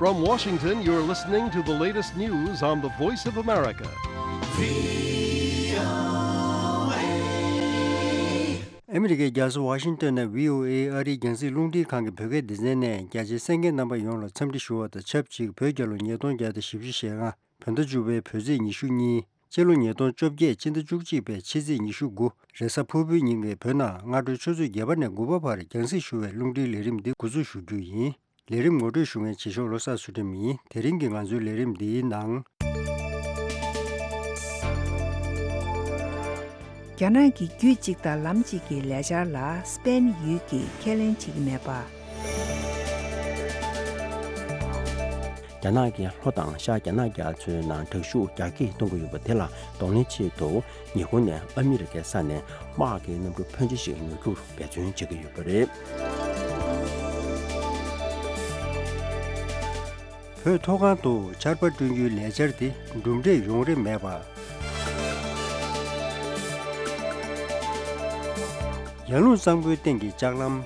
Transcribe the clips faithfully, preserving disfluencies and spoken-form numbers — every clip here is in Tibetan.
From Washington, you're listening to the latest news on the Voice of America. ཨ་མི་རི་ཀའི་རྒྱལ་ས་ཝ་ཤིང་ཏོན་ནས་བྷི་ཨོ་ཨེ་ཨ་རིའི་རྒྱང་སྲིང་རླུང་འཕྲིན་ཁང་གི་བོད་སྐད་སྡེ་ཚན་ནས་རྒྱ་ཆེའི་གསན་མཁན་རྣམ་པ་ཡོངས་ལ་འཚམས་འདྲི་ཞུ་བ་དང་ཆབས་ཅིག་བོད་རྒྱལ་ལོ་ཉིས་སྟོང་བརྒྱ་དང་བཞི་བཅུ་ཞེ་ལྔ། བོད་ཟླ་བཅུ་པའི་བོད་ཚེས་ཉི་ཤུ་གཉིས། སྤྱི་ལོ་ཉིས་སྟོང་བཅོ་བརྒྱད་སྤྱི་ཟླ་བཅུ་གཅིག་པའི་ཕྱི་ཚེས་ཉི་ཤུ་དགུ། རེས་གཟའ་ཕུར་བུའི་ཉིན་གྱི་བོད་ནང་སྔ་དྲོའི་ཆུ་ཚོད་བརྒྱད་པ་ནས་དགུ་པ་བར་རྒྱང་སྲིང་ཞུ་བའི་རླུང་འཕྲིན་ལས་རིམ་འདི་འགོ་འཛུགས་ཞུ་རྒྱུ་ཡིན། ལས་རིམ་ངོ་སྤྲོད་ཞུ་མཁན་བྱེད་ཤོག་བློ་བཟང་ཚུལ་ཁྲིམས་ཡིན། དེ་རིང་གི་ང་ཚོའི་ལས་རིམ་འདིའི་ནང་། རྒྱ་ནག་གི་རྒྱུད་གཅིག་དང་ལམ་གཅིག་གི་ལས་འཆར་ལ་སྤེན་ཡུལ་གྱིས་ཁས་ལེན་བྱེད་ཀྱི་མེད་པ། རྒྱ་ནག་གིས་ལྷོ་དང་ཤར་རྒྱ་ནག་རྒྱ་མཚོའི་ནང་དྲག་ཤུགས་རྒྱ་སྐྱེད་གཏོང་གི་ཡོད་པ་དེ་ལ་གདོང་ལེན་ཆེད་དུ། ཉེ་འཁོར་ནས་ཨ་མི་རི་ཀའི་ས་ནས་དམག་གི་གནམ་གྲུ་ཕོན་ཆེ་ཞིག་ཉོ་རྒྱུར་འབད་བརྩོན་བྱེད་ཀྱི་ཡོད་པ་རེད། བོད་མཐོ་སྒང་དུ་ཆར་པ་བསྐྲུན་རྒྱུའི་ལས་འཆར་དེ་གྲུབ་འབྲས་ཡོང་རེ་མེད་པ། ཡར་ཀླུང་གཙང་པོའི་སྟེང་གི་ལྕགས་ལམ།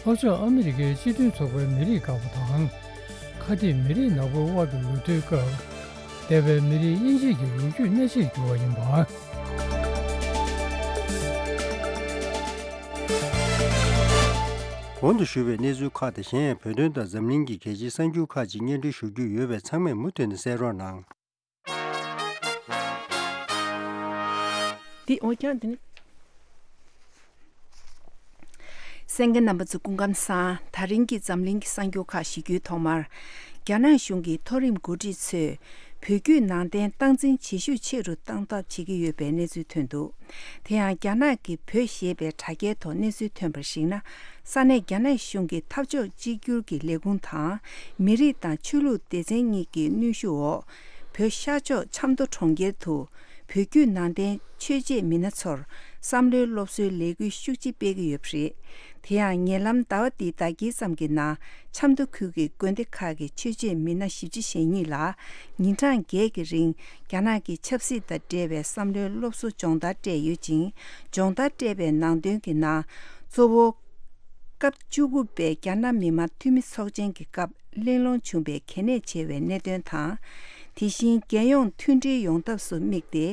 ལྷོ་ཕྱོགས་ཨ་མི་རི་ཀའི་སྤྱི་མཐུན་ཚོགས་པའི་མི་རིགས་འགག་པ་དང་། ཁ་གཏད་མི་རིགས་ནག་པོའི་དབར་གྱི་ལུགས་མཐུན་སྐབས། འདས་པའི་མི་རིགས་དབྱེ་འབྱེད་ཀྱི་ལོ་རྒྱུས་གནས་ཆེར་གྱུར་བ་ཡིན་པ། གོང་དུ་ཞུས་པའི་གནས་ཚུལ་ཁག་དང་གཞན་ཡང་བོད་དོན་དང་འཛམ་གླིང་གི་གལ་ཆེའི་གསར་འགྱུར་ཁག་ཅིག་སྙན་སྒྲོན་ཞུ་རྒྱུ་ཡོད་པས་ཚང་མས་མུ་མཐུད་ནས་གསན་རོགས་གནང་། འདི་འོ་ཀྱང་འདི་ནི། གསན་མཁན་རྣམ་པ་ཚོ་སྐུ་ཁམས་བཟང་། ད་རིང་གི་འཛམ་གླིང་གི་གསར་འགྱུར་ཁག་ཞུ་རྒྱུའི་ཐོག་མར། རྒྱ་ནག་གཞུང་གི་མཐོ་རིམ་འགོ་ཁྲིད་ཚོས་བོད་བརྒྱུད་ནང་བསྟན་སྟངས་འཛིན་བྱེད་ཤུགས་ཆེ་རུ་གཏང་ཐབས་བྱེད་ཀྱི་ཡོད་པའི་གནས་ཚུལ་ཐོན་འདུག་དེ་ཡང་རྒྱ་ནག་གི་བོད་ཞེས་པའི་དྲ་རྒྱའི་ཐོག་གནས་ཚུལ་ཐོན་པར་གཞིགས་ན། ས་གནས་རྒྱ་ནག་གཞུང་གི་འཐབ་ཕྱོགས་གཅིག་གྱུར་གྱི་ལས་ཁུངས་དང་། མི་རིགས་དང་ཆོས་ལུགས་སྡེ་ཚན་གཉིས་ཀྱི་གནོན་ཤུགས་འོག་བོད་ཤར་ཕྱོགས་ཆབ་མདོ་གྲོང་ཁྱེར་དུ། བོད་བརྒྱུད་ནང་བསྟན་ཆོས་བྱེད་མི་སྣ་ཚོར་བསམ་བློའི་སློབ་གསོའི་ལས་འགུལ་ཤུགས་ཆེ་སྤེལ་གྱི་ཡོད་པ་རེད། དེ་ཡང་ཉེ་ལམ་ཟླ་བ་འདིའི་ཟླ་དཀྱིལ་ཙམ་གྱི་ནང་ཆབ་མདོ་ཁུལ་གྱི་དགོན་སྡེ་ཁག་གི་ཆོས་བྱེད་མི་སྣ་བཞི་བཅུ་ཞེ་གཉིས་ལ་ཉིན་གྲངས་བརྒྱད་ཀྱི་རིང་རྒྱ་ནག་གི་ཆབ་སྲིད་དང་འབྲེལ་བའི་བསམ་བློའི་སློབ་གསོ་སྦྱོང་བརྡར་སྤྲད་ཡོད་ཅིང་། སྦྱོང་བརྡར་སྤྲད་པའི་ནང་དོན་གྱི་ནང་གཙོ་བོ། སྐབས་བཅུ་དགུ་པའི་རྒྱ་ནག་མི་དམངས་འཐུས་མི་ཚོགས་ཆེན་གྱི་སྐབས་གླེང་སློང་བྱུང་བའི་གལ་གནད་ཆེ་བའི་གནད་དོན་དང་། དེ་བཞིན་རྒྱལ་ཡོངས་མཐུན་སྒྲིལ་ཡོང་ཐབས་སུ་དམིགས་ཏེ།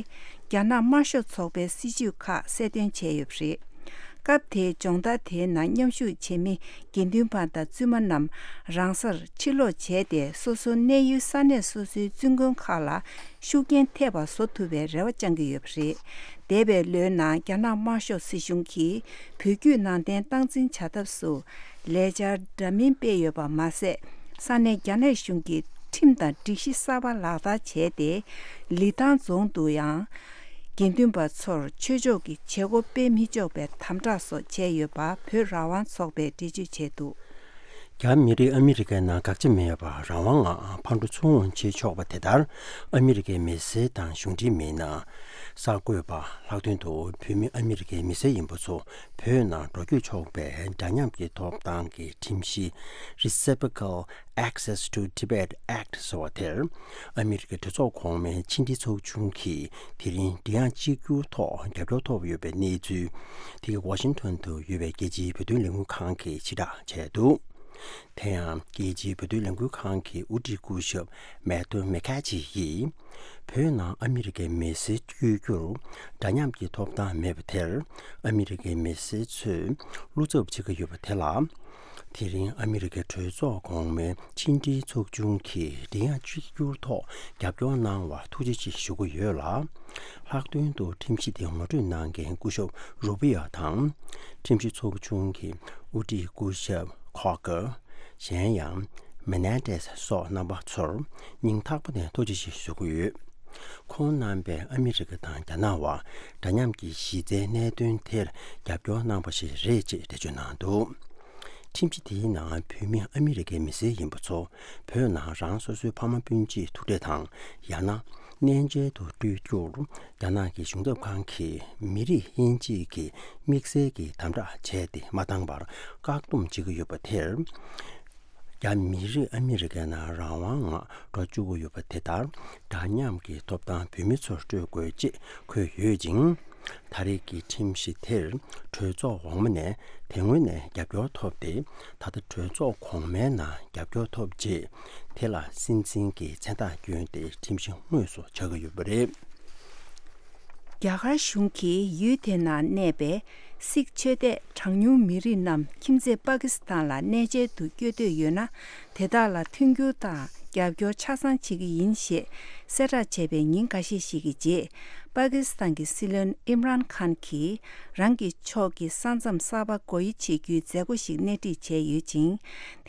རྒྱ་ནག་དམར་ཤོག་ཚོགས་པའི་སྲིད་བྱུས་ཁག་གསལ་སྟོན་བྱས་ཡོད་པ་རེད། སྐབས་དེའི་སྦྱོང་བརྡར་དེའི་ནང་མཉམ་ཞུགས་བྱེད་མི་དགེ་འདུན་པ་དང་བཙུན་མ་རྣམས་རང་སར་ཕྱིར་ལོག་བྱས་ཏེ། སོ་སོའི་གནས་ཡུལ་ས་གནས་སོ་སོའི་བཙུན་དགོན་ཁག་ལ་ཤུགས་རྐྱེན་ཐེབས་པ་བཟོ་ཐུབ་པའི་རེ་བ་བཅང་གི་ཡོད་པ་རེད། འདས་པའི་ལོའི་ནང་རྒྱ་ནག་དམར་ཤོག་སྲིད་གཞུང་གིས་བོད་བརྒྱུད་ནང་བསྟན་སྟངས་འཛིན་བྱ་ཐབས་སུ་ལས་འཆར་འདྲ་མིན་སྤེལ་ཡོད་པ་མ་ཟད། ས་གནས་རྒྱ་ནག་གཞུང་གིས་ཁྲིམས་དང་སྒྲིག་གཞི་གསར་པ་ལག་བསྟར་བྱས་ཏེ། ལི་ཐང་རྫོང་དུ་ཡང་དགེ་འདུན་པ་ཚོར་ཆོས་ཕྱོགས་ཀྱི་བྱེད་སྒོ་སྤེལ་མི་ཆོག་པའི་དམ་དྲག་སོགས་བྱས་ཡོད་པ་བོད་རང་དབང་ཚོགས་པས་འགྲེལ་བརྗོད་བྱས་འདུག་རྒྱ་མི་རིགས་ཨ་མི་རི་ཀའི་ནང་དགག་བྱ་མེད་པར་རང་དབང་ངང་ཕར་འགྲོ་ཚུར་འོང་བྱེད་ཆོག་པ་དེ་ལྟར། ཨ་མི་རི་ཀའི་མི་སེར་དང་གཞུང་འབྲེལ་མི་སྣ། གསར་འགོད་པ། ལྷག་དོན་དུ་བོད་མི་ཨ་མི་རི་ཀའི་མི་སེར་ཡིན་པ་ཚོ་བོད་ནང་འགྲོ་སྐྱོད་ཆོག་པའི་འདྲ་མཉམ་གྱི་ཐོབ་ཐང་གི་ཁྲིམས་གཞི། Reciprocal Access to Tibet Act ཟེར་བ་དེར། ཨ་མི་རི་ཀའི་གྲོས་ཚོགས་གོང་མའི་ཕྱི་འབྲེལ་ཚོགས་ཆུང་གིས་དེ་རིང་འབྲི་དབྱངས་གཅིག་གྱུར་ཐོག་རྒྱབ་སྐྱོར་ཐོབ་ཡོད་པའི་གནས་ཚུལ། དེ་ག་ཝ་ཤིང་ཊོན་དུ་ཡོད་པའི་རྒྱལ་སྤྱིའི་བོད་དོན་ལས་འགུལ་ཁང་གིས་ཕྱིར་བསྒྲགས་བྱས་འདུག་དེ་ཡང་རྒྱལ་སྤྱིའི་བོད་དོན་ལས་འགུལ་ཁང་གི་དབུ་ཁྲིད་སྐུ་ཞབས་མེ་ཏོ་མེ་ཁ་ཆི་ཡིས། བོད་ནང་ཨ་མི་རི་ཀའི་མི་སེར་བསྐྱོད་རྒྱུར་འདྲ་མཉམ་གྱི་ཐོབ་ཐང་མེད་པ་དེར། ཨ་མི་རི་ཀའི་མི་སེར་ཚོས་བློ་འཚབ་བྱེད་ཀྱི་ཡོད་པ་དེ་ལ། དེ་རིང་ཨ་མི་རི་ཀའི་གྲོས་ཚོགས་གོང་མའི་ཕྱི་འབྲེལ་ཚོགས་ཆུང་གིས་འབྲི་དབྱངས་གཅིག་གྱུར་ཐོག་རྒྱབ་སྐྱོར་གནང་བར་ཐུགས་རྗེ་ཆེ་ཞུ་གི་ཡོད་ལ། ལྷག་དོན་དུ་ཁྲིམས་གཞི་དེ་ངོ་སྤྲོད་གནང་མཁན་སྐུ་ཞབས་རུ་པི་ཡ་དང་། ཁྲིམས་ཞིབ་ཚོགས་ཆུང་གི་དབུ་ཁྲིད་སྐུ་ཞབས་ཁོ་ཀར། གཞན་ཡང་མེ་ནན་ཏེས་སོགས་རྣམ་པ་ཚོར་སྙིང་ཐག་པ་ནས་ཐུགས་རྗེ་ཆེ་ཞུ་གི་ཡོད། ཁོང་རྣམ་པས་ཨ་མི་རི་ཀ་དང་རྒྱ་ནག་དབར་འདྲ་མཉམ་གྱི་གཞི་རྩའི་གནད་དོན་དེར་རྒྱབ་སྐྱོར་གནང་པ་ཞིག་རེད་ཅེས་འགྲེལ་བརྗོད་གནང་འདུག་ཁྲིམས་གཞི་དེའི་ནང་བོད་མི་ཨ་མི་རི་ཀའི་མི་སེར་ཡིན་པ་ཚོ་བོད་ནང་རང་སོ་སོའི་ཕ་མ་སྤུན་མཆེད་ཐུག་འཕྲད་དང་། ཡང་ན་གནས་མཇལ་དུ་སྤྲོད་རྒྱུར་རྒྱ་ནག་གི་གཞུང་ཚབ་ཁང་གིས་མི་རིགས་དབྱེ་འབྱེད་ཀྱི་དམིགས་བསལ་གྱི་དམ་དྲག་བྱས་ཏེ་མ་བཏང་བར་བཀག་སྡོམ་བྱེད་ཀྱི་ཡོད་པ་དེར། རྒྱ་མི་རིགས་ཨ་མི་རི་ཀའི་ནང་རང་དབང་ངང་འགྲོ་བཅུག་གི་ཡོད་པ་དེ་ལྟར་འདྲ་མཉམ་གྱི་ཐོབ་ཐང་བོད་མི་ཚོར་སྤྲོད་དགོས་ཅེས་འཁོད་ཡོད་ཅིང་། ད་རེས་ཀྱི་ཁྲིམས་གཞི་དེར་གྲོས་ཚོགས་འོག་མ་ནས་དེ་སྔོན་ནས་རྒྱབ་སྐྱོར་ཐོབ་སྟེ། ད་ལྟ་གྲོས་ཚོགས་གོང་མའི་ནང་རྒྱབ་སྐྱོར་ཐོབ་རྗེས། དེ་ལ་སྲིད་འཛིན་གྱི་མཚན་རྟགས་བསྐྱོན་ཏེ་ཁྲིམས་གཞི་དངོས་སུ་ཆགས་ཀྱི་ཡོད་པ་རེད། རྒྱ་གར་གཞུང་གིས་ཡུལ་དེ་ནང་གནས་པའི་སིག་ཆོས་དད་གྲངས་ཉུང་མི་རིགས་རྣམས་ཁྱིམ་མཚེས་པ་ཀི་སི་ཐན་ལ་གནས་མཇལ་དུ་བསྐྱོད་འདོད་ཡོད་ན། དེ་དག་ལ་མཐུན་འགྱུར་དང་རྒྱབ་སྐྱོར་ཆ་ཚང་བྱེད་ཀྱི་ཡིན་ཞེས་གསལ་བསྒྲགས་བྱས་པའི་ཉིན་འགའ་ཤས་ཤིག་གི་རྗེས། པ་ཀི་སི་ཐན་གྱི་སྲིད་བློན་ཨིམ་རཱན་ཁཱན་གྱིས་རང་གི་ཕྱོགས་ཀྱི་ས་མཚམས་གསར་པ་སྒོ་དབྱེ་བྱེད་རྒྱུའི་མཛད་སྒོ་ཞིག་སྣེ་ཁྲིད་བྱས་ཡོད་ཅིང་།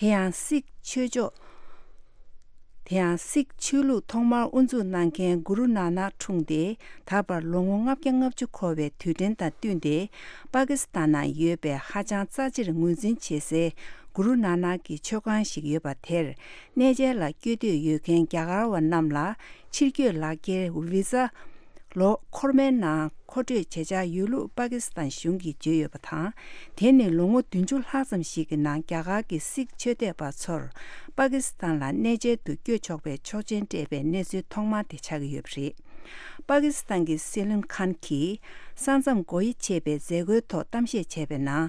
དེ་ཡང་སིག་ཆོས་ཕྱོགས། དེ་ཡང་སིག་ཆོས་ལུགས་ཐོག་མར་དབུ་འཛུགས་གནང་མཁན་གུ་རུ་ནཱ་ནག་འཁྲུངས་ཏེ། ད་བར་ལོ་ངོ་ལྔ་བརྒྱ་ལྔ་བཅུ་འཁོར་བའི་དུས་དྲན་དང་བསྟུན་ཏེ། པ་ཀི་སི་ཐན་ནང་ཡོད་པའི་ཧ་ཅང་རྩ་ཆེར་ངོས་འཛིན་བྱེད་སའི་གུ་རུ་ནཱ་ནག་གི་མཆོད་ཁང་ཞིག་ཡོད་པ་དེར། གནས་མཇལ་ལ་བསྐྱོད་འདོད་ཡོད་མཁན་རྒྱ་གར་བ་རྣམས་ལ་ཕྱིར་སྐྱོད་ལག་འཁྱེར་བི་ཟ། ལོ་འཁོར་མའི་ནང་མཁོ་སྤྲོད་བྱེད་འཆར་ཡོད་ལུགས་པ་ཀི་སི་ཐན་གཞུང་གིས་བརྗོད་ཡོད་པ་དང་། དེ་ནི་ལོ་ངོ་བདུན་ཅུ་ལྷག་ཙམ་ཞིག་གི་ནང་རྒྱ་གར་གྱི་སིག་ཆོས་དད་པ་ཚོར་པ་ཀི་སི་ཐན་ལ་གནས་མཇལ་དུ་བསྐྱོད་ཆོག་པའི་ཆོག་མཆན་སྤྲད་པའི་གནས་ཚུལ་ཐོག་མ་དེ་ཆགས་ཀྱི་ཡོད་པ་རེད། པ་ཀི་སི་ཐན་གྱི་སྲིད་བློན་ཁཱན་གྱིས་ས་མཚམས་སྒོ་དབྱེ་བྱས་པའི་མཛད་སྒོའི་ཐོག་གཏམ་བཤད་བྱས་པའི་ནང་།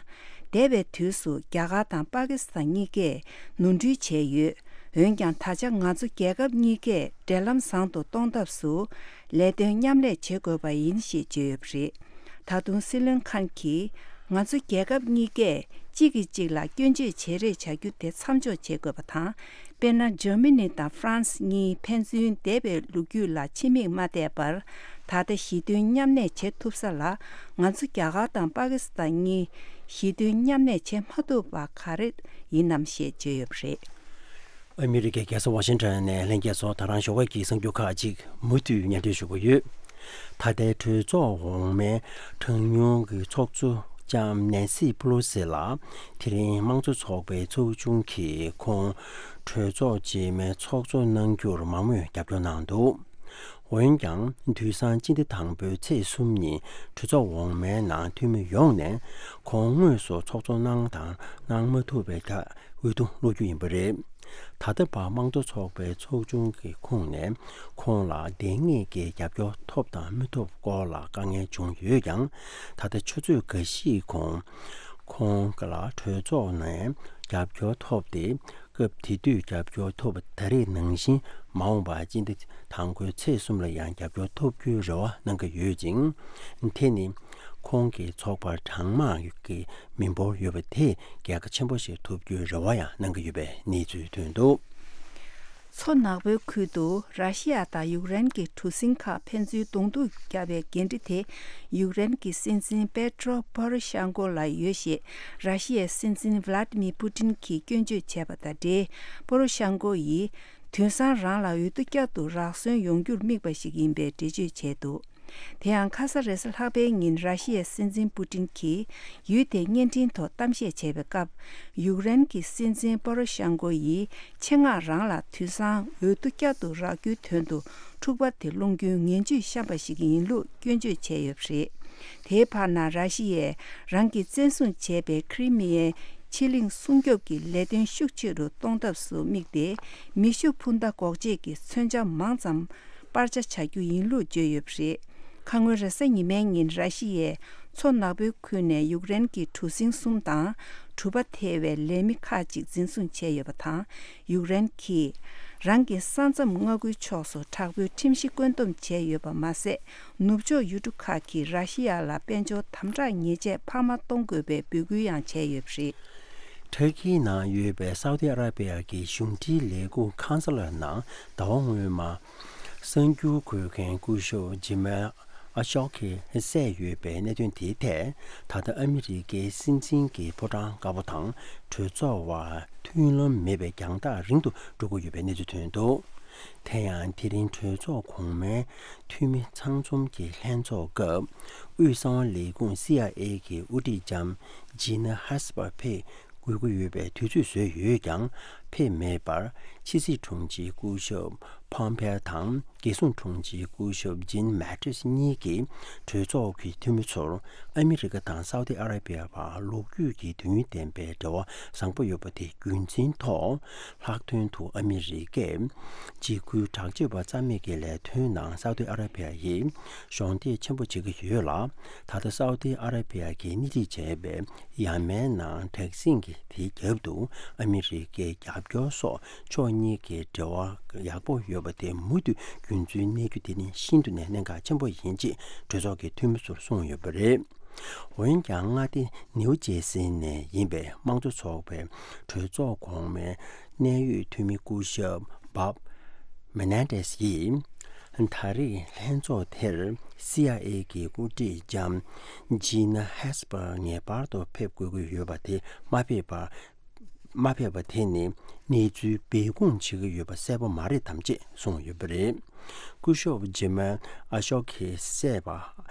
འདས་པའི་དུས་སུ་རྒྱ་གར་དང་པ་ཀི་སི་ཐན་གཉིས་ཀས་ནོར་འཁྲུལ་བྱས་ཡོད། འོན་ཀྱང་། ད་ཆ་ང་ཚོ་རྒྱལ་ཁབ་གཉིས་ཀས་འབྲེལ་ལམ་བཟང་དུ་གཏོང་ཐབས་སུ་ལས་དོན་མཉམ་ལས་བྱེད་དགོས་པ་ཡིན་ཞེས་བརྗོད་ཡོད་པ་རེད། ད་དུང་སྲིད་བློན་ཁཱན་གྱིས། ང་ཚོ་རྒྱལ་ཁབ་གཉིས་ཀས་གཅིག་གིས་གཅིག་ལ་སྐྱོན་བརྗོད་བྱེད་རེས་བྱ་རྒྱུ་དེ་མཚམས་འཇོག་བྱེད་དགོས་པ་དང་། དཔེར་ན། འཇར་མ་ནི་དང་ཧྥ་རན་སི་གཉིས་ཕན་ཚུན་འདས་པའི་ལོ་རྒྱུས་ལ་ཕྱི་མིག་མ་བལྟས་པར། ད་ལྟ་ཞི་མཐུན་མཉམ་གནས་བྱེད་ཐུབ་ས་ལ། ང་ཚོ་རྒྱ་གར་དང་པ་ཀི་སི་ཐན་གཉིས་ཞི་མཐུན་མཉམ་གནས་བྱེད་མ་ཐུབ་པ་ག་རེ་ཡིན་ནམ་ཞེས་བརྗོད་ཡོད་པ་རེད། ཨ་མི་རི་ཀའི་རྒྱལ་ས་ཝ་ཤིང་ཊོན་ནས་ལྷན་རྒྱས་ཚོ། ད་རང་ཞོགས་ཀས་ཀྱི་གསར་འགྱུར་ཁག་ཅིག་མུ་མཐུད་སྙན་སྒྲོན་ཞུ་གི་ཡོད། ད་ལྟའི་གྲོས་ཚོགས་འོག་མའི་གྲངས་ཉུང་གི་ཚོགས་གཙོ་ལྕམ་ནེན་སི་པེ་ལོ་སི་ལ། དེ་རིང་དམངས་གཙོ་ཚོགས་པའི་ཚོགས་ཆུང་གིས་ཁོང་གྲོས་ཚོགས་རྗེས་མའི་ཚོགས་གཙོ་གནང་རྒྱུར་མང་མོས་རྒྱབ་སྐྱོར་གནང་འདུག་འོན་ཀྱང་། དུས་སང་སྤྱི་ཟླ་དང་པོའི་ཚེས་གསུམ་ཉིན་གྲོས་ཚོགས་འོག་མའི་ནང་འཐུས་མི་ཡོངས་ནས་ཁོང་དངོས་སུ་ཚོགས་གཙོ་གནང་དང་གནང་མ་ཐུབ་པའི་ཐད་འོས་བསྡུ་སློག་རྒྱུ་ཡིན་པ་རེད། ད་ལྟ་བར་དམངས་གཙོ་ཚོགས་པའི་ཚོགས་ཆུང་གི་ཁོངས་ནས་ཁོང་ལ་དེ་སྔོན་གྱི་རྒྱབ་སྐྱོར་ཐོབ་དང་མི་ཐོབ་སྐོར་ལ་དཀའ་ངལ་བྱུང་ཡོད་ཀྱང་། ད་ལྟ་ཆུ་ཚོད་འགའ་ཤས་གོང་ཁོང་ལ་གྲོས་ཚོགས་ནས་རྒྱབ་སྐྱོར་ཐོབ་སྟེ། སྐབས་དེ་དུས་རྒྱབ་སྐྱོར་ཐོབ་པ་ད་རེས་ནང་བཞིན་མ་འོངས་པར་སྤྱི་ཟླ་དང་པོའི་ཚེས་གསུམ་ལ་ཡང་རྒྱབ་སྐྱོར་ཐོབ་རྒྱུའི་རེ་བ་གནང་གི་ཡོད་ཅིང་། དེ་ནི་ཁོང་གི་ཚོགས་པར་གྲངས་མང་གི་མི་འབོར་ཡོད་པ་དེས་རྒྱལ་ཁ་ཆེན་པོ་ཞིག་ཐོབ་རྒྱུའི་རེ་བ་ཡང་གནང་གི་ཡོད་པའི་གནས་ཚུལ་ཐོན་འདུག་མཚོ་ནག་པོའི་ཁུལ་དུ་ར་ཤི་ཡ་དང་ཡུཀ་རེན་གྱི་གྲུ་གཟིངས་ཁག་ཕན་ཚུན་གདོང་ཐུག་བརྒྱབ་པའི་འགན་འཁྲི་དེ། ཡུཀ་རེན་གྱི་སྲིད་འཛིན་པེ་ཏྲོ་པོ་རོ་ཤན་ཀོ་ལ་ཡོད་ཞེས་ར་ཤི་ཡའི་སྲིད་འཛིན་ཝི་ལ་ཏི་མི་པུ་ཏིན་གྱིས་སྐྱོན་བརྗོད་བྱས་པ་དང་འབྲེལ། པོ་རོ་ཤན་ཀོ་ཡིས་དུས་སང་རང་ལ་འོས་བསྡུ་བསྐྱར་དུ་རག་སོན་ཡོང་རྒྱུར་དམིགས་པ་ཞིག་ཡིན་པའི་འགྲེལ་བརྗོད་བྱས་འདུག་དེ་ཡང་ཁ་ས་རེས་གཟའ་ལྷག་པའི་ཉིན་ར་ཤི་ཡའི་སྲིད་འཛིན་པུ་ཏིན་གྱིས་ཡུལ་དེའི་བརྙན་འཕྲིན་ཐོག་གཏམ་བཤད་བྱས་པའི་སྐབས། ཡུཀ་རེན་གྱི་སྲིད་འཛིན་པོ་རོ་ཤན་ཀོ་ཡིས་ཆེད་མངགས་རང་ལ་དུས་སང་འོས་བསྡུ་བསྐྱར་དུ་རག་རྒྱུའི་དོན་དུ་འཁྲུག་པ་དེ་སློང་རྒྱུའི་ངན་ཇུས་བཤམས་པ་ཞིག་ཡིན་ལུགས་སྐྱོན་བརྗོད་བྱས་ཡོད་པ་རེད། དེའི་བར་ན་ར་ཤི་ཡས་རང་གིས་བཙན་བཟུང་བྱས་པའི་ཁི་རི་མི་ཡའི་ཕྱེད་གླིང་སྲུང་སྐྱོབ་ཀྱི་ལས་དོན་ཤུགས་ཆེ་རུ་གཏོང་ཐབས་སུ་དམིགས་ཏེ། མེ་ཤུགས་འཕུར་མདའ་འགོག་བྱེད་ཀྱི་མཚོན་ཆ་མང་ཙམ་སྤར་ཆ་བྱ་རྒྱུ་ཡིན་ལུགས་བརྗོད་ཡོད་པ་རེད། ཁ་སྔོན་རེས་གཟའ་ཉི་མའི་ཉིན་ར་ཤི་ཡས་མཚོ་ནག་པོའི་ཁུལ་ནས་ཡུཀ་རེན་གྱི་གྲུ་གཟིངས་གསུམ་དང་གྲུ་པ་ཐེ་བའི་ལས་མི་ཁག་ཅིག་འཛིན་བཟུང་བྱས་ཡོད་པ་དང་། ཡུཀ་རེན་གྱིས་རང་གི་ས་མཚམས་མངའ་ཁུལ་ཕྱོགས་སུ་དྲག་པོའི་ཁྲིམས་གཞི་བཀོད་འདོམས་བྱས་ཡོད་པ་མ་ཟད། ནུབ་ཕྱོགས་ཡུལ་གྲུ་ཁག་གིས་ར་ཤི་ཡ་ལ་དཔལ་འབྱོར་དམ་དྲག་ཉེས་ཆད་འཕར་མ་གཏོང་དགོས་པའི་འབོད་སྐུལ་ཡང་བྱས་ཡོད་པ་རེད། ཊར་ཀིའི་ནང་ཡོད་པའི་སའུ་ཏི་ཨ་ར་པི་ཡ་གི་གཞུང་འབྲེལ་ལས་ཁུངས་ཁང་སླར་ནང་ཟླ་བ་སྔོན་མ་གསར་འགྱུར་འགོད་མཁན་སྐུ་ཞབས་ཇི་མལ་ཨ་ཤོག་གིས་བསད་ཡོད་པའི་གནད་དོན་དེའི་ཐད། ད་ལྟ་ཨ་མི་རི་ཀའི་སྲིད་འཛིན་གྱི་ཕོ་བྲང་དཀར་པོ་དང་གྲོས་ཚོགས་བར་མཐུན་ལམ་མེད་པའི་རྒྱང་ཐག་རིང་དུ་འགྲོ་གི་ཡོད་པའི་གནས་ཚུལ་ཐོན་འདུག་དེ་ཡང་དེ་རིང་གྲོས་ཚོགས་གོང་མའི་འཐུས་མི་ཚང་འཛོམས་ཀྱི་ལྷན་ཚོགས་སྐབས། དབུས་གསང་བ་ལས་ཁུངས་སི་ཨའི་ཨེ་གི་དབུ་ཁྲིད་ལྕམ་ཇི་ན་ཧས་པར་ཕེབས་དགོས་ཀྱི་ཡོད་པའི་དུས་ཚོད་བཟོས་ཡོད་ཀྱང་། ཕེབས་མེད་པར། ཕྱི་སྲིད་དྲུང་ཆེ་སྐུ་ཞབས་ཕོམ་ཕེ་དང་། རྒྱལ་སྲུང་དྲུང་ཆེ་སྐུ་ཞབས་ཇིན་མེ་ཏིས་གཉིས་ཀྱིས་གྲོས་ཚོགས་ཀྱི་འཐུས་མི་ཚོར་ཨ་མི་རི་ཀ་དང་སའུ་ཏི་ཨ་ར་བི་ཡ་བར་ལོ་རྒྱུས་ཀྱི་དུས་ཡུན་ལྡན་པའི་འབྲེལ་བ་བཟང་པོ་ཡོད་པ་དེ་རྒྱུན་འཛིན་ཐོག་ལྷག་དོན་དུ་ཨ་མི་རི་ཀས་འཇིགས་སྐུལ་དྲག་སྤྱོད་པ་རྩ་མེད་ཀྱི་ལས་དོན་ནང་སའུ་ཏི་ཨ་ར་བི་ཡ་ཡིས་གཞོགས་འདེགས་ཆེན་པོ་བྱེད་ཀྱི་ཡོད་ལ། ད་ལྟ་སའུ་ཏི་ཨ་ར་བི་ཡ་གིས་སྣེ་ཁྲིད་བྱས་པའི་ཡ་མེན་ནང་དྲག་ཟིང་གི་དེའི་རྒྱབ་ཏུ་ཨ་མི་རི་ཀའི་རྒྱབ་སྐྱོར་སོགས་ཕྱོགས་གཉིས་ཀྱི་འབྲེལ་བ་ཡག་པོ་ཡོད་པ་དེ་མུ་མཐུད་རྒྱུན་འཛིན་གནས་རྒྱུ་དེ་ནི་ཤིན་ཏུ་ནས་གནད་འགག་ཆེན་པོ་ཡིན་ཅེས་གྲོས་ཚོགས་ཀྱི་འཐུས་མི་ཚོར་གསུངས་ཡོད་པ་རེད། འོན་ཀྱང་མངའ་སྡེ་ནིའུ་ཇེ་སི་ནས་ཡིན་པའི་དམངས་གཙོ་ཚོགས་པའི་གྲོས་ཚོགས་གོང་མའི་གནད་ཡོད་འཐུས་མི་སྐུ་ཞབས་བྷབ་མེ་ནན་ཏེས་ཡིས། ད་རེས་ལྷན་ཚོགས་དེར་སི་ཨའི་ཨེ་གི་འགོ་ཁྲིད་ལྕམ་ཇི་ན་ཧེས་པར་ངེས་པར་དུ་ཕེབས་དགོས་ཀྱི་ཡོད་པ་དེ་མ་ཕེབས་པར། མ་ཕེབས་པ་དེ་ནི་གནས་ཚུལ་སྦས་སྐུང་བྱེད་ཀྱི་ཡོད་པ་གསལ་པོ་མ་རེད་དམ་ཅེས་གསུངས་ཡོད་པ་རེད། སྐུ་ཞབས་ཇི་མལ་ཨ་ཤོག་གིས་བསད་པ།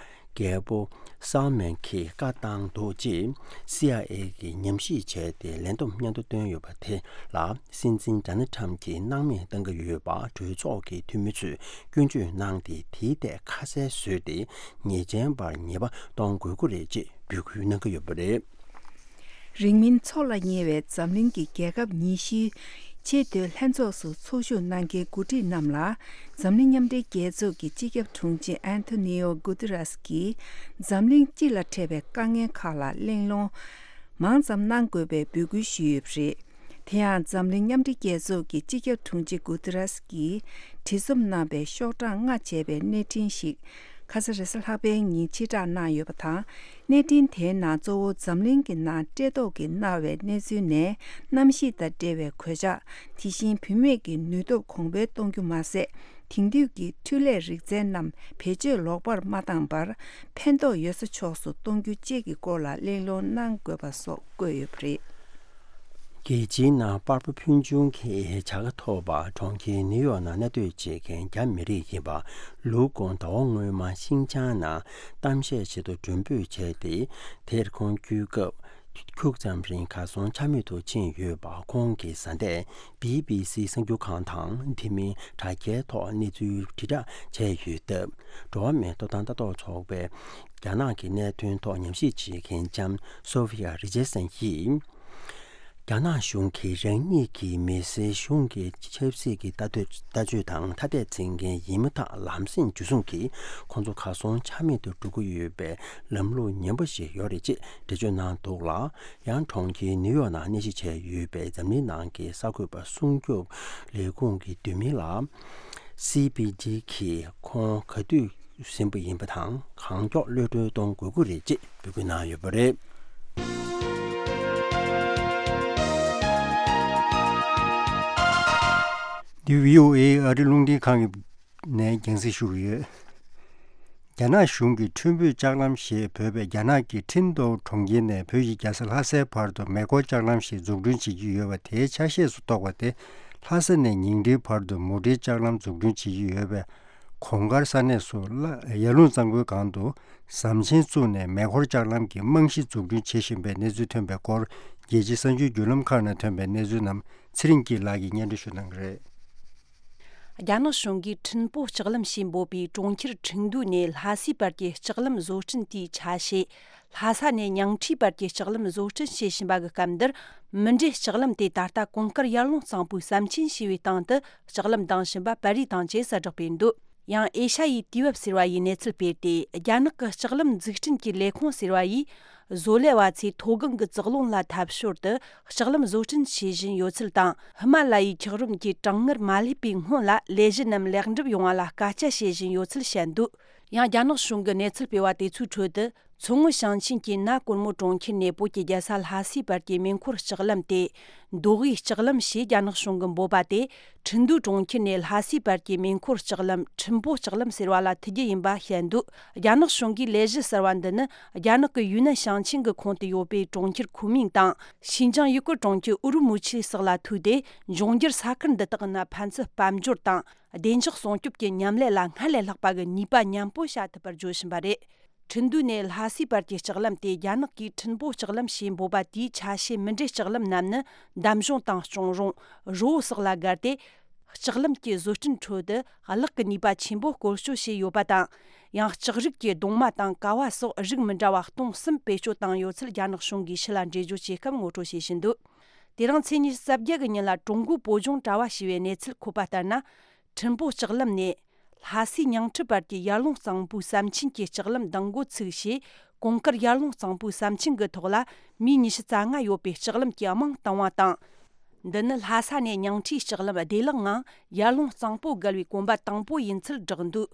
རྒྱལ་པོ་སལ་མན་གྱིས་བཀའ་བཏང་འདུག་ཅེས་སི་ཨའི་ཨེ་གིས་ཉམས་ཞིབ་བྱས་ཏེ་ལན་འདེབས་སྙན་ཐོ་བཏོན་ཡོད་པ་དེ་ལ་སྲིད་འཛིན་ཌོ་ནལ་ཁྲམ་གྱིས་སྣང་མེད་གཏང་གི་ཡོད་པ་གྲོས་ཚོགས་ཀྱི་འཐུས་མི་ཚོས་སྐྱོན་བརྗོད་གནང་སྟེ། དེའི་ཐད་ཁ་གསལ་བཟོས་ཏེ་ཉེས་ཅན་པར་ཉེས་པ་གཏོང་དགོས་ཀྱི་རེད་ཅེས་འབོད་སྐུལ་གནང་གི་ཡོད་པ་རེད། རིང་མིན་འཚོགས་ལ་ཉེ་བའི་འཛམ་གླིང་གི་རྒྱལ་ཁབ་ཉི་ཤུའི་ཆེས་མཐོའི་ལྷན་ཚོགས་སུ་ཚོགས་ཞུགས་གནང་མཁན་འགོ་ཁྲིད་རྣམས་ལ། འཛམ་གླིང་མཉམ་འབྲེལ་རྒྱལ་ཚོགས་ཀྱི་སྤྱི་ཁྱབ་དྲུང་ཆེ་ཨན་ཐོ་ནི་ཡོ་གུ་ཏི་རེས་ཀྱིས་འཛམ་གླིང་སྤྱི་ལ་འཕྲད་པའི་དཀའ་ངལ་ཁག་ལ་གླེང་སློང་མང་ཙམ་གནང་དགོས་པའི་འབོད་སྐུལ་ཞུས་ཡོད་པ་རེད། དེ་ཡང་འཛམ་གླིང་མཉམ་འབྲེལ་རྒྱལ་ཚོགས་ཀྱི་སྤྱི་ཁྱབ་དྲུང་ཆེ་གུ་ཏི་རེས་ཀྱིས་བྲིས་རྩོམ་གནང་བའི་ཤོག་གྲངས་ལྔ་བྱས་པའི་གནས་འཕྲིན་ཞིག་ཁ་ས་རེས་གཟའ་ལྷག་པའི་ཉིན་ཕྱིར་བསྒྲགས་གནང་ཡོད་པ་དང་། གནས་འཕྲིན་དེའི་ནང་གཙོ་བོ་འཛམ་གླིང་གི་ནང་བཀྲེས་ལྟོགས་ཀྱིས་མནར་བའི་གནས་ཚུལ་ནས་གནམ་གཤིས་དང་འབྲེལ་བའི་གོད་ཆག་དེ་བཞིན་བུད་མེད་ཀྱི་ནུས་སྟོབས་གོང་འཕེལ་གཏོང་རྒྱུ་མ་ཟད། དེང་དུས་ཀྱི་འཕྲུལ་ལས་རིག་རྩལ་རྣམས་བེད་སྤྱོད་ལོག་པར་མ་བཏང་བར་ཕན་ཐོགས་ཡོད་ས་ཕྱོགས་སུ་གཏོང་རྒྱུ་བཅས་ཀྱི་སྐོར་ལ་གླེང་སློང་གནང་དགོས་པ་སོགས་བཀོད་ཡོད་པ་རེད། རྒྱལ་སྤྱིའི་ནང་པར་པ་ཕུལ་བྱུང་གི་བྱ་དགའ་ཐོབ་པ་གྲོང་ཁྱེར་ནིའུ་ཡོག་ནང་གནས་སྡོད་བྱེད་མཁན་རྒྱ་མི་རིགས་ཡིན་པ་ལུའུ་ཀོང་ཟླ་བ་སྔོན་མ་ཤིང་ཅང་ནང་གཏམ་བཤད་བྱེད་དུ་མགྲོན་འབོད་བྱས་ཏེ། དེར་ཁོང་བསྐྱོད་སྐབས་ཁྱུག་ཙམ་རིང་གར་སོང་ཆ་མེད་དུ་ཕྱིན་ཡོད་པ། ཁོང་གི་བཟའ་ཟླས་བི་བི་སི་གསར་འགྱུར་ཁང་དང་དེ་མིན་དྲ་རྒྱའི་ཐོག་གནས་ཚུལ་དྲིལ་བསྒྲགས་བྱས་ཡོད་སྟབས། འགྲོ་བ་མིའི་ཐོབ་ཐང་ལྟ་རྟོག་ཚོགས་པའི་རྒྱ་ནག་གི་གནད་དོན་ཐོག་ཉམས་ཞིབ་བྱེད་མཁན་ལྕམ་སོ་ཧྥི་ཡ་རི་ཅར་སན་ཡིས། རྒྱ་ནག་གཞུང་གིས་རང་ཉིད་ཀྱི་མི་སེར་གཞུང་གི་ཆབ་སྲིད་ཀྱི་ལྟ་འདོད་ལྟ་སྤྱོད་དང་ཐ་དད་འཛིན་མཁན་ཡིན་མིན་ཐད་ལམ་སེང་འཇུ་བཟུང་གིས་ཁོང་ཚོ་གར་སོང་ཆ་མེད་དུ་འགྲོ་གི་ཡོད་པའི་ལམ་ལུགས་ངན་པ་ཞིག་ཡོད་རེད་ཅེས་འགྲེལ་བརྗོད་གནང་འདུག་ལ། ཡང་གྲོང་ཁྱེར་ནིའུ་ཡོག་ནང་གནས་གཞི་བྱས་ཡོད་པའི་འཛམ་གླིང་ནང་གི་གསར་འགོད་པ་སྲུང་སྐྱོབ་ལས་ཁུངས་ཀྱི་འདུས་མི་ལ། སི་པི་ཇི་གིས་ཁོང་ག་དུས་ཟིན་པ་ཡིན་པ་དང་གང་མགྱོགས་གློད་གྲོལ་གཏོང་དགོས་ཀྱི་རེད་ཅེས་འབོད་སྐུལ་གནང་ཡོད་པ་རེད། འདི་བྷི་ཨོ་ཨེ་ཨ་རི་རླུང་འཕྲིན་ཁང་གི་ནས་རྒྱང་སྲིང་ཞུ་གི་ཡོད། རྒྱ་ནག་གཞུང་གིས་ཁྲིན་པུའུ་ལྕགས་ལམ་ཞེས་འབོད་པའི་རྒྱ་ནག་གི་ཁྲིན་ཏོའུ་གྲོང་ཁྱེར་ནས་བོད་ཀྱི་རྒྱལ་ས་ལྷ་སའི་བར་དུ་མེ་འཁོར་ལྕགས་ལམ་ཞིག་འཛུགས་སྐྲུན་བྱེད་ཀྱི་ཡོད་པ་དེའི་ཆ་ཤས་སུ་གཏོགས་པ་དེ། ལྷ་ས་ནས་ཉིང་ཁྲིའི་བར་དུ་མུ་འབྲེལ་ལྕགས་ལམ་འཛུགས་སྐྲུན་བྱེད་ཀྱི་ཡོད་པས། གོང་དཀར་ས་གནས་སུ་ལ་ཡར་ཀླུང་གཙང་པོའི་སྒང་དུ་ཟམ་ཆེན་བཙུགས་ནས་མེ་འཁོར་ལྕགས་ལམ་གྱི་རྨང་གཞི་འཛུགས་སྐྲུན་བྱེད་བཞིན་པའི་གནས་ཚུལ་ཐོན་པའི་སྐོར། རྒྱལ་སྤྱིའི་གསར་འགྱུར་བརྒྱུད་ལམ་ཁག་ནང་ཐོན་པའི་གནས་ཚུལ་རྣམས་ཚེ་རིང་སྐྱིད་ལགས་ཀྱིས་སྙན་སྒྲོན་ཞུ་གནང་གི་རེད། རྒྱ་ནག་གཞུང་གིས་ཁྲིན་པོ་ལྕགས་ལམ་ཞེས་འབོད་པའི་གྲོང་ཁྱེར་ཁྲིན་ཏུའུ་ནས་ལྷ་སའི་བར་གྱི་ལྕགས་ལམ་བཟོ་སྐྲུན་དེའི་ཆ་ཤས། ལྷ་ས་ནས་ཉང་ཁྲིའི་བར་གྱི་ལྕགས་ལམ་བཟོ་སྐྲུན་བྱེད་བཞིན་པ་གི་སྐབས་འདིར། མུ་འབྲེལ་ལྕགས་ལམ་དེ་ད་ལྟ་གོང་དཀར་ཡར་ཀླུང་གཙང་པོའི་ཟམ་ཆེན་ཞེས་པའི་སྟེང་དུ་ལྕགས་ལམ་འདིང་བཞིན་པ་པར་རིས་དང་བཅས་གསལ་བསྒྲགས་སྤེལ་འདུག། ཡང་ཨེ་ཤ་ཡའི་དུས་བབ་ཟེར་བ་ཡིས་གནས་ཚུལ་སྤེལ་ཏེ། རྒྱ་ནག་གི་ལྕགས་ལམ་འཛུགས་སྐྲུན་གྱི་ལས་ཁུངས་ཟེར་བ་ཡིས། བཟོ་ལས་པ་ཚོས་མཐོ་སྒང་གི་ཙག་རླུང་ལ་འཐབ་ཞོར་དུ་ལྕགས་ལམ་བཟོ་སྐྲུན་བྱེད་བཞིན་ཡོད་ཚུལ་དང་། ཧི་མ་ལ་ཡའི་འཁྱགས་རོམ་གྱི་གྲང་ངར་མ་སླེབས་པའི་སྔོན་ལ་ལས་གཞི་རྣམས་ལེགས་འགྲུབ་ཡོང་བ་ལ་སྐད་ཆ་བཤད་བཞིན་ཡོད་ཚུལ་བཤད་འདུག། ཡང་རྒྱ་ནག་གཞུང་གི་གནས་ཚུལ་སྤེལ་བ་དེ་ཚོའི་ཁྲོད་དུ། མཚོ་སྔོན་ཞིང་ཆེན་གྱི་ན་གོར་མོ་གྲོང་ཁྱེར་ནས་བོད་ཀྱི་རྒྱལ་ས་ལྷ་སའི་བར་གྱི་མེ་འཁོར་ལྕགས་ལམ་སྟེ། མདོ་དབུས་ལྕགས་ལམ་ཞེས་རྒྱ་ནག་གཞུང་གིས་འབོད་པ་དེ། ཁྲིན་ཏུའུ་གྲོང་ཁྱེར་ནས་ལྷ་སའི་བར་གྱི་མེ་འཁོར་ལྕགས་ལམ་ཁྲིན་པོ་ལྕགས་ལམ་ཟེར་བ་ལ་ཐུག་རྒྱུ་ཡིན་པ་བཤད་འདུག། རྒྱ་ནག་གཞུང་གིས་ལས་གཞི་གསར་བ་འདི་ནི་རྒྱ་ནག་གི་ཡུན་ནན་ཞིང་ཆེན་གྱི་ཁོངས་དུ་ཡོད་པའི་གྲོང་ཁྱེར་ཁུན་མིང་དང་། ཤིན་ཅང་ཡུ་གུར་གྲོང་ཁྱེར་ཨུ་རུ་མུ་ཆི་སོགས་ལ་ཐུག་སྟེ། འབྱུང་འགྱུར་ས་ཁུལ་འདི་དག་ནི་ཕན་ཚུན་དཔལ་འབྱོར་དང་། བདེ་འཇགས་སྲུང་སྐྱོབ་ཀྱི་མཉམ་ལས་ལ་སྔར་ལས་ལྷག་པ་གི་ནུས་པ་མཉམ་སྤུངས་བྱ་ཐུབ་པར་བརྗོད་བཞིན་པ་རེད། ཁྲིན་ཏུའུ་ནས་ལྷ་སའི་བར་གྱི་ལྕགས་ལམ་དེ་རྒྱ་ནག་གིས་ཁྲིན་པོ་ལྕགས་ལམ་ཞེས་འབོད་པ་དེའི་ཆ་ཤས་མི་འདྲའི་ལྕགས་ལམ་རྣམས་ནི་འདམ་གཞུང་དང་གཅོང་རོང་། རི་བོ་སོགས་ལ་བརྒལ་ཏེ། ལྕགས་ལམ་གྱི་བཟོ་སྐྲུན་ཁྲོད་དུ་གླགས་ཀྱི་ནུས་པ་ཆེན་པོ་བཀོལ་སྤྱོད་བྱས་ཡོད་པ་དང་། ཡང་ལྕགས་རིགས་ཀྱི་གདུང་མ་དང་ཀ་བ་སོགས་རིགས་མི་འདྲ་བ་སྟོང་གསུམ་བེད་སྤྱོད་བཏང་ཡོད་ཚུལ་རྒྱ་ནག་གཞུང་གིས་ཕྱི་ལ་འགྲེལ་བརྗོད་བྱེད་སྐབས་ངོ་སྤྲོད་བྱེད་བཞིན་འདུག་དེ་རིང་ཚེས་ཉི་ཤུ་རྩ་བརྒྱད་ཀྱི་ཉིན་ལ་ཀྲུང་གོའི་བོད་ལྗོངས་དྲ་བ་ཞེས་པའི་གནས་ཚུལ་འཁོད་པ་ལྟར་ན། ཁྲིན་པོ་ལྕགས་ལམ་ནས་ལྷ་སའི་ཉང་ཁྲི་བར་གྱི་ཡར་ཀླུང་གཙང་པོའི་ཟམ་ཆེན་གྱི་ལྕགས་ལམ་འདང་འགོ་ཚུགས་ཞེས། གོང་དཀར་ཡར་ཀླུང་གཙང་པོའི་ཟམ་ཆེན་གྱི་ཐོག་ལ་མིས་ཉི་ཤུ་རྩ་ལྔ་ཡོད་པའི་ལྕགས་ལམ་གྱི་རྨང་བཏིང་བ་དང་། འདི་ནི་ལྷ་ས་ནས་ཉང་ཁྲིའི་ལྕགས་ལམ་བདེ་བླག་ངང་ཡར་ཀླུང་གཙང་པོ་བརྒལ་བའི་གོམ་པ་དང་པོ་ཡིན་ཚུལ་བསྒྲགས་འདུག་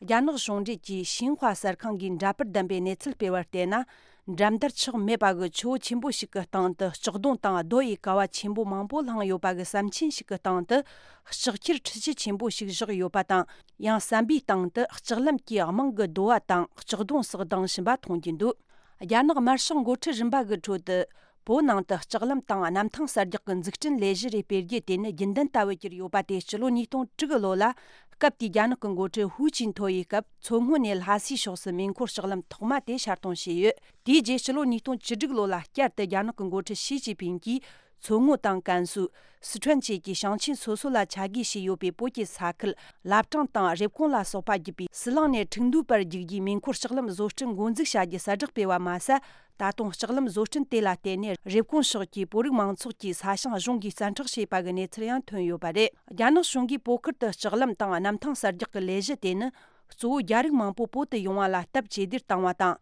རྒྱ་ནག་གཞུང་འབྲེལ་གྱི་ཤིན་ཧྭ་གསར་ཁང་གིས་འདྲ་པར་བདམས་པའི་གནས་ཚུལ་སྤེལ་བར་བལྟས་ན། འགྲན་བསྡུར་ཆག་མེད་པ་གི་ཆུ་བོ་ཆེན་པོ་ཞིག་གི་སྟེང་དུ་ལྕགས་རྡུང་དང་རྡོ་ཡི་ཀ་བ་ཆེན་པོ་མང་པོ་བསླངས་ཡོད་པ་གི་ཟམ་ཆེན་ཞིག་གི་སྟེང་དུ་ལྕགས་ཁྱེར་ཁྲི་ཆུ་ཆེན་པོ་ཞིག་བཞག་ཡོད་པ་དང་། ཡང་ཟམ་པའི་སྟེང་དུ་ལྕགས་ལམ་གྱི་རྨང་གི་རྡོ་བ་དང་ལྕགས་རྡུང་སོགས་ལྡང་བཞིན་པ་མཐོང་རྒྱུ་འདུག་རྒྱ་ནག་དམར་ཤོག་འགོ་ཁྲིད་རིམ་པ་གི་ཁྲོད་དུ། བོད་ནང་དུ་ལྕགས་ལམ་དང་གནམ་ཐང་གསར་རྒྱག་གི་འཛུགས་སྐྲུན་ལས་གཞི་རེ་སྤེལ་རྒྱུ་དེ་ནི་རྒྱུན་ལྡན་ལྟ་བུ་གྱུར་ཡོད་པ་དེ་སྤྱི་ལོ་ཉིས་སྟོང་དྲུག་གི་ལོ་ལ། སྐབས་དེའི་རྒྱ་ནག་གི་འགོ་ཁྲིད་ཧུའུ་ཅིན་ཐོ་ཡི་སྐབས་མཚོ་སྔོན་ནས་ལྷ་སའི་ཕྱོགས་སུ་མེ་འཁོར་ལྕགས་ལམ་ཐོག་མ་དེ་ཤར་གཏོང་བྱས་ཡོད། དེའི་རྗེས་སྤྱི་ལོ་ཉིས་སྟོང་བཅུ་དྲུག་ལོ་ལ་བསྐྱར་དུ་རྒྱ་ནག་གི་འགོ་ཁྲིད་ཞི་ཅིན་ཕིང་གིས། མཚོ་སྔོན་དང་ཀན་སུའུ། སི་ཁྲོན་བཅས་ཀྱི་ཞིང་ཆེན་སོ་སོ་ལ་ཆ་བགོས་བྱས་ཡོད་པའི་བོད་ཀྱི་ས་ཁུལ་བླ་བྲང་དང་རེབ་གོང་ལ་སོགས་པ་བརྒྱུད་པའི་ཟི་ལིང་ནས་ཁྲིན་ཏུའུ་བར་རྒྱུག་རྒྱུའི་མེ་འཁོར་ལྕགས་ལམ་བཟོ་སྐྲུན་འགོ་འཛུགས་བྱ་རྒྱུའི་གསལ་བསྒྲགས་སྤེལ་བ་མ་ཟད། ད་དུང་ལྕགས་ལམ་བཟོ་སྐྲུན་དེ་ལ་བརྟེན་ནས་རེབ་གོང་ཕྱོགས་ཀྱི་བོད་རིགས་མང་ཚོགས་ཀྱི་ས་ཞིང་གཞུང་གིས་བཙན་འཕྲོག་བྱས་པ་གི་གནས་ཚུལ་ཡང་ཐོན་ཡོད་པ་རེད། རྒྱ་ནག་གཞུང་གིས་བོད་ཁུལ་དུ་ལྕགས་ལམ་དང་གནམ་ཐང་གསར་རྒྱག་གི་ལས་གཞི་དེ་ནི། གཙོ་བོ་རྒྱ་རིགས་མང་པོ་བོད་དུ་ཡོང་བ་ལ་སྟབས་ཇེ་བདེར་བཏང་བ་དང་།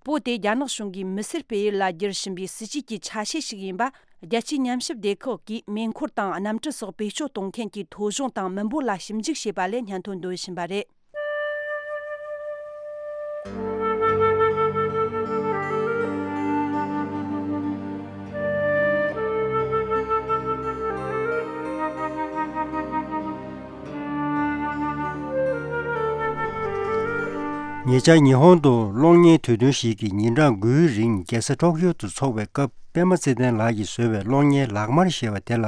བོད་དེ་རྒྱ་ནག་གཞུང་གིས་མི་སེར་སྤེལ་ཡུལ་ལ་བསྒྱུར་བཞིན་པའི་སྲིད་ཇུས་ཀྱི་ཆ་ཤས་ཤིག་ཡིན་པ། རྒྱལ་སྤྱིའི་ཉམས་ཞིབ་སྡེ་ཁག་གིས་མེ་འཁོར་དང་གནམ་གྲུ་སོགས་བེད་སྤྱོད་གཏོང་མཁན་གྱི་ཐོ་གཞུང་དང་མི་འབོར་ལ་ཞིབ་འཇུག་བྱས་པ་ལས་སྙན་ཐོ་འདོན་བཞིན་པ་རེད། ཉེ་ཆར་ཉི་ཧོང་དུ་གློག་བརྙན་དུས་སྟོན་ཞིག་གི་ཉིན་གྲངས་དགུའི་རིང་རྒྱལ་ས་ཊོག་ཡོ་དུ་འཚོགས་པའི་སྐབས། པད་མ་ཚེ་བརྟན་ལགས་ཀྱིས་བཟོས་པའི་གློག་བརྙན་ལག་དམར་ཞེས་པ་དེ་ལ་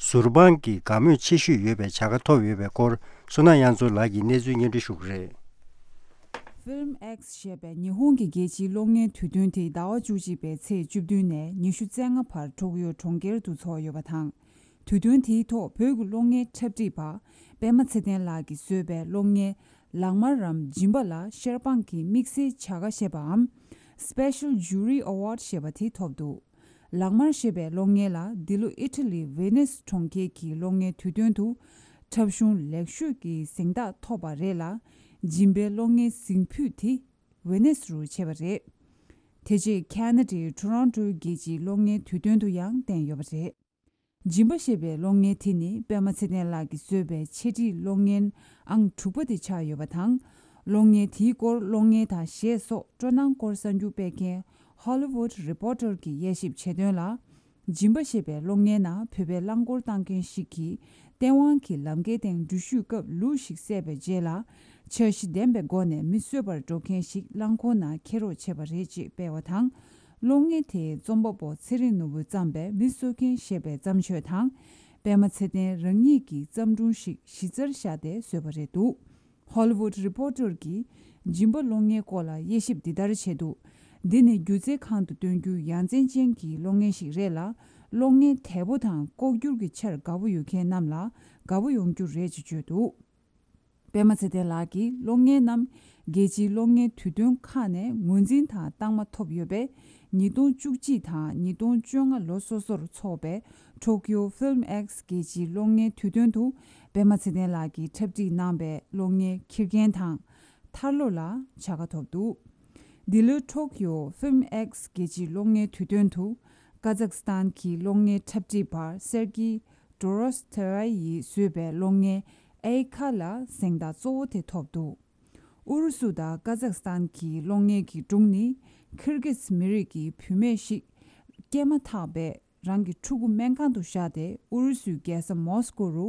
ཟུར་དཔང་གི་དགའ་མོས་ཆེ་ཤོས་ཡོད་པའི་བྱ་དགའ་ཐོབ་ཡོད་པའི་སྐོར། བསོད་ནམས་དབྱངས་མཚོ་ལགས་ཀྱིས་གནས་ཚུལ་སྙན་སྒྲོན་ཞུ་གི་རེད། Film X ཞེས་པའི་ཉི་ཧོང་གི་རྒྱལ་སྤྱིའི་གློག་བརྙན་དུས་སྟོན་དེ་ཟླ་བ་བཅུ་གཅིག་པའི་ཚེས་བཅུ་བདུན་ནས་ཉི་ཤུ་རྩ་ལྔ་བར་ཊོག་ཡོ་གྲོང་ཁྱེར་དུ་འཚོགས་ཡོད་པ་དང་། དུས་སྟོན་དེའི་ཐོག་བོད་ཀྱི་གློག་བརྙན་འཁྲབ་ཁྲིད་པ་པད་མ་ཚེ་བརྟན་ལགས་ཀྱིས་བཟོས་པའི་གློག་བརྙན་ལག་དམར་རམ་སྦྱིན་པ་ལ་ཤར་དཔང་གི་དམིགས་བསལ་བྱ་དགའ་ཞེས་པའམ། Special Jury Award ཞེས་པ་དེ་ཐོབ་འདུག་ལག་དམར་ཞེས་པའི་གློག་བརྙན་ལ་འདི་ལོ་ཨི་ཊ་ལི་ཝེ་ནེས་གྲོང་ཁྱེར་གྱི་གློག་བརྙན་དུས་སྟོན་དུ་འཁྲབ་གཞུང་ལེགས་ཤོས་ཀྱི་གཟེངས་རྟགས་ཐོབ་པ་རེད་ལ། སྦྱིན་པའི་གློག་བརྙན་གཟེངས་ཕུད་དེ་ཝེ་ནེས་རུ་ཆད་པ་རེད། དེ་རྗེས་ཁ་ན་ཌའི་ཊོ་རོན་ཊོའི་རྒྱལ་སྤྱིའི་གློག་བརྙན་དུས་སྟོན་དུ་ཡང་བསྟན་ཡོད་པ་རེད། སྦྱིན་པ་ཞེས་པའི་གློག་བརྙན་དེ་ནི་པད་མ་ཚེ་བརྟན་ལགས་ཀྱིས་བཟོས་པའི་འཆད་ཁྲིད་གློག་བརྙན་ཨང་དྲུག་པ་དེ་ཆགས་ཡོད་པ་དང་། གློག་བརྙན་དེའི་སྐོར་གློག་བརྙན་དང་གཞས་སོགས་སྤྲོ་སྣང་སྐོར་གསར་འགྱུར་སྤེལ་མཁན་Hollywood Reporter གྱིས་དབྱེ་ཞིབ་བྱས་དོན་ལ། སྦྱིན་པ་ཞེས་པའི་གློག་བརྙན་ནང་བོད་པའི་རླངས་འཁོར་བཏང་མཁན་ཞིག་གིས་སྟེས་དབང་གི་ལམ་ཁའི་སྟེང་འགྲུལ་བཞུད་སྐབས་ལུག་ཞིག་བསད་པའི་རྗེས་ལ། འཆར་གཞི་ལྡན་པའི་སྒོ་ནས་མི་གསོད་པར་འགྲོ་མཁན་ཞིག་རླངས་འཁོར་ནང་འཁྱེར་རོགས་བྱས་པ་རེད་ཅེས་སྤེལ་བ་དང་། གློག་བརྙན་དེའི་རྩོམ་པ་པོ་ཚེ་རིང་ནོར་བུས་བརྩམས་པའི་མི་གསོད་མཁན་ཞེས་པའི་བརྩམས་ཆོས་དང་། པད་མ་ཚེ་བརྟན་རང་ཉིད་ཀྱི་བརྩམས་སྒྲུང་ཞིག་གཞི་རྩར་བཞག་སྟེ་བཟོས་པ་རེད་འདུག Hollywood Reporter གྱིས་སྦྱིན་པ་གློག་བརྙན་སྐོར་ལ་དབྱེ་ཞིབ་འདི་ལྟར་བྱས་འདུག་འདི་ནི་སྒྱུ་རྩལ་ཁང་དུ་སྟོན་རྒྱུའི་ཡ་མཚན་ཅན་གྱི་གློག་བརྙན་ཞིག་རེད་ལ། གློག་བརྙན་དལ་པོ་དང་ལྐོག་གྱུར་གྱི་ཆར་དགའ་པོ་ཡོད་མཁན་རྣམས་ལ་དགའ་པོ་ཡོང་རྒྱུ་རེད་ཅེས་བརྗོད་འདུག་པད་མ་ཚེ་བརྟན་ལགས་ཀྱིས་གློག་བརྙན་རྣམས་རྒྱལ་སྤྱིའི་གློག་བརྙན་དུས་སྟོན་ཁག་ནས་ངོས་འཛིན་དང་རྟགས་མ་ཐོབ་ཡོད་པས། ཉིས་སྟོང་བཅུ་གཅིག་དང་ཉིས་སྟོང་བཅོ་ལྔ་ལོ་སོ་སོར་འཚོགས་པའི་Tokyo Film X རྒྱལ་སྤྱིའི་གློག་བརྙན་དུས་སྟོན་དུ་པད་མ་ཚེ་བརྟན་ལགས་ཀྱིས་འཁྲབ་ཁྲིད་གནང་པའི་གློག་བརྙན་ཁྱི་རྒན་དང་། ཐར་ལོ་ལ་བྱ་དགའ་ཐོབ་འདུག་འདི་ལོའི་Tokyo Film X རྒྱལ་སྤྱིའི་གློག་བརྙན་དུས་སྟོན་དུ། ཀ་ཛག་སི་ཐན་གྱི་གློག་བརྙན་འཁྲབ་ཁྲིད་པ་སེར་གྱི་ཌོ་རོས་ཐེ་རའི་ཡིས་བཟོས་པའི་གློག་བརྙན་ཨེ་ཁ་ལ་གཟེངས་རྟགས་གཙོ་བོ་དེ་ཐོབ་འདུག་ཨུ་རུ་སུ་དང་ཀ་ཛག་སི་ཐན་གྱི་གློག་བརྙན་གྱི་སྒྲུང་ནི། ཁིར་གིས་མི་རིགས་ཀྱི་བུད་མེད་ཞིག་སྐྱེས་མ་ཐག་པའི་རང་གི་ཕྲུ་གུ་སྨན་ཁང་དུ་བཞག་སྟེ། ཨུ་རུ་སུའི་རྒྱལ་ས་མོ་སི་ཀོ་རུ་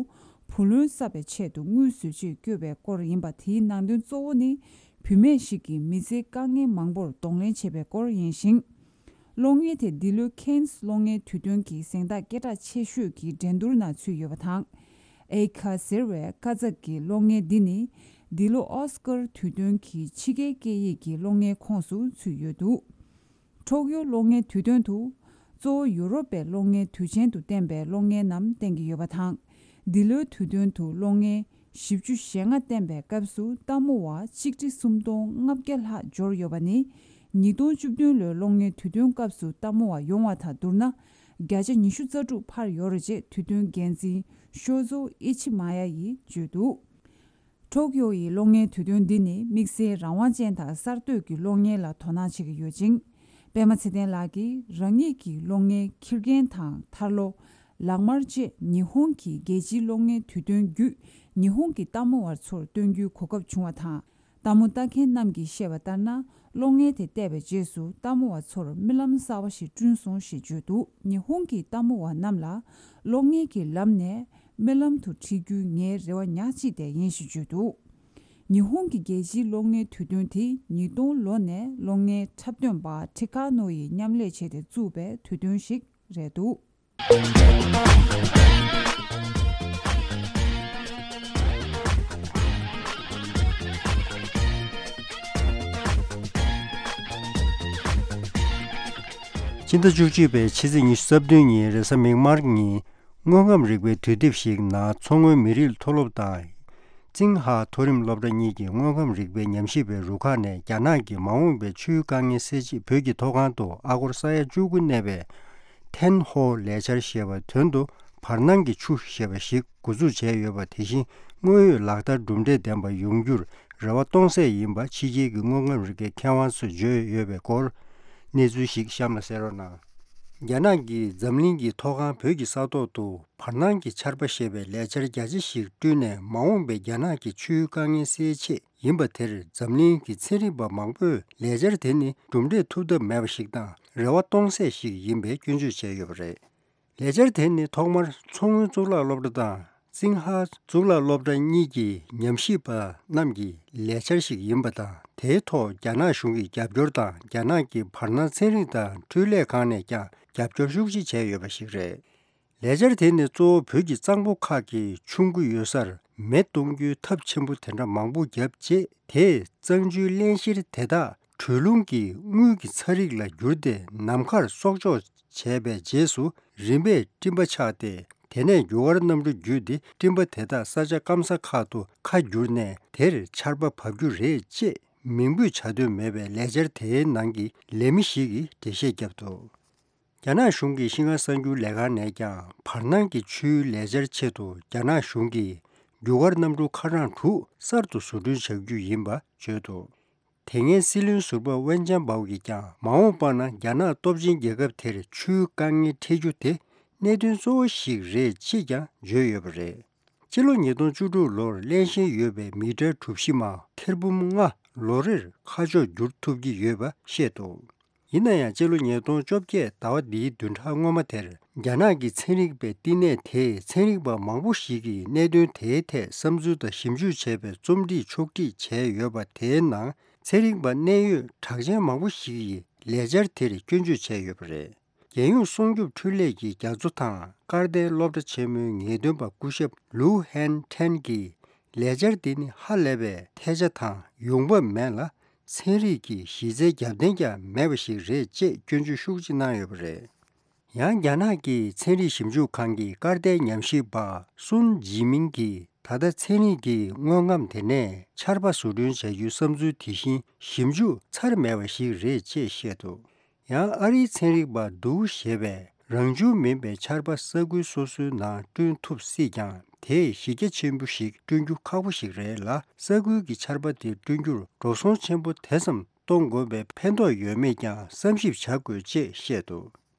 བུ་ལོན་བསགས་པའི་ཆེད་དུ་དངུལ་བཟོ་ཆེད་བསྐྱོད་པའི་སྐོར་ཡིན་པ། དེའི་ནང་དོན་གཙོ་བོ་ནི། བུད་མེད་ཞིག་གིས་མི་ཚེའི་དཀའ་ངལ་མང་པོར་གདོང་ལེན་བྱེད་པའི་སྐོར་ཡིན་ཞིང་། གློག་བརྙན་དེ་འདི་ལོའི་ཁེན་སི་གློག་བརྙན་དུས་སྟོན་གྱི་གཟེངས་རྟགས་སྐད་གྲགས་ཆེ་ཤོས་ཀྱི་འགྲན་བསྡུར་ནང་ཚུད་ཡོད་པ་དང་། ཨེ་ཁ་ཟེར་བའི་ཀ་ཛག་གི་གློག་བརྙན་འདི་ནི། འདི་ལོ་ཨོ་སི་ཀར་དུས་སྟོན་གྱི་ཕྱི་རྒྱལ་སྐད་ཡིག་གི་གློག་བརྙན་ཁོངས་སུ་ཚུད་ཡོད་འདུག། ཁྲོག་ཡོ་གློག་བརྙན་དུས་སྟོན་དུ། གཙོ་བོ་ཡུ་རོབ་པའི་གློག་བརྙན་དུས་ཆེན་དུ་བསྟན་པའི་གློག་བརྙན་རྣམས་བསྟན་གྱི་ཡོད་པ་དང་། འདི་ལོའི་དུས་སྟོན་དུ་གློག་བརྙན་བཞི་བཅུ་ཞེ་ལྔ་བསྟན་པའི་སྐབས་སུ་ལྟད་མོ་བ་ཆིག་ཁྲི་སུམ་སྟོང་ལྔ་བརྒྱ་ལྷག་འབྱོར་ཡོད་པ་ནི། ཉིས་སྟོང་བཅུ་བདུན་ལོའི་གློག་བརྙན་དུས་སྟོན་སྐབས་སུ་ལྟད་མོ་བ་ཡོང་བ་དང་བསྡུར་ན། བརྒྱ་ཆ་ཉི་ཤུ་རྩ་དྲུག་འཕར་ཡོད་རེད་ཅེས་དུས་སྟོན་འགན་འཛིན་ཤོ་ཛོ་ཨི་ཆི་མ་ཡ་ཡིས་བརྗོད་འདུག། ཁྲོག་ཡོ་ཡི་གློག་བརྙན་དུས་སྟོན་འདི་ནི་དམིགས་བསལ་རང་དབང་ཅན་དང་གསར་གཏོད་ཀྱི་གློག་བརྙན་ལ་དོ་སྣང་བྱེད་ཀྱི་ཡོད་ཅིང་། པད་མ་ཚེ་བརྟན་ལགས་ཀྱིས་རང་ཉིད་ཀྱི་གློག་བརྙན་ཁྱི་རྒན་དང་ཐར་ལོ། ལག་དམར་བཅས་ཉི་ཧོང་གི་རྒྱལ་སྤྱིའི་གློག་བརྙན་དུས་སྟོན་བརྒྱུད་ཉི་ཧོང་གི་ལྟད་མོ་བར་ཚོར་སྟོན་རྒྱུའི་གོ་སྐབས་བྱུང་བ་དང་། ལྟད་མོ་ལྟ་མཁན་རྣམས་ཀྱིས་བཤད་པ་ལྟར་ན། གློག་བརྙན་དེ་བལྟས་པའི་རྗེས་སུ་ལྟད་མོ་བ་ཚོར་རྨི་ལམ་གསར་བ་ཞིག་བསྐྲུན་སོང་ཞེས་བརྗོད་འདུག། ཉི་ཧོང་གི་ལྟད་མོ་བ་རྣམས་ལ་གློག་བརྙན་གྱི་ལམ་ནས་རྨི་ལམ་དུ་ཁྲིད་རྒྱུའི་ངའི་རེ་བ་ཉག་གཅིག་དེ་ཡིན་ཞེས་བརྗོད་འདུག། ཉི་ཧོང་གི་རྒྱལ་སྤྱིའི་གློག་བརྙན་དུས་སྟོན་དེ་ཉིས་སྟོང་ལོ་ནས་གློག་བརྙན་འཁྲབ་སྟོན་པ་ཁྲི་ཁ་ནོ་ཡིས་མཉམ་ལས་བྱས་ཏེ་བཙུགས་པའི་དུས་སྟོན་ཞིག་རེད་འདུག། ཕྱི་ཟླ་བཅུ་གཅིག་པའི་ཕྱི་ཚེས་ཉི་ཤུ་རྩ་བདུན་ཉིན་རེས་གཟའ་མིག་དམར་ཉིན། དངོས་ཁམས་རིག་པའི་དུས་དེབ་ཞིག་ནང་མཚོ་སྔོན་མི་རིགས་མཐོ་སློབ་དང་། ཙིང་ཧྭ་མཐོ་རིམ་སློབ་གྲྭ་གཉིས་ཀྱི་དངོས་ཁམས་རིག་པའི་ཉམས་ཞིབ་པའི་རུ་ཁག་ནས་རྒྱ་ནག་གི་མ་འོངས་པའི་ཆུའི་དཀའ་ངལ་སེལ་ཆེད་བོད་ཀྱི་མཐོ་སྒང་དུ་ཨ་སྒོར་ས་ཡ་བཅུ་དགུ་གནས་པའི་ཐན་ཧོ་ལས་འཆར་ཞེས་པ། དོན་དུ་བར་སྣང་གི་ཆུ་ཞེས་པ་ཞིག་འགོ་འཛུགས་བྱས་ཡོད་པ། དེ་བཞིན་དངོས་ཡོད་ལག་བསྟར་གྲུབ་འབྲས་ལྡན་པ་ཡོང་རྒྱུར་རེ་བ་གཏོང་སྲིད་ཡིན་པ་ཕྱི་རྒྱལ་གྱི་དངོས་ཁམས་རིག་པའི་མཁས་དབང་ཚོས་བརྗོད་ཡོད་པའི་སྐོར་གནས་ཚུལ་ཞིག་གཤམ་ལ་གསན་རོགས་གནང་། རྒྱ་ནག་གིས་འཛམ་གླིང་གི་མཐོ་སྒང་བོད་ཀྱི་ས་ཐོག་ཏུ་བར་སྣང་གི་ཆར་པ་ཞེས་པའི་ལས་འཆར་རྒྱ་ཆེ་ཞིག་བསྐྲུན་ནས། མ་འོངས་པའི་རྒྱ་ནག་གི་ཆུའི་དཀའ་ངལ་སེལ་ཆེད་ཡིན་པ་དེར། འཛམ་གླིང་གི་ཚན་རིག་པ་མང་པོས་ལས་འཆར་དེ་ནི་གྲུབ་འབྲས་ཐོབ་ཐབས་མེད་པ་ཞིག་དང་། རེ་བ་གཏོང་སྲིད་ཞིག་ཡིན་པའི་སྐྱོན་བརྗོད་བྱས་ཡོད་པ་རེད། ལས་འཆར་དེ་ནི་ཐོག་མར་མཚོ་སྔོན་གཙུག་ལག་སློབ་གྲྭ་དང་ཙིང་ཧྭ་གཙུག་ལག་སློབ་གྲྭ་གཉིས་ཀྱི་ཉམས་ཞིབ་པ་རྣམས་ཀྱི་ལས་འཆར་ཞིག་ཡིན་པ་དང་། དེའི་ཐོག་རྒྱ་ནག་གཞུང་གི་རྒྱབ་སྐྱོར་དང་། རྒྱ་ནག་གི་བར་སྣང་ཚན་རིག་དང་འཕྲུལ་ལས་ཁང་ནས་ཀྱང་རྒྱབ་སྐྱོར་ཤུགས་ཆེ་བྱས་ཡོད་པ་ཞིག་རེད། ལས་འཆར་དེ་ནི་གཙོ་བོ་བོད་ཀྱི་གཙང་པོ་ཁག་གི་ཆུ་མགོ་ཡོད་སར་མེ་གཏོང་རྒྱུའི་ཐབས་ཆེན་པོ་དེ་འདྲ་མང་པོ་བརྒྱབ་རྗེས། དེས་གཙང་ཆུའི་བརླན་གཤེར་དེ་དག་དྲོད་རླུང་གི་དངུལ་གྱི་ཚ་རིགས་ལ་བསྒྱུར་ཏེ་ནམ་མཁར་གསོག་འཇོག་བྱས་པའི་རྗེས་སུ། རིམ་པས་སྤྲིན་པ་ཆགས་ཏེ། དེ་ནས་རྒྱུ་སྐར་གནམ་གྲུ་བརྒྱུད་དེ་སྤྲིན་པ་དེ་དག་ས་ཆ་སྐམ་ས་ཁག་ཏུ་ཁ་བསྒྱུར་ནས། དེར་ཆར་པ་བབས་རྒྱུ་རེད་ཅེས་མིང་འབོད་བྱ་འདོད་མེད་པའི་ལས་འཆར་དེའི་ནང་གི་ལས་མི་ཞིག་གིས་འགྲེལ་བཤད་བརྒྱབ་འདུག། རྒྱ་ནག་གཞུང་གི་ཤིན་ཧྭ་གསར་འགྱུར་ལས་ཁང་ནས་ཀྱང་། བར་སྣང་གི་ཆུའི་ལས་འཆར་ཆེད་དུ་རྒྱ་ནག་གཞུང་གིས་རྒྱུ་སྐར་གནམ་གྲུ་ཁ་གྲངས་དྲུག་གསར་དུ་བཟོ་སྐྲུན་བྱ་རྒྱུ་ཡིན་པ་བརྗོད་འདུག། དེ་སྔའི་སྲིད་བློན་ཟུར་པ་ཝེན་ཅན་པའོ་ཡིས་ཀྱང་། མ་འོངས་པ་ན་རྒྱ་ནག་སྟོབས་ཆེན་རྒྱལ་ཁབ་དེར་ཆུའི་དཀའ་ངལ་འཕྲད་རྒྱུ་དེ་གནད་དོན་གཙོ་བོ་ཞིག་རེད་ཅེས་ཀྱང་བརྗོད་ཡོད་པ་རེད། སྤྱི་ལོ་ཉིས་སྟོང་བཅུ་དྲུག་ལོར་བརླན་གཤེར་ཡོད་པའི་མི་ཊར་གྲུ་བཞི་མ་ཐེར་འབུམ་ལྔ་ལོ་རེར་ཁ་ཕྱོགས་བསྒྱུར་ཐུབ་ཀྱི་ཡོད་པ་བཤད་འདུག། ཡིན་ན་ཡང་། སྤྱི་ལོ་ཉིས་སྟོང་བཅོ་བརྒྱད་ཟླ་བ་འདིའི་བདུན་ཕྲག་སྔོན་མ་དེར། རྒྱ་ནག་གི་ཚན་རིག་པའི་བསྟི་གནས་དེས་ཚན་རིག་པ་མང་པོ་ཞིག་གིས་གནད་དོན་དེའི་ཐད་བསམ་ཚུལ་དང་ཞིབ་འཇུག་བྱས་པའི་རྩོམ་སྒྲིག་ཕྱོགས་སྒྲིག་བྱས་ཡོད་པ་དེའི་ནང་། ཚན་རིག་པ་གནད་ཡོད་གྲགས་ཅན་མང་པོ་ཞིག་གིས་ལས་འཆར་དེར་སྐྱོན་བརྗོད་བྱས་ཡོད་པ་རེད། རྒྱལ་ཡོངས་སྲུང་སྐྱོབ་འཕྲུལ་ལས་ཀྱི་རྒྱ་མཚོ་དང་། ཀར་ཏན་སློབ་གྲྭ་ཆེན་མོའི་ངེས་སྟོན་པ་སྐུ་ཞབས་ལུའུ་ཧན་ཁྲེན་གྱིས། ལས་འཆར་འདི་ནི་ཧ་ལས་པའི་ཐལ་ཆ་དང་ཡོང་འབབ་མེད་ལ། ཚན་རིག་གི་གཞི་རྩའི་རྒྱབ་རྟེན་ཀྱང་མེད་པ་ཞིག་རེད་ཅེས་སྐྱོན་བརྗོད་ཤུགས་ཆེ་གནང་ཡོད་པ་རེད། ཡང་། རྒྱ་ནག་གི་ཚན་རིག་ཞིབ་འཇུག་ཁང་གི་ཀར་ཏའི་ཉམས་ཞིབ་པ་སུན་ཇི་མིང་གིས། ད་ལྟ་ཚན་རིག་གི་དངོས་ཁམས་དེ་ནས་ཆར་པ་བཟོ་སྐྲུན་བྱ་རྒྱུའི་བསམ་ཚུལ་དེ་བཞིན་ཞིབ་འཇུག་ཚར་མེད་པ་ཞིག་རེད་ཅེས་བཤད་འདུག། ཡང་། ཨ་རིའི་ཚན་རིག་པ་ཌུའུ་ཞེས་པས། རང་བྱུང་མིན་པའི་ཆར་པ་ས་ཁུལ་སོ་སོའི་ནང་བསྐྲུན་ཐུབ་སྲིད་ཀྱང་། དེས་གཞི་རྒྱ་ཆེན་པོ་ཞིག་བསྐྲུན་རྒྱུ་ཁག་པོ་ཞིག་རེད་ལ། ས་ཁུལ་གྱི་ཆར་པ་དེ་བསྐྲུན་རྒྱུར་འགྲོ་སོང་ཆེན་པོ་དེ་ཙམ་གཏོང་དགོས་པའི་ཕན་ཐོགས་ཡོད་མེད་ཀྱང་བསམ་ཞིབ་བྱ་དགོས་ཅེས་བཤད་འདུག།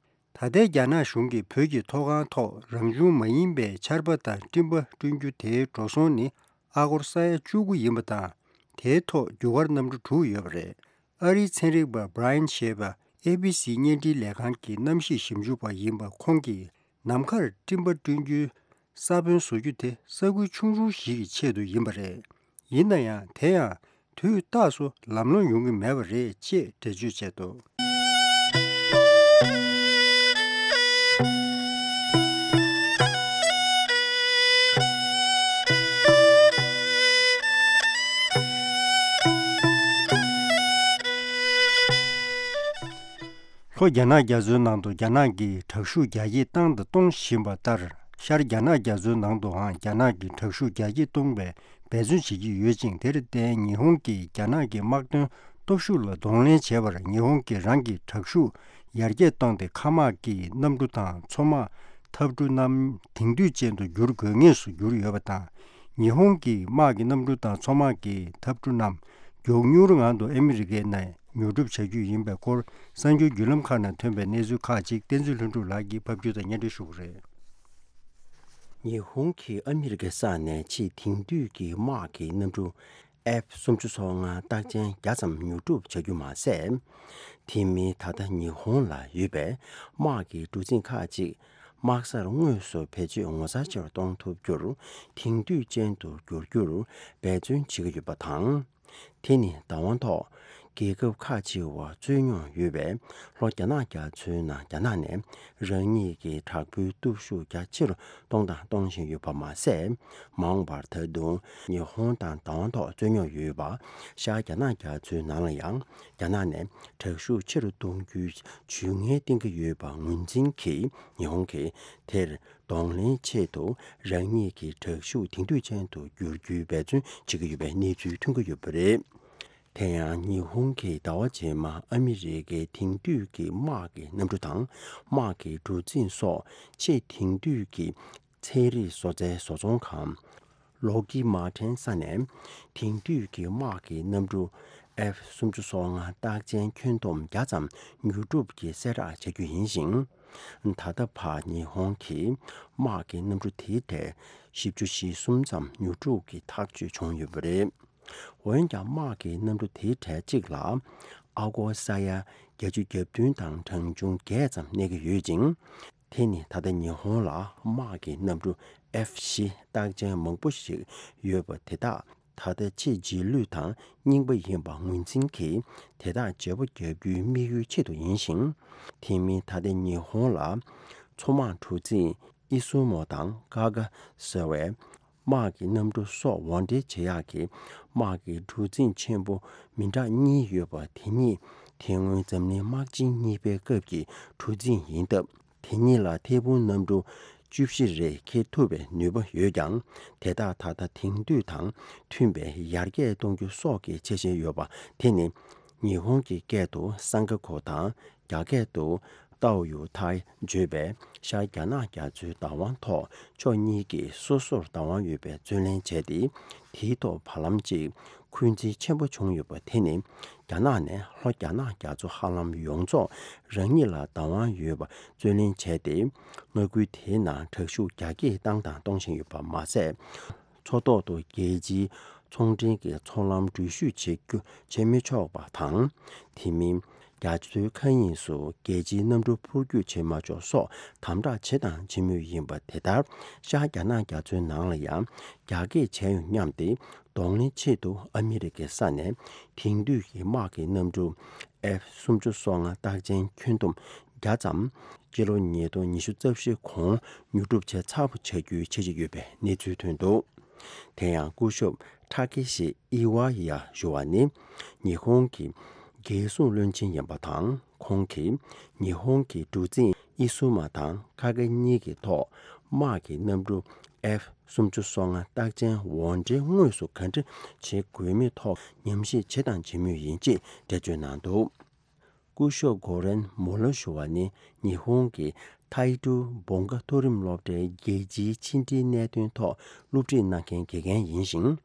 ད་ལྟའི་རྒྱ་ནག་གཞུང་གིས་བོད་ཀྱི་མཐོ་སྒང་ཐོག་རང་བྱུང་མ་ཡིན་པའི་ཆར་པ་དང་སྤྲིན་པ་བསྐྲུན་རྒྱུ་དེའི་འགྲོ་སོང་ནི་ཨ་སྒོར་ས་ཡ་བཅུ་དགུ་ཡིན་པ་དང་། དེའི་ཐོག་རྒྱུ་སྐར་གནམ་གྲུ་དྲུག་ཡོད་པ་རེད། ཨ་རིའི་ཚན་རིག་པ་Brian ཞེས་པ་ཨེ་བི་སི་བརྙན་འཕྲིན་ལས་ཁང་གི་གནམ་གཤིས་ཞིབ་འཇུག་པ་ཡིན་པ་ཁོང་གིས། ནམ་མཁར་སྤྲིན་པ་བསྐྲུན་རྒྱུའི་ས་བོན་བཟོ་རྒྱུ་དེ་ས་ཁུལ་ཆུང་ཆུང་ཞིག་གི་ཆེད་དུ་ཡིན་པ་རེད། ཡིན་ན་ཡང་། དེ་ཡང་དུས་རྟག་སུ་ལམ་ལྷོང་ཡོང་གི་མེད་པ་རེད་ཅེས་འགྲེལ་བརྗོད་བྱས་འདུག། ལྷོ་རྒྱ་ནག་རྒྱ་མཚོའི་ནང་དུ་རྒྱ་ནག་གིས་དྲག་ཤུགས་རྒྱ་སྐྱེད་བཏང་དང་གཏོང་བཞིན་པ་ལྟར། ཤར་རྒྱ་ནག་རྒྱ་མཚོའི་ནང་དུའང་རྒྱ་ནག་གིས་དྲག་ཤུགས་རྒྱ་སྐྱེད་གཏོང་བའི་འབད་བརྩོན་བྱེད་ཀྱི་ཡོད་ཅིང་། དེར་བརྟེན་ཉི་ཧོང་གིས་རྒྱ་ནག་གི་དམག་དོན་སྟོབས་ཤུགས་ལ་གདོང་ལེན་བྱས་པར་ཉི་ཧོང་གིས་རང་གི་དྲག་ཤུགས་ཡར་རྒྱས་བཏང་སྟེ། མཁའ་དམག་གི་གནམ་གྲུ་དང་མཚོ་དམག་འཐབ་གྲུ་རྣམས་དེང་དུས་ཅན་དུ་བསྒྱུར་དགོས་ངེས་སུ་གྱུར་ཡོད་པ་དང་། ཉི་ཧོང་གི་དམག་གི་གནམ་གྲུ་དང་མཚོ་དམག་གི་འཐབ་གྲུ་རྣམས་མགྱོགས་མྱུར་ངང་དུ་ཨ་མི་རི་ཀའི་ནང་ཉོ་སྒྲུབ་བྱ་རྒྱུ་ཡིན་པའི་སྐོར། གསར་འགྱུར་བརྒྱུད་ལམ་ཁག་ནང་ཐོན་པའི་གནས་ཚུལ་ཁག་ཅིག་བསྟན་འཛིན་ལྷུན་གྲུབ་ལགས་ཀྱིས་ཕབ་སྒྱུར་དང་སྙན་སྒྲོན་ཞུ་གི་རེད། ཉི་ཧོང་གིས་ཨ་མི་རི་ཀའི་ས་ནས་ཆེས་དེང་དུས་ཀྱི་དམག་གི་གནམ་གྲུ་ཨེཕ་སུམ་ཅུ་སོ་ལྔ་རྟགས་ཅན་བརྒྱ་ཙམ་ཉོ་སྒྲུབ་བྱ་རྒྱུ་མ་ཟད། དེ་མིན་ད་ལྟ་ཉི་ཧོང་ལ་ཡོད་པའི་དམག་གི་གྲུ་གཟིངས་ཁག་ཅིག་དམག་སར་དངོས་སུ་བེད་སྤྱོད་ངོ་མཚར་ཆེ་བར་གཏོང་ཐུབ་རྒྱུར་དེང་དུས་ཅན་དུ་བསྒྱུར་རྒྱུར་འབད་བརྩོན་བྱེད་ཀྱི་ཡོད་པ་དང་། དེ་ནི་བདག་དབང་ཐོག་རྒྱལ་ཁབ་ཁག་ཅིག་བ་རྩོད་རྙོག་ཡོད་པའི་ལྷོ་རྒྱ་ནག་རྒྱ་མཚོའི་ནང་རྒྱ་ནག་ནས་རང་ཉིད་ཀྱི་དྲག་པོའི་སྟོབས་ཤུགས་རྒྱ་ཆེ་རུ་གཏོང་དང་གཏོང་བཞིན་ཡོད་པ་མ་ཟད། མ་འོངས་པར་ད་དུང་ཉི་ཧོང་དང་བདག་དབང་ཐོག་རྩོད་རྙོག་ཡོད་པ་ཤར་རྒྱ་ནག་རྒྱ་མཚོའི་ནང་ལ་ཡང་རྒྱ་ནག་ནས་དྲག་ཤུགས་ཆེ་རུ་གཏོང་རྒྱུའི་ཇུས་ངན་བསྟན་གྱི་ཡོད་པ་ངོས་འཛིན་གྱིས། ཉི་ཧོང་གིས་དེར་གདོང་ལེན་ཆེད་དུ་རང་ཉིད་ཀྱི་དྲག་ཤུགས་དེང་དུས་ཅན་དུ་བསྒྱུར་རྒྱུའི་འབད་བརྩོན་བྱེད་ཀྱི་ཡོད་པའི་གནས་ཚུལ་ཐོན་གྱི་ཡོད་པ་རེད། དེ་ཡང་ཉི་ཧོང་གིས་ཟླ་བ་རྗེས་མ་ཨ་མི་རི་ཀའི་དེང་དུས་ཀྱི་དམག་གི་གནམ་གྲུ་དང་དམག་གི་གྲུ་གཟིངས་སོགས་ཆེས་དེང་དུས་ཀྱི་ཚན་རིག་བཟོ་རྩལ་བཟོ་ཚོང་ཁང་ལོག་ཧིད་མར་ཏིན་ས་ནས་དེང་དུས་ཀྱི་དམག་གི་གནམ་གྲུ་ཨེཕ་སུམ་ཅུ་སོ་ལྔ་རྟགས་ཅན་ཁྱོན་བསྡོམས་བརྒྱ་ཙམ་ཉོ་སྒྲུབ་ཀྱི་གསལ་བསྒྲགས་བྱ་རྒྱུ་ཡིན་ཞིང་། ད་ལྟ་བར་ཉི་ཧོང་གིས་དམག་གི་གནམ་གྲུ་དེའི་གྲས་བཞི་བཅུ་ཞེ་གསུམ་ཙམ་ཉོ་སྒྲུབ་ཀྱི་ཐག་གཅོད་བྱུང་ཡོད་པ་རེད། འོན་ཀྱང་དམག་གི་གནམ་གྲུ་དེའི་གྲས་གཅིག་ལ་ཨ་སྒོར་ས་ཡ་བརྒྱད་ཅུ་གྱ་བདུན་དང་གྲངས་ཆུང་བརྒྱད་ཙམ་གནས་ཀྱི་ཡོད་ཅིང་། དེ་ནི་ད་ལྟ་ཉི་ཧོང་ལ་དམག་གི་གནམ་གྲུ་ཨེཕ་བཞི་རྟགས་ཅན་མང་པོ་ཞིག་ཡོད་པ་དེ་དག་ད་ལྟ་ཆེས་རྗེས་ལུས་དང་རྙིང་པ་ཡིན་པ་ངོས་འཛིན་གྱིས། དེ་དག་བརྗེ་པོ་རྒྱག་རྒྱུའི་དམིགས་ཡུལ་ཆེད་དུ་ཡིན་ཞིང་། དེ་མིན་ད་ལྟ་ཉི་ཧོང་ལ་མཚོ་དམག་གྲུ་གཟིངས་ཨི་སུ་མོ་དང་ཀ་ཀ་ཟེར་བའི་དམག་གི་གནམ་གྲུ་སོགས་འོར་འདྲེན་བྱེད་ཡག་གི་དམག་གི་གྲུ་གཟིངས་ཆེན་པོ་མི་འདྲ་གཉིས་ཡོད་པ་དེ་ཉིད་དེ་སྔོན་འཛམ་གླིང་དམག་ཆེན་གཉིས་པའི་སྐབས་ཀྱི་གྲུ་གཟིངས་ཡིན་སྟབས། དེ་གཉིས་ལ་ཐད་འཕུར་གནམ་གྲུ་བཅུ་བཞི་རེ་འཁྱེར་ཐུབ་པའི་ནུས་པ་ཡོད་ཀྱང་། དེ་དག་ད་ལྟ་དེང་དུས་དང་མཐུན་པའི་ཡར་རྒྱས་གཏོང་རྒྱུ་སོགས་ཀྱི་འཆར་གཞི་ཡོད་པ་དེ་ནི། ཉི་ཧོང་གི་སྐད་དུ་སང་ཀ་ཁོ་དང་རྒྱ་སྐད་དུ་ཏའོ་ཡུ་ཐའི་བརྗོད་པའི་ཤར་རྒྱ་ནག་རྒྱ་མཚོའི་བདག་དབང་ཐོག་ཕྱོགས་གཉིས་ཀྱིས་སོ་སོར་བདག་དབང་ཡོད་པའི་རྩོད་ལེན་བྱས་ཏེ། དེའི་ཐོག་བར་ལམ་གཅིག་འཁོན་འཛིན་ཆེན་པོ་བྱུང་ཡོད་པ་དེ་ནི། རྒྱ་ནག་ནས་ལྷོ་རྒྱ་ནག་རྒྱ་མཚོ་ཧ་ལམ་ཡོངས་རྫོགས་རང་ཉིད་ལ་བདག་དབང་ཡོད་པ་རྩོད་ལེན་བྱས་ཏེ། མངའ་ཁུལ་དེའི་ནང་དྲག་ཤུགས་རྒྱ་སྐྱེད་བཏང་དང་གཏོང་བཞིན་ཡོད་པ་མ་ཟད། མཚོ་ཐོག་ཏུ་རྒྱལ་སྤྱིའི་ཚོང་འབྲེལ་གྱི་ཚོང་ལམ་འགྲུལ་བཞུད་བྱེད་རྒྱུ་བྱེད་མི་ཆོག་པ་དང་། དེ་མིན། རྒྱ་མཚོའི་མཁའ་དབྱིངས་སུ་རྒྱལ་སྤྱིའི་གནམ་གྲུ་འཕུར་སྐྱོད་བྱེད་མ་ཆོག་སོགས་དམ་དྲག་བྱེད་དང་བྱེད་མུས་ཡིན་པ་དེ་ལྟར། ཤར་རྒྱ་ནག་རྒྱ་མཚོའི་ནང་ལ་ཡང་རྒྱ་སྐྱེད་བྱས་ཡོང་སྙམ་སྟེ། གདོང་ལེན་ཆེད་དུ་ཨ་མི་རི་ཀའི་ས་ནས་དེང་དུས་ཀྱི་དམག་གི་གནམ་གྲུ་ཨེཕ་སུམ་ཅུ་སོ་ལྔ་རྟགས་ཅན་ཁྱོན་བསྡོམས་བརྒྱ་ཙམ་སྤྱི་ལོ་ཉིས་སྟོང་ཉི་ཤུ་རྩ་བཞི་གོང་ཉོ་སྒྲུབ་བྱས་ཚར་བ་བྱ་རྒྱུའི་འཆར་གཞི་ཡོད་པའི་གནས་ཚུལ་ཐོན་འདུག་དེ་ཡང་སྐུ་ཞབས་ཁྲ་ཀེ་ཤི་ཨི་ཝ་ཡ་ཞུ་བ་ནི། ཉི་ཧོང་གི་རྒྱལ་སྲུང་བློན་ཆེན་ཡིན་པ་དང་། ཁོང་གིས་ཉི་ཧོང་གི་གྲུ་གཟིངས་ཨི་སུ་མ་དང་ཀ་ཀ་གཉིས་ཀྱི་ཐོག་དམག་གི་གནམ་གྲུ་ཨེཕ་སུམ་ཅུ་སོ་ལྔ་རྟགས་ཅན་འོར་འདྲེན་དངོས་སུ་ག་འདྲ་བྱེད་དགོས་མིན་ཐོག་ཉམས་ཞིབ་བྱེད་དང་བྱེད་མུས་ཡིན་ཅེས་འགྲེལ་བརྗོད་གནང་འདུག་སྐུ་ཞབས་གོ་རན་མུ་ལར་ཞུ་བ་ནི། ཉི་ཧོང་གི་ཐའེ་ཀྲུའུ་བོང་ཀ་མཐོ་རིམ་སློབ་གྲྭའི་རྒྱལ་སྤྱིའི་ཕྱི་འབྲེལ་གནད་དོན་ཐོག་སློབ་ཁྲིད་གནང་མཁན་དགེ་རྒན་ཡིན་ཞིང་།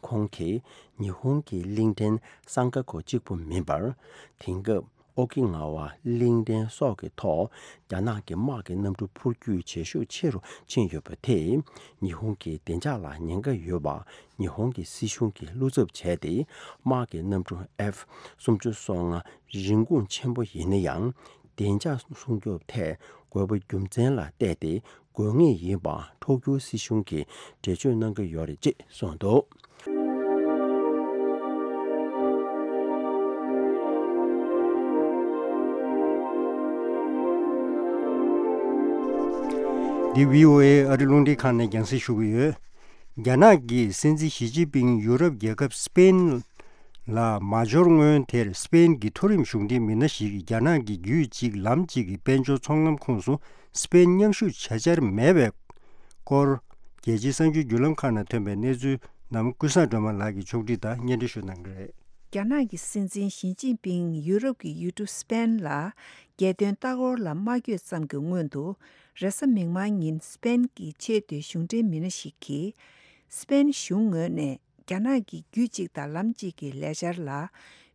ཁོང་གིས་ཉི་ཧོང་གི་གླིང་ཕྲན་སང་ཀ་ཁོ་གཅིག་པུ་མིན་པར། དེང་སྐབས་ཨོ་ཀི་ནཱ་ཝ་གླིང་ཕྲན་སོགས་ཀྱི་ཐོག་རྒྱ་ནག་གི་དམག་གི་གནམ་གྲུ་འཕུར་སྐྱོད་བྱེད་ཤུགས་ཆེ་རུ་ཕྱིན་ཡོད་པ་དེས། ཉི་ཧོང་གི་བདེ་འཇགས་ལ་ཉེན་ཁ་ཡོད་པ། ཉི་ཧོང་གི་སྲིད་གཞུང་གིས་བློ་འཚབ་བྱས་ཏེ། དམག་གི་གནམ་གྲུ་ཨེཕ་སུམ་ཅུ་སོ་ལྔ་རིན་གོང་ཆེན་པོ་ཡིན་ན་ཡང་། བདེ་འཇགས་སྲུང་སྐྱོབ་ཐད་དགོས་པ་རྒྱུ་མཚན་ལ་བལྟས་ཏེ་དགོས་ངེས་ཡིན་པ་ཐོག་བརྒྱུད་སྲིད་གཞུང་གིས་འགྲེལ་བརྗོད་གནང་གི་ཡོད་རེད་ཅེས་གསུངས་འདུག་འདི་བྷི་ཨོ་ཨེ་ཨ་རི་རླུང་འཕྲིན་ཁང་ནས་རྒྱང་སྲིང་ཞུ་གི་ཡོད། རྒྱ་ནག་གིས་སྲིད་འཛིན་ཞི་ཅིན་ཕིང་ཡུ་རོབ་རྒྱལ་ཁབ་སི་པེན་ ལ་མ་འབྱོར་སྔོན་དེར་སི་པེན་གྱི་མཐོ་རིམ་གཞུང་འབྲེལ་མི་སྣ་ཞིག་གིས་རྒྱ་ནག་གི་རྒྱུད་གཅིག་ལམ་གཅིག་གི་དཔལ་འབྱོར་ཚོང་ལམ་ཁོངས་སུ་སི་པེན་མཉམ་ཞུགས་བྱ་འཆར་མེད་པའི་སྐོར། རྒྱལ་སྤྱིའི་གསར་འགྱུར་བརྒྱུད་ལམ་ཁག་ནང་ཐོན་པའི་གནས་ཚུལ་རྣམས་ཀུན་བཟང་སྒྲོལ་མ་ལགས་ཀྱིས་ཕྱོགས་སྒྲིག་དང་སྙན་སྒྲོན་ཞུ་གནང་གི་རེད། རྒྱ་ནག་གི་སྲིད་འཛིན་ཞི་ཅིན་ཕིང་ཡུ་རོབ་ཀྱི་ཡུལ་གྲུ་སི་པེན་ལ་རྒྱལ་དོན་ལྟ་སྐོར་ལ་མ་བསྐྱོད་ཙམ་གྱི་སྔོན་དུ། རེས་གཟའ་མིག་དམར་ཉིན་སི་པེན་གྱི་ཆེས་མཐོའི་གཞུང་འབྲེལ་མི་སྣ་ཞིག་གིས། སི་པེན་གཞུང་ངོས་ནས་རྒྱ་ནག་གི་རྒྱུད་གཅིག་དང་ལམ་གཅིག་གི་ལས་འཆར་ལ་མོས་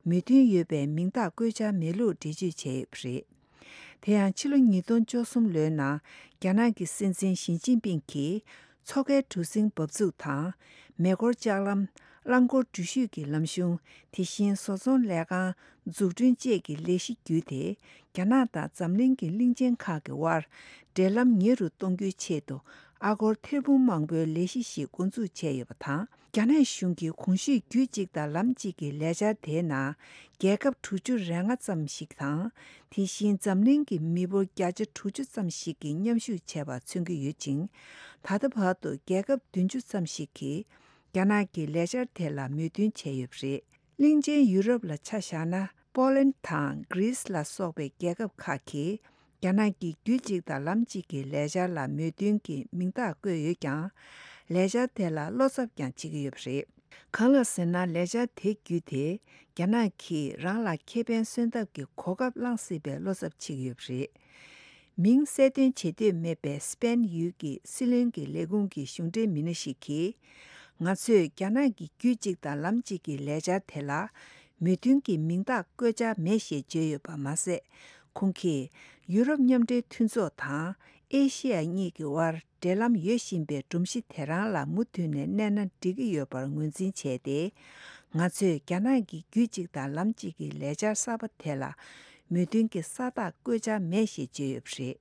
མཐུན་ཡོད་པའི་མིང་རྟགས་བཀོད་འཆར་མེད་ལུགས་འགྲེལ་བརྗོད་བྱས་ཡོད་པ་རེད། དེ་ཡང་ཕྱི་ལོ་ཉིས་སྟོང་བཅུ་གསུམ་ལོའི་ནང་རྒྱ་ནག་གི་སྲིད་འཛིན་ཞི་ཅིན་ཕིང་གིས་མཚོ་ཁའི་གྲུ་གཟིངས་འབབ་ཚུགས་དང་། མེ་འཁོར་ལྕགས་ལམ། རླངས་འཁོར་འགྲུལ་བཞུད་ཀྱི་ལམ་གཞུང་། དེ་བཞིན་བཟོ་ཚོང་ལས་ཁང་འཛུགས་སྐྲུན་བཅས་ཀྱི་ལས་གཞི་བརྒྱུད་དེ། རྒྱ་ནག་དང་འཛམ་གླིང་གི་གླིང་ཆེན་ཁག་གི་དབར་འབྲེལ་ལམ་ཉེ་རུ་གཏོང་རྒྱུའི་ཆེད་དུ། ཨ་སྒོར་ཐེར་འབུམ་མང་པོའི་ལས་གཞི་ཞིག་འགོ་འཛུགས་བྱས་ཡོད་པ་དང་། རྒྱ་ནག་གཞུང་གིས་གོང་ཞུས་རྒྱུད་གཅིག་དང་ལམ་གཅིག་གི་ལས་འཆར་དེའི་ནང་། རྒྱལ་ཁབ་དྲུག་ཅུ་རེ་ལྔ་ཙམ་ཞིག་དང་། དེ་བཞིན་འཛམ་གླིང་གི་མི་འབོར་བརྒྱ་ཆ་དྲུག་ཅུ་ཙམ་ཞིག་གིས་མཉམ་ཞུགས་བྱས་པ་མཚོན་གྱི་ཡོད་ཅིང་། ད་ལྟ་བར་དུ་རྒྱལ་ཁབ་བདུན་ཅུ་ཙམ་ཞིག་གིས་རྒྱ་ནག་གི་ལས་འཆར་དེ་ལ་མོས་མཐུན་བྱས་ཡོད་པ་རེད། གླིང་ཆེན་ཡུ་རོབ་ལ་ཆ་བཞག་ན། པོ་ལན་དང་གྷི་རིས་ལ་སོགས་པའི་རྒྱལ་ཁབ་ཁག་གིས། རྒྱ་ནག་གི་རྒྱུད་གཅིག་དང་ལམ་གཅིག་གི་ལས་འཆར་ལ་མོས་མཐུན་གྱི་མིང་རྟགས་བཀོད་ཡོད་ཀྱང་། ལས་འཆར་དེ་ལ་བློ་འཚབ་ཀྱང་བྱེད་ཀྱི་ཡོད་པ་རེད། གང་ལགས་ཟེར་ན། ལས་འཆར་དེ་བརྒྱུད་དེ། རྒྱ་ནག་གིས་རང་ལ་ཁེ་ཕན་སོན་ཐབས་ཀྱི་གོ་སྐབས་བླངས་སྲིད་པའི་བློ་འཚབ་བྱེད་ཀྱི་ཡོད་པ་རེད། མིང་གསལ་སྟོན་བྱེད་འདོད་མེད་པའི་སི་པེན་ཡུལ་གྱི་སྲིད་བློན་གྱི་ལས་ཁུངས་ཀྱི་གཞུང་འབྲེལ་མི་སྣ་ཞིག་གིས། ང་ཚོས་རྒྱ་ནག་གི་རྒྱུད་གཅིག་དང་ལམ་གཅིག་གི་ལས་འཆར་དེ་ལ། མོས་མཐུན་གྱི་མིང་རྟགས་བཀོད་འཆར་མེད་ཞེས་བརྗོད་ཡོད་པ་མ་ཟད། ཁོང་གིས་ཡུ་རོབ་མཉམ་འབྲེལ་མཐུན་ཚོགས་དང་ཨེ་ཤེ་ཡ་གཉིས་ཀྱི་དབར་འབྲེལ་ལམ་ཡོད་བཞིན་པའི་སྒྲོམ་གཞི་དེ་རང་ལ་མུ་མཐུད་ནས་གནས་ན་འགྲིག་གི་ཡོད་པར་ངོས་འཛིན་བྱས་ཏེ། ང་ཚོས་རྒྱ་ནག་གི་རྒྱུད་གཅིག་དང་ལམ་གཅིག་གི་ལས་འཆར་གསར་པ་དེ་ལ་མོས་མཐུན་གྱི་ས་རྟགས་བཀོད་འཆར་མེད་ཞེས་བརྗོད་ཡོད་པ་རེད།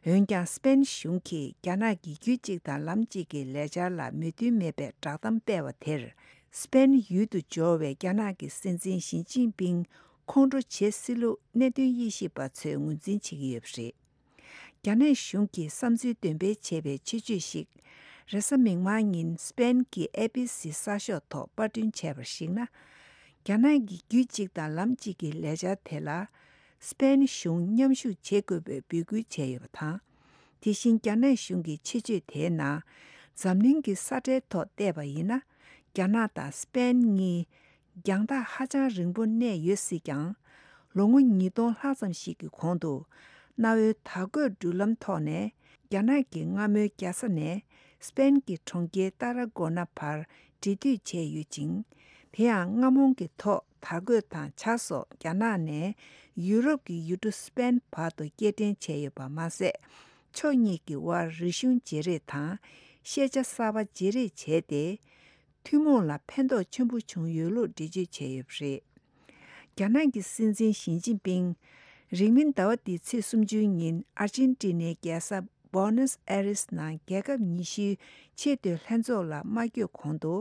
འོན་ཀྱང་སི་པེན་གཞུང་གིས་རྒྱ་ནག་གི་རྒྱུད་གཅིག་དང་ལམ་གཅིག་གི་ལས་འཆར་ལ་མོས་མཐུན་མེད་པའི་བསྒྲགས་གཏམ་སྤེལ་བ་དེར། སི་པེན་ཡུལ་དུ་འབྱོར་བའི་རྒྱ་ནག་གི་སྲིད་འཛིན་ཞི་ཅིན་ཕིང་ཁོང་ཁྲོ་བྱེད་སྲིད་ལུགས་གནད་དོན་དབྱེ་ཞིབ་པ་ཚོས་ངོས་འཛིན་བྱེད་ཀྱི་ཡོད་པ་རེད། རྒྱ་ནག་གཞུང་གིས་བསམ་ཚུལ་འདོན་སྤེལ་བྱས་པའི་ཆེད་བརྗོད་ཞིག་རེས་གཟའ་མིག་དམར་ཉིན་སི་པེན་གྱི་ཨེ་བི་སི་གསར་ཤོག་ཐོག་པར་སྐྲུན་བྱས་པར་གཞིགས་ན། རྒྱ་ནག་གི་རྒྱུད་གཅིག་དང་ལམ་གཅིག་གི་ལས་འཆར་དེ་ལ། སི་པེན་གཞུང་མཉམ་ཞུགས་བྱེད་དགོས་པའི་འབོད་སྐུལ་བྱས་ཡོད་པ་དང་། དེ་བཞིན་རྒྱ་ནག་གཞུང་གི་ཆེད་བརྗོད་དེའི་ནང་། འཛམ་གླིང་གི་ས་ཁྲའི་ཐོག་བལྟས་པ་ཡིན་ན། རྒྱ་ནག་དང་སི་པེན་གཉིས་རྒྱང་ཐག་ཧ་ཅང་རིང་པོ་གནས་ཡོད་སྲིད་ཀྱང་། ལོ་ངོ་ཉིས་སྟོང་ལྷག་ཙམ་ཞིག་གི་གོང་དུ། གནའ་བོའི་དར་གོས་འགྲུལ་ལམ་ཐོག་ནས་རྒྱ་ནག་གི་སྔ་མོའི་རྒྱལ་ས་ནས་སི་པེན་གྱི་གྲོང་ཁྱེར་ཏཱ་ར་གོ་ན་བར་འབྲེལ་མཐུད་བྱས་ཡོད་ཅིང་། དེ་ཡང་རྔ་མོང་གི་ཐོག་དར་གོས་དང་ཇ་སོགས་རྒྱ་ནག་ནས་ཡུ་རོབ་ཀྱི་ཡུལ་གྲུ་སི་པེན་བར་དུ་སྐྱེལ་འདྲེན་བྱས་ཡོད་པ་མ་ཟད། ཕྱོགས་གཉིས་ཀྱི་དབར་རིག་གཞུང་བརྗེ་རེས་དང་ཤེས་བྱ་གསར་པ་བརྗེ་རེས་བྱས་ཏེ། ཐུན་མོང་ལ་ཕན་ཐོགས་ཆེན་པོ་བྱུང་ཡོད་ལུགས་འགྲེལ་བརྗོད་བྱས་ཡོད་པ་རེད། རྒྱ་ནག་གི་སྲིད་འཛིན་ཞི་ཅིན་ཕིང་། རིང་མིན་ཟླ་བ་འདིའི་ཚེས་སུམ་ཅུ་ཉིན་ཨར་ཅན་ཏི་ནའི་རྒྱལ་ས་བྷོ་ནེས་ཨེ་རེས་ནང་རྒྱལ་ཁབ་ཉི་ཤུའི་ཆེས་མཐོའི་ལྷན་ཚོགས་ལ་མ་བསྐྱོད་གོང་དུ།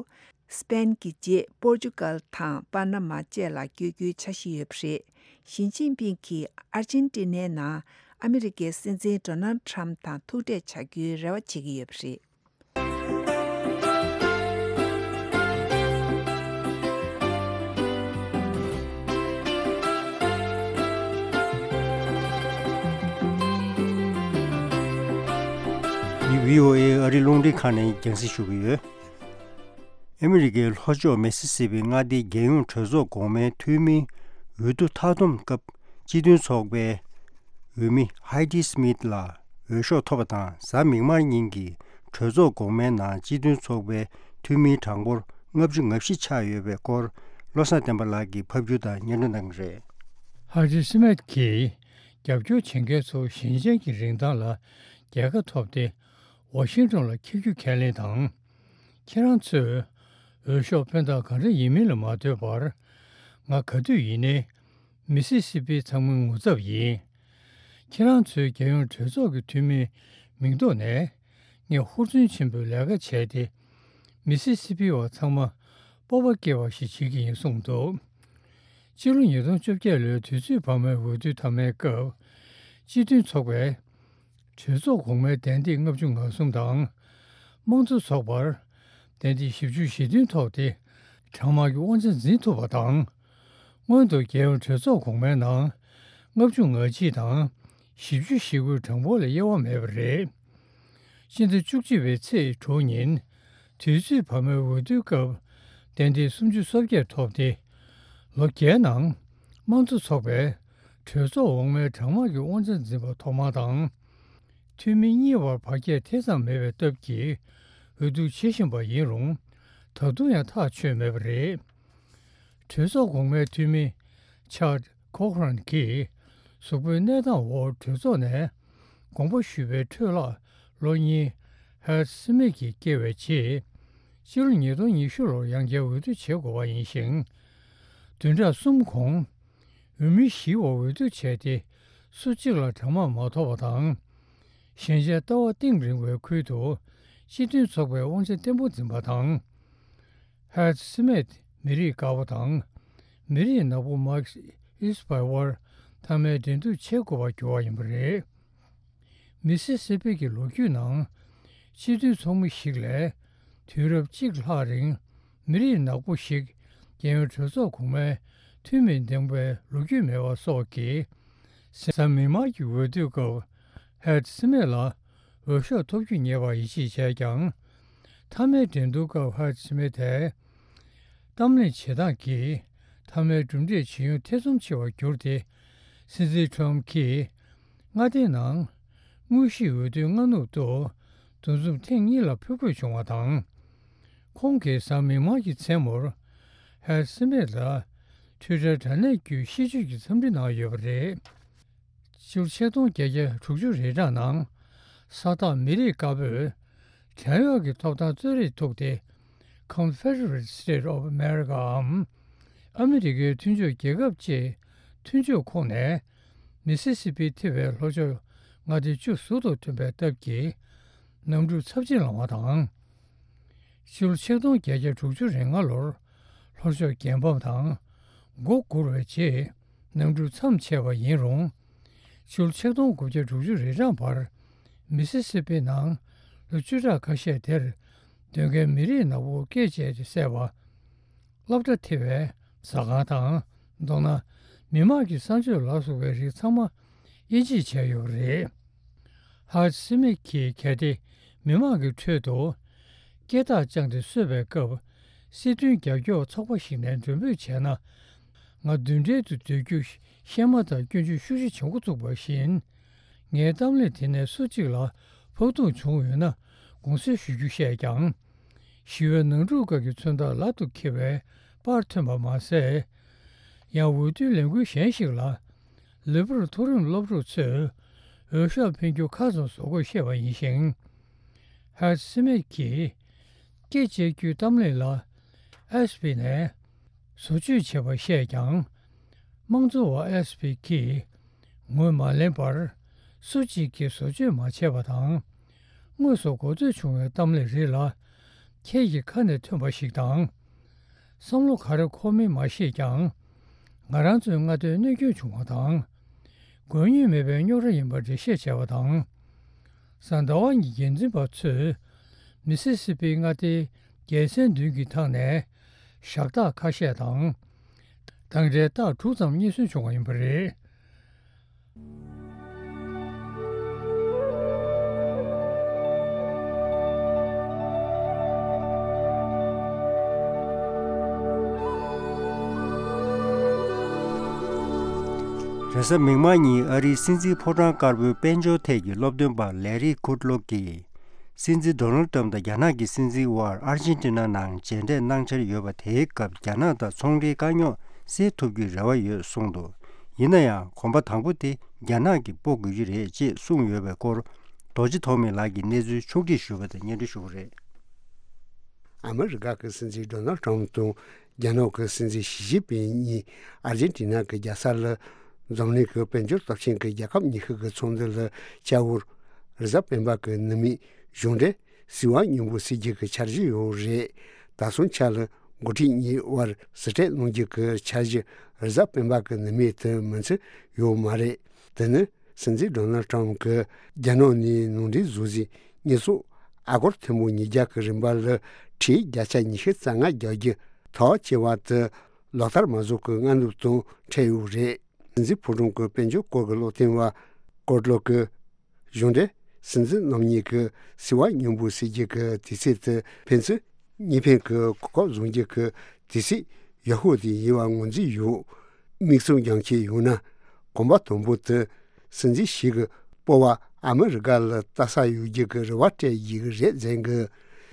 སི་པེན་གྱི་རྗེས་པོར་ཅུ་གལ་དང་པ་ན་མ་བཅས་ལ་བསྐྱོད་རྒྱུའི་འཆར་གཞི་ཡོད་པ་རེད། ཞི་ཅིན་ཕིང་གིས་ཨར་ཅན་ཏི་ནའི་ནང་ཨ་མི་རི་ཀའི་སྲིད་འཛིན་ཌོ་ནལ་ཊམ་དང་ཐུག་འཕྲད་བྱ་རྒྱུའི་རེ་བ་བྱེད་ཀྱི་ཡོད་པ་རེད། འདི་བྷི་ཨོ་ཨེ་ཨ་རིའི་རླུང་འཕྲིན་ཁང་ནས་རྒྱང་སྲིང་ཞུ་གི་ཡོད། ཨ་མི་རི་ཀའི་ལྷོ་ཕྱོགས་མི་སི་སི་པི་མངའ་སྡེའི་རྒྱལ་ཡོངས་གྲོས་ཚོགས་གོང་མའི་འཐུས་མིའི་འོས་བསྡུ་མཐའ་བསྡོམས་སྐབས། སྤྱི་མཐུན་ཚོགས་པའི་འོས་མི་ཧའི་ཏི་སི་མིད་ལ་འོས་ཤོག་ཐོབ་པ་དང་། གཟའ་མིག་དམར་ཉིན་གྱི་གྲོས་ཚོགས་གོང་མའི་ནང་སྤྱི་མཐུན་ཚོགས་པའི་འཐུས་མིའི་གྲངས་འབོར་ལྔ་བཅུ་ང་བཞི་ཆགས་ཡོད་པའི་སྐོར། བློ་བཟང་བསྟན་པ་ལགས་ཀྱིས་ཕབ་སྒྱུར་དང་སྙན་སྒྲོན་གནང་གི་རེད། ཧའི་ཏི་སི་མིད་ཀྱིས་རྒྱབ་སྐྱོར་བྱེད་མཁན་ཚོ་ཞིང་ཆེན་གྱི་རིན་ཐང་ལ་རྒྱལ་ཁ་ཐོབ་སྟེ། ཝ་ཤིང་ཏོན་ལ་འཁྱེར་རྒྱུ་ཁས་ལེན་དང་། ཁྱེད་རང་ཚོས་འོས་ཤོག་ཕན་ཐོགས་ག་འདྲ་ཡིན་མིན་ལ་མ་ལྟོས་པར། ང་ག་དུས་ཡིན་ནའི་མི་སི་སི་པི་ཚང་མའི་ངོ་ཚབ་ཡིན། ཁྱེད་རང་ཚོའི་རྒྱལ་ཡོངས་གྲོས་ཚོགས་ཀྱི་འཐུས་མིའི་མིང་ཐོག་ནས། ངས་ཧུར་བརྩོན་ཆེན་པོས་ལས་ཀ་བྱས་ཏེ། མི་སི་སི་པི་བ་ཚང་མ་སྤོབས་པ་སྐྱེ་བ་ཞིག་བྱེད་ཀྱི་ཡིན་གསུངས་འདུག། ཕྱི་ལོ་ཉིས་སྟོང་བཅོ་བརྒྱད་ལོའི་དུས་ཚོད་བར་མའི་འོས་བསྡུ་མཐའ་མའི་སྐབས། སྤྱི་མཐུན་ཚོགས་པས་གྲོས་ཚོགས་གོང་མའི་གདན་སྟེགས་ལྔ་བཅུ་ང་གསུམ་དང་། དམངས་གཙོ་ཚོགས་པར་གདན་སྟེགས་བཞི་བཅུ་ཞེ་བདུན་ཐོབ་སྟེ། གྲང་དམག་གི་དབང་ཆ་འཛིན་ཐུབ་པ་དང་། སྔོན་དུ་རྒྱལ་ཡོངས་གྲོས་ཚོགས་གོང་མའི་ནང་ལྔ་བཅུ་ང་གཅིག་དང་བཞི་བཅུ་ཞེ་དགུའི་གྲངས་འབོར་ལས་དབྱེ་བ་མེད་པ་རེད། སྤྱི་ཟླ་བཅུ་གཅིག་པའི་ཚེས་དྲུག་ཉིན་དུས་ཚོད་བར་མའི་འོས་བསྡུའི་སྐབས་ཏན་ཏན་སུམ་ཅུ་སོ་བརྒྱད་ཐོབ་སྟེ། ལོ་བརྒྱའི་ནང་དམངས་གཙོ་ཚོགས་པས་གྲོས་ཚོགས་འོག་མའི་གྲངས་དམག་གི་དབང་ཆ་འཛིན་པ་ཐོག་མ་དང་། འཐུས་མི་གཉིས་བར་བར་ཁྱད་ཐེ་ཚོམ་མེད་པའི་སྟབས་ཀྱིས་འོས་བསྡུ་བྱེད་བཞིན་པ་ཡིན་རུང་། ད་དུང་ཡང་ཐག་ཆོད་མེད་པ་རེད། གྲོས་ཚོགས་གོང་མའི་འཐུས་མི་ཆར་ཁོ་ཁོ་རན་གྱིས་གཟུགས་པོའི་གནས་སྟངས་འོག་གྲོས་ཚོགས་ནས་དགོངས་པ་ཞུས་པའི་འཕྲོས་ལ། ལོ་གཉིས་ཧེར་སི་མིད་ཀྱིས་བསྐྱལ་བའི་རྗེས། ཕྱི་ལོ་ཉིས་སྟོང་ཉི་ཤུ་ལོར་ཡང་བསྐྱར་འོས་བསྡུ་བྱེད་དགོས་པ་ཡིན་ཞིང་། བདུན་ཕྲག་གསུམ་གོང་འོས་མི་བཞིའི་འོག་འོས་བསྡུ་བྱས་ཏེ། སུ་གཅིག་ལ་གྲངས་དམག་མ་ཐོབ་པ་དང་། གཞན་ཆ་ལྟ་བ་གཏིང་རིང་བའི་ཁུལ་དུ་སྤྱི་མཐུན་ཚོགས་པའི་དབང་ཆ་བརྟན་པོ་འཛིན་པ་དང་། ཧེར་སི་མིད་མི་རིགས་དཀར་པོ་དང་མི་རིགས་ནག་པོ་མཱིཀ་ཨིས་པའི་དབར་མཐའ་མའི་འགྲན་བསྡུར་བྱེད་དགོས་པར་གྱུར་བ་ཡིན་པ་རེད། མི་སི་སི་པི་གི་ལོ་རྒྱུས་ནང་སྤྱི་མཐུན་ཚོགས་མི་ཞིག་ལས་དུས་རབས་གཅིག་ལྷག་རིང་མི་རིགས་ནག་པོ་ཞིག་རྒྱལ་ཡོངས་གྲོས་ཚོགས་གོང་མའི་འཐུས་མི་འདེམས་པའི་ལོ་རྒྱུས་མེད་པ་སོགས་ཀྱིས། གཟའ་མིག་དམར་གྱི་འོས་བསྡུའི་སྐབས་ཧེར་སི་མིད་ལ་འོས་ཤོག་ཐོབ་རྒྱུ་ཉེ་བར་ཡིད་ཆེས་བྱས་ཀྱང་། མཐའ་མའི་འགྲན་བསྡུར་སྐབས་ཧེར་སི་མིད་དེས་གཏམ་གླེང་བྱེད་སྟངས་ཀྱིས་མཐའ་མའི་གྲུབ་འབྲས་ཇི་ཡོང་ཐེ་ཚོམ་ཆེ་བར་གྱུར་ཏེ། སྲིད་འཛིན་ཁྲོམ་གྱིས་མངའ་སྡེའི་ནང་དངོས་གཞིའི་འོས་བསྡུའི་སྔ་ནུབ་ཏུ་འདུ་འཛོམས་ཐེངས་གཉིས་ལ་ཕུད་དགོས་བྱུང་བ་དང་། ཁོང་གིས་གཟའ་མིག་དམར་གྱི་མཚན་མོར་ཧེར་སི་མིད་ལ་ཊུའི་ཊར་དྲ་གནས་བརྒྱུད་ཤིས་བརྗོད་ཀྱི་འཚམས་འདྲི་གནང་ཡོད་པ་རེད། ཕྱི་ལོ་ཆིག་སྟོང་བརྒྱད་བརྒྱ་དྲུག་ཅུ་རེ་གྲངས་ནང་ས་ཐག་མི་རིགས་དཀར་པོས་བྲན་གཡོག་གི་ཐོབ་ཐང་རྩོད་རེས་ཐུག་སྟེ། Confederate States of America འམ་ཨ་མི་རི་ཀའི་མཐུན་ཕྱོགས་རྒྱལ་ཁབ་ཅེས་མཐུན་ཕྱོགས་ཁོངས་ནས་མི་སི་སི་པི་ཐེ་བའི་ལྷོ་ཕྱོགས་མངའ་སྡེ་བཅུ་ཟུར་དུ་ཐོན་པའི་སྟབས་ཀྱིས་གནམ་གྲུ་ཚབས་ཆེན་ལངས་པ་དང་། ཕྱི་ལོ་ཆིག་སྟོང་བརྒྱད་བརྒྱ་དྲུག་ཅུ་རེ་ལྔ་ལོར་ལྷོ་ཕྱོགས་རྒྱལ་ཕམ་དང་མགོ་སྒུར་བའི་རྗེས་གནམ་གྲུ་མཚམས་ཆད་པ་ཡིན་རུང་། ཕྱི་ལོ་ཆིག་སྟོང་དགུ་བརྒྱ་དྲུག་ཅུ་རེ་གྲངས་བར་མི་སི་སི་པི་ནང་ལོ་བཅུ་ཕྲག་ཁ་ཤས་དེར་སྡོད་མཁན་མི་རིགས་ནག་པོ་སྐད་བཅད་དེ་བསད་པ། སློབ་གྲྭ་ཐེ་བའི་ཟ་ཁང་དང་། མདོར་ན་མི་དམངས་ཀྱི་གསང་སྤྱོད་ལ་སོགས་པའི་རིགས་ཚང་མ་དབྱེ་འབྱེད་བྱས་ཡོད་པ་རེད། ཧར་སི་མིད་ཀྱིས་གལ་ཏེ་མི་དམངས་ཀྱི་ཁྲོད་དུ་སྐད་གྲགས་བཅངས་ཏེ་གསོད་པའི་སྐབས། སྲིད་དོན་རྒྱབ་སྐྱོར་ཚོགས་པ་ཞིག་ནས་མགྲོན་འབོད་བྱས་ན། ང་མདུན་གྲལ་དུ་སྡོད་རྒྱུ་ཤེས་མ་ཐག་སྐྱོན་བརྗོད་ཤུགས་ཆེ་བྱེད་འགོ་བཙུགས་པ་བཞིན། ངའི་གཏམ་གླེང་དེ་ནས་སུ་གཅིག་ལ་ཕོག་ཐུག་བྱུང་ཡོད་ན་དགོངས་སེལ་ཞུ་རྒྱུ་བཤད་ཀྱང་། ཞི་བའི་ནང་འཁྲུག་སྐབས་ཀྱི་མཚོན་རྟགས་ལག་ཏུ་འཁྱེར་བའི་པར་ཐོན་པ་མ་ཟད། ཡང་འོས་བསྡུའི་ལས་འགུལ་གཞན་ཞིག་ལ་ལུས་པོར་མཐོ་རིམ་སློབ་ཕྲུག་ཚོས་འོས་ཤོག་འཕེན་རྒྱུ་ཁག་ཙམ་བཟོ་དགོས་བཤད་པ་ཡིན་ཞིང་། ཧར་སི་མིད་ཀྱིས་སྐེ་བཅད་རྒྱུའི་གཏམ་གླེང་ལ་ཨེས་པི་ནས་བཟོ་བཅོས་བྱས་པ་བཤད་ཀྱང་། དམངས་གཙོ་བ་ཨེས་པི་གིས་ངོས་མ་ལེན་པར་སུ་གཅིག་གིས་བཟོ་བཅོས་མ་བྱས་པ་དང་། དངོས་སུ་གོ་ཐོས་བྱུང་བའི་གཏམ་གླེང་རིགས་ལ་ཁྱེད་ཀྱི་ཁ་ནས་ཐོན་པ་ཞིག་དང་། བསམ་བློ་ག་རེ་འཁོར་མིན་མ་ཤེས་ཀྱང་། ང་རང་ཚོའི་མངའ་སྡེར་གནོད་སྐྱོན་བྱུང་བ་དང་། དགོས་ངེས་མེད་པའི་རྙོག་དྲ་ཡིན་པར་འགྲེལ་བཤད་བྱས་པ་དང་། གཟའ་ཟླ་བ་ཉིན་འགན་འཛིན་པ་ཚོས་མི་སི་སི་པི་མངའ་སྡེའི་རྒྱལ་མཚན་མདུན་གྱི་ཐང་ནས་ཞག་རྟགས་ཁ་ཤས་དང་། གདངས་འདྲའི་རྟགས་དྲུག་ཙམ་རྙེད་སོན་བྱུང་བ་ཡིན་པ་རེད། རེས་གཟའ་མིག་དམར་ཉིན་ཨ་རིའི་སྲིད་འཛིན་ཕོ་བྲང་དཀར་པོའི་དཔལ་འབྱོར་ཐད་ཀྱི་སློབ་སྟོན་པ་ལེ་རི་ཁུད་ལོ་གིས། སྲིད་འཛིན་ཌོ་ནལ་ཏྲམ་དང་རྒྱ་ནག་གི་སྲིད་འཛིན་དབར་ཨར་ཇེན་ཏི་ན་ནང་མཇལ་འཕྲད་གནང་འཆར་ཡོད་པ་དེའི་སྐབས་རྒྱ་ནག་དང་ཚོང་འབྲེལ་དཀའ་རྙོག་སེལ་ཐུབ་རྒྱུའི་རེ་བ་ཡོད་གསུངས་འདུག་ཡིན་ན་ཡང་གོམ་པ་དང་པོ་དེ་རྒྱ་ནག་གིས་སྤོ་དགོས་ཀྱི་རེད་ཅེས་གསུངས་ཡོད་པའི་སྐོར། རྡོ་རྗེ་ཐོགས་མེད་ལགས་ཀྱིས་གནས་ཚུལ་ཕྱོགས་སྒྲིག་ཞུས་པ་དང་སྙན་སྒྲོན་ཞུ་གི་རེད། ཨ་མི་རི་ཀ་གི་སྲིད་འཛིན་ཌོ་ནལ་ཏྲམ་དང་རྒྱ་ནག་གི་སྲིད་འཛིན་ཞི་ཅིན་ཕིང་གཉིས་ཨར་ཇེན་ཏི་ན་གི་རྒྱལ་ས་ལ་འཛམ་གླིང་གི་དཔལ་འབྱོར་སྟོབས་ཆེན་གྱི་རྒྱལ་ཁབ་ཉི་ཤུ་གི་ཚོགས་འདུ་ལ་བཅར་བར་རེས་གཟའ་སྤེན་པ་གི་ནུབ་མོའི་གཞུང་འབྲེལ་ཟིལ་བ་སྙིང་པོ་སེལ་རྒྱུ་གི་འཆར་གཞི་ཡོད་རེད། ད་སོང་ཆ་ལ་འགོ་ཁྲིད་གཉིས་དབར་ཟུར་འཕྲད་གནང་རྒྱུ་གི་འཆར་གཞི་རེས་གཟའ་སྤེན་པ་གི་ནུབ་མོ་དེ་མིན་ཚེ་ཡོད་མ་རེད། དེ་ནི་སྲིད་འཛིན་ཌོ་ནལ་ཏྲམ་གྱིས་རྒྱ་ནག་ནས་ནང་འདྲེན་བཟོ་རྩིས་གཉེར་སྐྱོང་ཨ་སྒོར་ཐེར་འབུམ་ཉིས་བརྒྱ་གི་རིན་པ་ལ་ཁྲལ་བརྒྱ་ཆ་ཉི་ཤུ་རྩ་ལྔ་རྒྱག་རྒྱུ། དར་ཆེ་བ་དེ་ལག་བསྟར་མ་བཟོ་གི་སྔ་ནུབ་དང་འཕྲད་ཡོད་རེད། སྲིད་འཛིན་ཕོ་བྲང་གི་དཔལ་འབྱོར་སྐོར་གྱི་སློབ་སྟོན་པ་ཀོར་ལོ་གིས། གཞུང་འབྲེལ་སྲིད་འཛིན་རྣམ་གཉིས་ཀྱི་སྲིད་དབང་སྙོམས་པོ་བྱེད་རྒྱུ་གི་དུས་ཚོད་དེ་ཕན་ཚུན་གཉིས་ཕན་གྱི་གོ་སྐབས་བཟུང་རྒྱུ་གི་དུས་ཚོད་ཡག་ཤོས་དེ་ཡིན་པ་ངོས་འཛིན་ཡོད། མིག་བཙུམ་རྒྱང་ཆད་ཡོང་ན་གོམ་པ་དང་པོ་དེ་སྲིད་འཛིན་ཞིག་གི་སྤོབས་པ་ཨ་མི་རི་ཀ་ལ་ལྟ་ས་ཡོད་རྒྱུ་གི་རེ་བ་སྤྲད་ཡོད་ཀྱི་རེད་ཟེར་གི།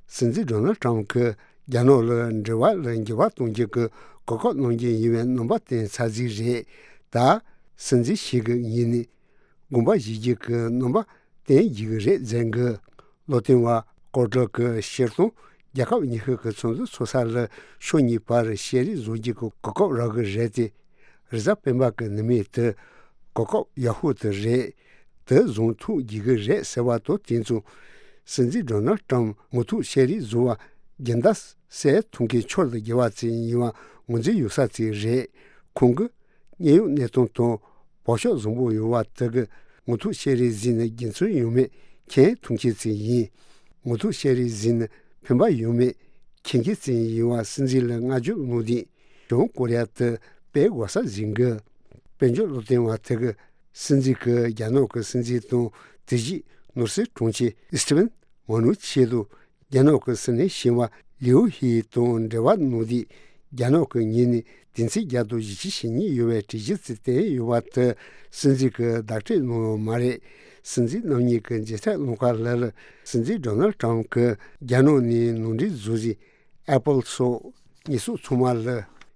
སྲིད་འཛིན་ཌོ་ནལ་ཊམ་གིས་རྒྱ་ནག་ལ་འབྲེལ་བ་ལ་འགྱུར་བ་གཏོང་རྒྱུ་གི་གོ་སྐབས་གནང་རྒྱུ་ཡིན་པའི་རྣམ་པ་བསྟན་ཚར་རྩིས་རེད། ད་སྲིད་འཛིན་ཞིག་གི་ངོས་ནས་དགོངས་པ་བཞེས་རྒྱུ་གི་རྣམ་པ་བསྟན་ཡོད་ཀྱི་རེད་ཟེར་གི། སློབ་སྟོན་པ་ཀོར་ལོ་གིས་སྤྱིར་བཏང་རྒྱལ་ཁབ་གཉིས་ཤིག་གི་ཚོགས་འདུ་ཚོགས་ས་ལ་ཕྱོགས་གཉིས་བར་བཤད་རེས་བཟོ་རྒྱུ་གི་གོ་སྐབས་རག་གི་རེད་དེ། རེས་གཟའ་སྤེན་པ་གི་ནུ་མའི་དུས་གོ་སྐབས་ཡག་ཤོས་དེ་རེད། དེ་བཟུང་ཐུབ་རྒྱུ་གི་རེད་ཟེར་བ་དང་དེ་མཚུངས། སྲིད་འཛིན་ཌོ་ནལ་ཊམ་མུ་མཐུད་བཤད་རེས་བཟོ་བ་སྦྱིན་བདག་སེ་ཐུང་གི་ཕྱོགས་ལ་རྒྱལ་བ་ཚེ་ཡིན་པ་ངོས་འཛིན་ཡོད་ས་ཚེ་རེད། ཁོང་གིས་གནད་ཡོད་གནས་སྟངས་དང་བག་ཆགས་བཟང་པོ་ཡོད་པ་དེ་གི་མུ་མཐུད་བཤད་རེས་གཟིགས་ནས་རྒྱུ་མཚན་ཡོད་མེད་མཁྱེན་ཐུབ་མཁན་ཚེ་ཡིན། མུ་མཐུད་བཤད་རེས་གཟིགས་ནས་ཕན་པ་ཡོད་མེད་མཁྱེན་མཁན་ཚེ་ཡིན་པ་སྲིད་འཛིན་ལ་བསྔགས་བརྗོད་གནང་དུས། བྱང་ཀོ་རི་ཡ་དེ་སྤེལ་དགོས་ས་ཟིན་གི། དཔལ་འབྱོར་སློབ་སྟོན་པ་དེ་གི་སྲིད་འཛིན་གྱིས་རྒྱ་ནག་གི་སྲིད་འཛིན་དང་དེ་རྗེས་ནོར་སྲིད་དྲུང་ཆེ་ཨི་སི་ཏི་ཝན་མ་ནུ་ཆིན་དང་རྒྱ་ནག་གི་སྲིད་བློན་གཞོན་པ་ལིའུ་ཧེ་དང་འབྲེལ་བ་གནང་དུས། རྒྱ་ནག་གི་ངོས་ནས་དུས་ཚོད་བརྒྱ་དང་བཞི་བཅུ་ཞེ་གཉིས་ཡོད་པའི་གྲོས་གཞི་ཞིག་བཏོན་ཡོད་པ་དེ་སྲིད་འཛིན་གྱིས་བདག་སྤྲོད་གནང་ཡོད་མ་རེད། སྲིད་འཛིན་རྣམ་གཉིས་ཀྱི་མཇལ་འཕྲད་གནང་སྐབས་ལ་ལ་སྲིད་འཛིན་ཌོ་ནལ་ཊམ་གྱིས་རྒྱ་ནག་ནས་ནང་འདྲེན་བཟོ་རྩིས། ཨེ་པལ་སོགས་ཉེས་གསོག་ཚང་མ་ལ་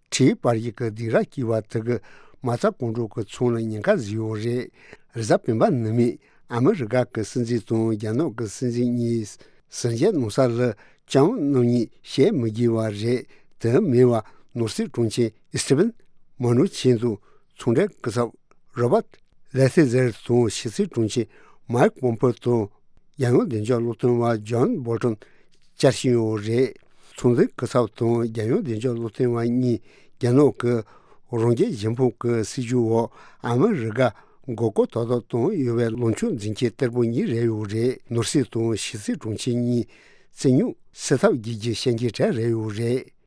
ཁྲིའི་པར་ཡིག་གི་སྡིགས་ར་བསྐྱིས་པ་དེ་གི་མ་རྩ་གང་དྲག་གི་ཚང་ལ་ཉེན་ཁ་བཟོས་ཡོད་རེད། རེས་གཟའ་སྤེན་པ་ནུ་མས་ཨ་མི་རི་ཀ་གི་སྲིད་འཛིན་དང་རྒྱ་ནག་གི་སྲིད་འཛིན་གཉིས་ཟིན་བྲིས་གནང་ས་ལ་ལྕམ་རྣམ་གཉིས་བཤད་མི་དགོས་པ་རེད། དེ་མིན་པ་ནོར་སྲིད་དྲུང་ཆེ་ཨི་སི་ཏི་ཝན་མ་ནུ་ཆིན་དང་ཚོང་འབྲེལ་སྐུ་ཚབ་རོ་བར་ལེ་ཐི་ཛེར་དང་ཕྱི་སྲིད་དྲུང་ཆེ་མའེ་ཁི་པོམ་པེའོ་དང་། རྒྱལ་ཡོངས་བདེ་འཇགས་སློབ་སྟོན་པ་ཇོན་བོལ་ཊོན་བཅར་བཞིན་ཡོད་རེད། ཚོང་འཛིན་སྐུ་ཚབ་དང་རྒྱལ་ཡོངས་བདེ་འཇགས་སློབ་སྟོན་པ་གཉིས་རྒྱ་ནག་གི་རང་རྒྱལ་གཞན་ཕམ་གྱི་སྲིད་ཇུས་འོག་ཨ་མི་རི་ཀ་མགོ་སྐོར་ཏག་ཏག་བཏང་ཡོད་པའི་ལངས་ཕྱོགས་འཛིན་མཁན་གཏེར་པ་གཉིས་རེད་ཡོད་རེད། ནོར་སྲིད་དང་ཕྱི་སྲིད་དྲུང་ཆེ་གཉིས་རྩིས་རྙོག་སེལ་ཐབས་བགྱིད་རྒྱུ་བཤད་མཁན་གྲས་རེད་ཡོད་རེད།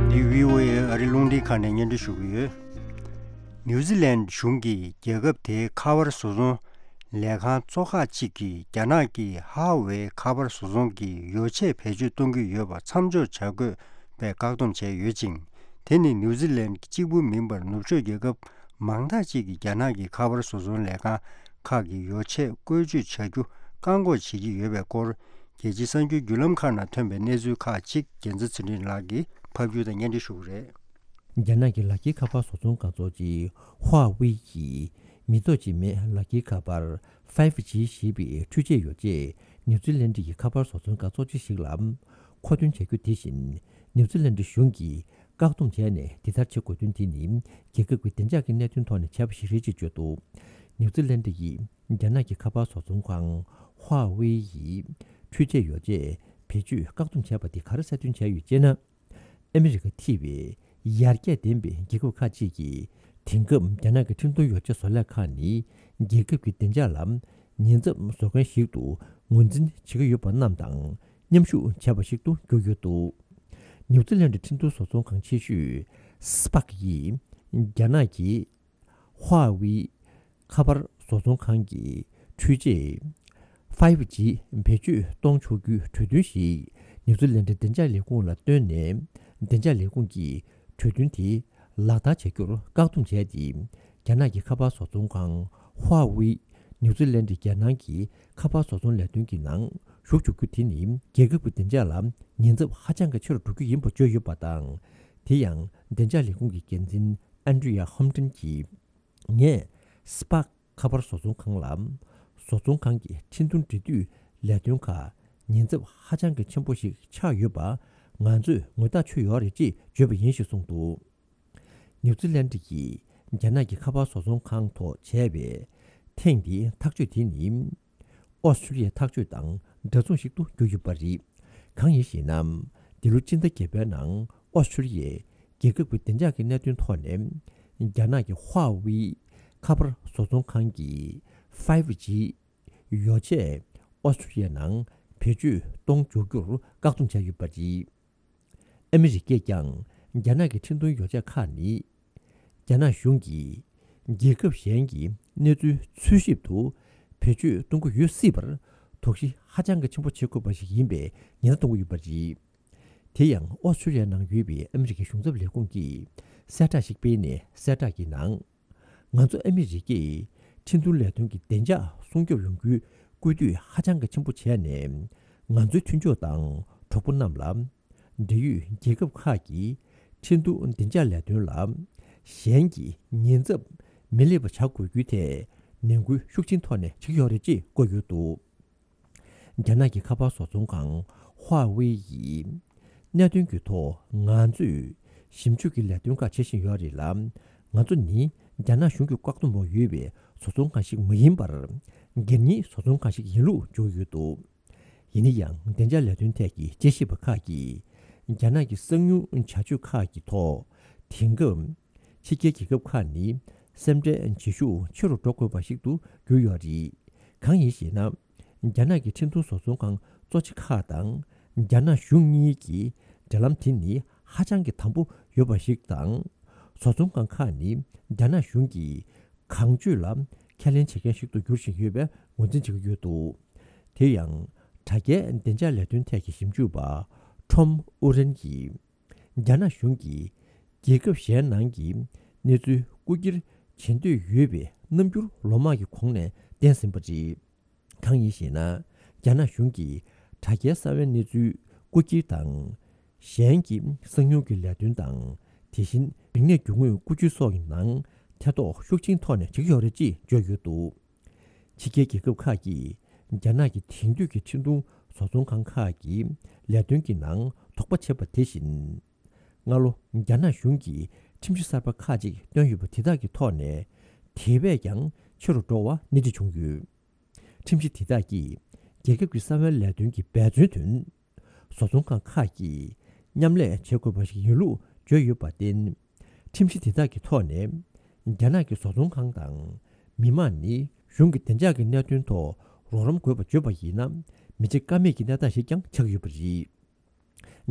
འདི་བྷི་ཨོ་ཨེ་ཨ་རི་རླུང་འཕྲིན་ཁང་ནས་སྙན་སྒྲོན་ཞུ་གི་ཡོད། ནིའུ་ཛི་ལན་གཞུང་གིས་རྒྱལ་ཁབ་དེའི་ཁ་པར་བཟོ་ཚོང་ལས་ཁང་གཙོ་ཁག་ཅིག་གིས་རྒྱ་ནག་གི་ཧྭ་ཝེ་ཁ་པར་བཟོ་ཚོང་གི་ཡོ་ཆས་བེད་སྤྱོད་གཏོང་གི་ཡོད་པ་མཚམས་འཇོག་བྱ་དགོས་པའི་བཀག་སྡོམ་བྱས་ཡོད་ཅིང་། དེ་ནི་ནིའུ་ཛི་ལན་གཅིག་པུ་མིན་པར་ནུབ་ཕྱོགས་རྒྱལ་ཁབ་མང་དག་ཅིག་གིས་རྒྱ་ནག་གི་ཁ་པར་བཟོ་ཚོང་ལས་ཁང་ཁག་གི་ཡོ་ཆས་བཀོལ་སྤྱོད་བྱ་རྒྱུ་བཀག་འགོག་བྱེད་ཀྱི་ཡོད་པའི་སྐོར། རྒྱལ་སྤྱིའི་གསར་འགྱུར་བརྒྱུད་ལམ་ཁག་ནང་ཐོན་པའི་གནས་ཚུལ་ཁག་ཅིག་རྒྱལ་མཚན་ཚེ་རིང་ལགས་ཀྱིས་ཕབ་སྒྱུར་དང་སྙན་སྒྲོན་ཞུ་གི་རེད། རྒྱ་ནག་གི་ལག་འཁྱེར་ཁ་པར་བཟོ་ཚོང་ཁང་གཙོ་ཆེ་ཧྭ་ཝེ་ཡིས་མི་ཐོག་གཅིག་མའི་ལག་འཁྱེར་ཁ་པར་ཕའི་ཝི་ཇི་ཞེས་པའི་འཕྲུལ་ཆས་ཡོ་ཆས་ནིའུ་ཛི་ལན་ཌི་ཡི་ཁ་པར་བཟོ་ཚོང་ཁང་གཙོ་ཆེ་ཞིག་ལ་མཁོ་འདོན་བྱ་རྒྱུ་དེ་བཞིན་ནིའུ་ཛི་ལན་ཌི་གཞུང་གིས་བཀག་སྡོམ་བྱས་ནས་དེ་ལྟར་བྱེད་དགོས་དོན་དེ་ནི་རྒྱལ་ཁབ་ཀྱི་བདེ་འཇགས་ཀྱི་གནད་དོན་ཐོག་ནས་བྱས་པ་ཞིག་རེད་ཅེས་བརྗོད་འདུག་ནིའུ་ཛི་ལན་ཌི་ཡིས་རྒྱ་ནག་གི་ཁ་པར་བཟོ་ཚོང་ཁང་ཧྭ་ཝེ་ཡི་འཕྲུལ་ཆས་ཡོ་ཆས་བེད་སྤྱོད་བཀག་སྡོམ་བྱས་པ་དེ་ག་རེ་གསལ་སྟོན་བྱས་ཡོད་ཅེ་ན། ཨ་མི་རི་ཀ་ཐེ་བའི་ཡར་རྒྱས་ལྡན་པའི་རྒྱལ་ཁབ་ཁག་ཅིག་གིས་དེང་སྐབས་རྒྱ་ནག་གི་འཕྲིན་གཏོང་ཡོ་ཆས་བཟོ་ལས་ཁང་ནི་རྒྱལ་ཁབ་ཀྱི་བདེ་འཇགས་ལ་ཉེན་ཚབས་བཟོ་མཁན་ཞིག་ཏུ་ངོས་འཛིན་བྱེད་ཀྱི་ཡོད་པ་རྣམས་དང་མཉམ་ཞུགས་བྱས་པ་ཞིག་ཏུ་གྱུར་ཡོད་འདུག་ནིའུ་ཛི་ལན་ཌི་འཕྲིན་གཏོང་བཟོ་ཚོང་ཁང་ཆེ་ཤོས་སི་པག་ཡིས་རྒྱ་ནག་གི་ཧྭ་ཝེ་ཁ་པར་བཟོ་ཚོང་ཁང་གི་འཕྲུལ་ཆས་ཕའི་ཝི་ཇི་བེད་སྤྱོད་གཏོང་ཆོག་རྒྱུའི་གྲོས་མཐུན་ཞིག་ནིའུ་ཛི་ལན་ཌི་བདེ་འཇགས་ལས་ཁུངས་ལ་བཏོན་ནས། བདེ་འཇགས་ལས་ཁུངས་ཀྱིས་གྲོས་མཐུན་དེ་ལག་བསྟར་བྱ་རྒྱུར་བཀག་སྡོམ་བྱས་ཏེ། རྒྱ་ནག་གི་ཁ་པར་བཟོ་ཚོང་ཁང་ཧྭ་ཝེ་ནིའུ་ཛི་ལན་ཌི་རྒྱལ་ནང་གི་ཁ་པར་བཟོ་ཚོང་ལས་དོན་གྱི་ནང་ཞུགས་འཇུག་རྒྱུ་དེ་ནི་རྒྱལ་ཁབ་ཀྱི་བདེ་འཇགས་ལ་ཉེན་ཚབས་ཧ་ཅང་གི་ཆེ་རུ་འགྲོ་རྒྱུ་ཡིན་པ་བརྗོད་ཡོད་པ་དང་། དེ་ཡང་བདེ་འཇགས་ལས་ཁུངས་ཀྱི་འགན་འཛིན་ཨན་ཌྲི་ཡ་ཧམ་ཏན་གྱིས། ངས་སི་པག་ཁ་པར་བཟོ་ཚོང་ཁང་ལ་བཟོ་ཚོང་ཁང་གི་འཕྲིན་ཐུང་འབྲེལ་མཐུད་ལས་དོན་ཁག་ཉེན་ཚབས་ཧ་ཅང་གི་ཆེན་པོ་ཞིག་ཆགས་ཡོད་པ་ང་ཚོས་ངོ་ཐག་ཆོད་ཡོད་རེད་ཅེས་བརྗོད་པ་ཡིན་ཞེས་གསུངས་འདུག་ནིའུ་ཛི་ལན་ཌི་ཡིས་རྒྱ་ནག་གི་ཁ་པར་བཟོ་ཚོང་ཁང་ཐོག་བྱས་པའི་ཐེངས་འདིའི་ཐག་གཅོད་དེ་ནི། ཨོ་སི་ཀྲི་ལི་ཡའི་ཐག་གཅོད་དང་འདྲ་མཚུངས་ཤིག་ཏུ་གྱུར་ཡོད་པ་རེད། གང་ཡིན་ཞེ་ན། འདི་ལོ་སྤྱི་ཟླ་བརྒྱད་པའི་ནང་ཨོ་སི་ཁྲུ་ལི་ཡས་རྒྱལ་ཁབ་ཀྱི་བདེ་འཇགས་ཀྱི་གནད་དོན་ཐོག་ནས་རྒྱ་ནག་གི་ཧྭ་ཝེ་ཁ་པར་བཟོ་ཚོང་ཁང་གི་ཕའི་ཝི་ཇི་ཡོ་ཆས་ཨོ་སི་ཁྲུ་ལི་ཡའི་ནང་བེད་སྤྱོད་གཏོང་འཇུག་རྒྱུར་བཀག་སྡོམ་བྱས་ཡོད་པ་རེད། ཨ་མི་རི་ཀས་ཀྱང་རྒྱ་ནག་གི་འཕྲིན་གཏོང་ཡོ་ཆས་ཁག་ནི། རྒྱ་ནག་གཞུང་གིས་རྒྱལ་ཁབ་གཞན་གྱི་གནས་ཚུལ་འཚོལ་ཞིབ་ཏུ་བེད་སྤྱོད་གཏོང་གི་ཡོད་སྲིད་པར་དོགས་གཞི་ཧ་ཅང་གི་ཆེན་པོ་བྱེད་དགོས་པ་ཞིག་ཡིན་པའི་ཉེན་བརྡ་གཏོང་གི་ཡོད་པ་རེད། དེ་ཡང་ཨོ་སི་ཁྲུ་ལི་ཡའི་ནང་ཡོད་པའི་ཨ་མི་རི་ཀའི་གཞུང་ཚབ་ལས་ཁུངས་ཀྱིས་གསལ་བསྒྲགས་ཤིག་སྤེལ་ནས། གསལ་བསྒྲགས་ཀྱི་ནང་། ང་ཚོ་ཨ་མི་རི་ཀས་འཕྲིན་གཏོང་ལས་དོན་གྱི་བདེ་འཇགས་སྲུང་སྐྱོབ་ཡོང་རྒྱུའི་སྐུལ་འདེད་ཧ་ཅང་གི་ཆེན་པོ་བྱས་ནས། ང་ཚོའི་མཐུན་ཕྱོགས་དང་གྲོགས་པོ་རྣམས་ལ། འབྲེལ་ཡོད་རྒྱལ་ཁབ་ཁག་གིས་འཕྲིན་གཏོང་བདེ་འཇགས་ལས་དོན་ལ་གཞན་གྱི་ཉེན་ཚབས་མི་སླེབས་པ་བྱ་དགོས་རྒྱུའི་ཐད་ནན་སྐུལ་ཤུགས་ཆེན་ཐོག་ནས་བྱེད་ཀྱི་ཡོད་རེད་ཅེས་བཀོད་ཡོད་འདུག་རྒྱ་ནག་གི་ཁ་པར་བཟོ་ཚོང་ཁང་ཧྭ་ཝེ་ཡིས་གནད་དོན་གྱི་ཐོག་ང་ཚོས་ཞིབ་འཇུག་གི་ལས་དོན་ཁག་བྱེད་བཞིན་ཡོད་རེད་ལ། ང་ཚོ་ནི་རྒྱ་ནག་གཞུང་གི་བཀག་སྡོམ་འོག་ཡོད་པའི་བཟོ་ཚོང་ཁང་ཞིག་མ་ཡིན་པར། སྒེར་གཉེར་བཟོ་ཚོང་ཁང་ཞིག་ཡིན་ལུགས་བརྗོད་ཡོད་འདུག་ཡིན་ན་ཡང་། བདེ་འཇགས་ལས་དོན་ཐད་ཀྱི་དཔྱད་ཞིབ་པ་ཁག་གིས་རྒྱ་ནག་གི་གསང་ཉུལ་བྱ་སྤྱོད་ཁག་གི་ཐོག་དེང་སྐབས་ཕྱི་རྒྱལ་རྒྱལ་ཁབ་ཁག་ནི་སེམས་ཁྲལ་བྱེད་ཤུགས་ཆེ་རུ་འགྲོ་དགོས་པ་ཞིག་ཏུ་གྱུར་ཡོད་རེད། གང་ཡིན་ཞེ་ན། རྒྱ་ནག་གི་འཕྲིན་གཏོང་བཟོ་ཚོང་ཁང་གཙོ་ཆེ་ཁག་དང་རྒྱ་ནག་གཞུང་གཉིས་ཀྱི་འབྲེལ་ལམ་དེ་ནི་ཧ་ཅང་གི་དམ་པོ་ཡོད་པ་ཞིག་དང་། བཟོ་ཚོང་ཁང་ཁག་ནི་རྒྱ་ནག་གཞུང་གི་གང་སྤྱོད་ལ་ཁས་ལེན་བྱེད་མཁན་ཞིག་ཏུ་འགྱུར་བཞིན་ཡོད་པའི་ངོས་འཛིན་བྱེད་ཀྱི་ཡོད་འདུག་དེ་ཡང་། དྲ་རྒྱའི་བདེ་འཇགས་ལས་དོན་ཐད་ཀྱི་ཞིབ་འཇུག་པ་ཁྲོམ་ཨུ་རན་གྱིས། རྒྱ་ནག་གཞུང་གིས་རྒྱལ་ཁབ་གཞན་ནང་གི་གནས་ཚུལ་རྐུ་འཁྱེར་བྱེད་འདོད་ཡོད་པའི་རྣམ་འགྱུར་ལོ་མང་གི་གོང་ནས་བསྟན་ཟིན་པ་རེད། གང་ཡིན་ཞེ་ན། རྒྱ་ནག་གཞུང་གིས་དྲ་རྒྱའི་གསང་བའི་གནས་ཚུལ་རྐུ་འཁྱེར་དང་། གཞན་གྱི་གསང་ཉུལ་གྱི་ལས་དོན་དང་། དེ་བཞིན་རིག་གནས་རྒྱུ་དངོས་རྐུ་འཁྱེར་སོགས་ཀྱི་ནང་ཐེ་གཏོགས་ཤུགས་ཆེན་ཐོག་ནས་བྱེད་ཀྱི་ཡོད་རེད་ཅེས་བརྗོད་ཡོད་འདུག་ཕྱི་རྒྱལ་རྒྱལ་ཁབ་ཁག་གིས་རྒྱ་ནག་གི་དེང་དུས་ཀྱི་འཕྲིན་གཏོང་བཟོ་ཚོང་ཁང་ཁག་གི་ལས་དོན་གྱི་ནང་དོགས་པ་བྱས་པ་དེ་བཞིན། སྔ་ལོ་རྒྱ་ནག་གཞུང་གིས་ཁྲིམས་གཞི་གསར་པ་ཁག་ཅིག་བཏོན་ཡོད་པ་དེ་དག་གི་ཐོག་ནས་དེ་བས་ཀྱང་ཆེ་རུ་འགྲོ་བ་སྣེ་ཁྲིད་བྱུང་ཡོད། ཁྲིམས་གཞི་དེ་དག་གིས་རྒྱལ་ཁབ་ཀྱི་གསང་བའི་ལས་དོན་གྱི་འབད་བརྩོན་དོན། བཟོ་ཚོང་ཁང་ཁག་གིས་མཉམ་ལས་བྱེད་དགོས་པ་ཞིག་ཡིན་ལུགས་བརྗོད་ཡོད་པར་བརྟེན། ཁྲིམས་གཞི་དེ་དག་གི་ཐོག་ནས། རྒྱ་ནག་གི་བཟོ་ཚོང་ཁང་དང་མི་མང་ནི་གཞུང་གི་བདེ་འཇགས་ཀྱི་གནད་དོན་ཐོག་རོགས་རམ་དགོས་པ་བརྗོད་པ་ཡིན་ན། མི་བྱེད་ཀ་མེད་ཀྱི་གནས་སྟངས་ཤིག་ཀྱང་ཆགས་ཡོད་པ་རེད།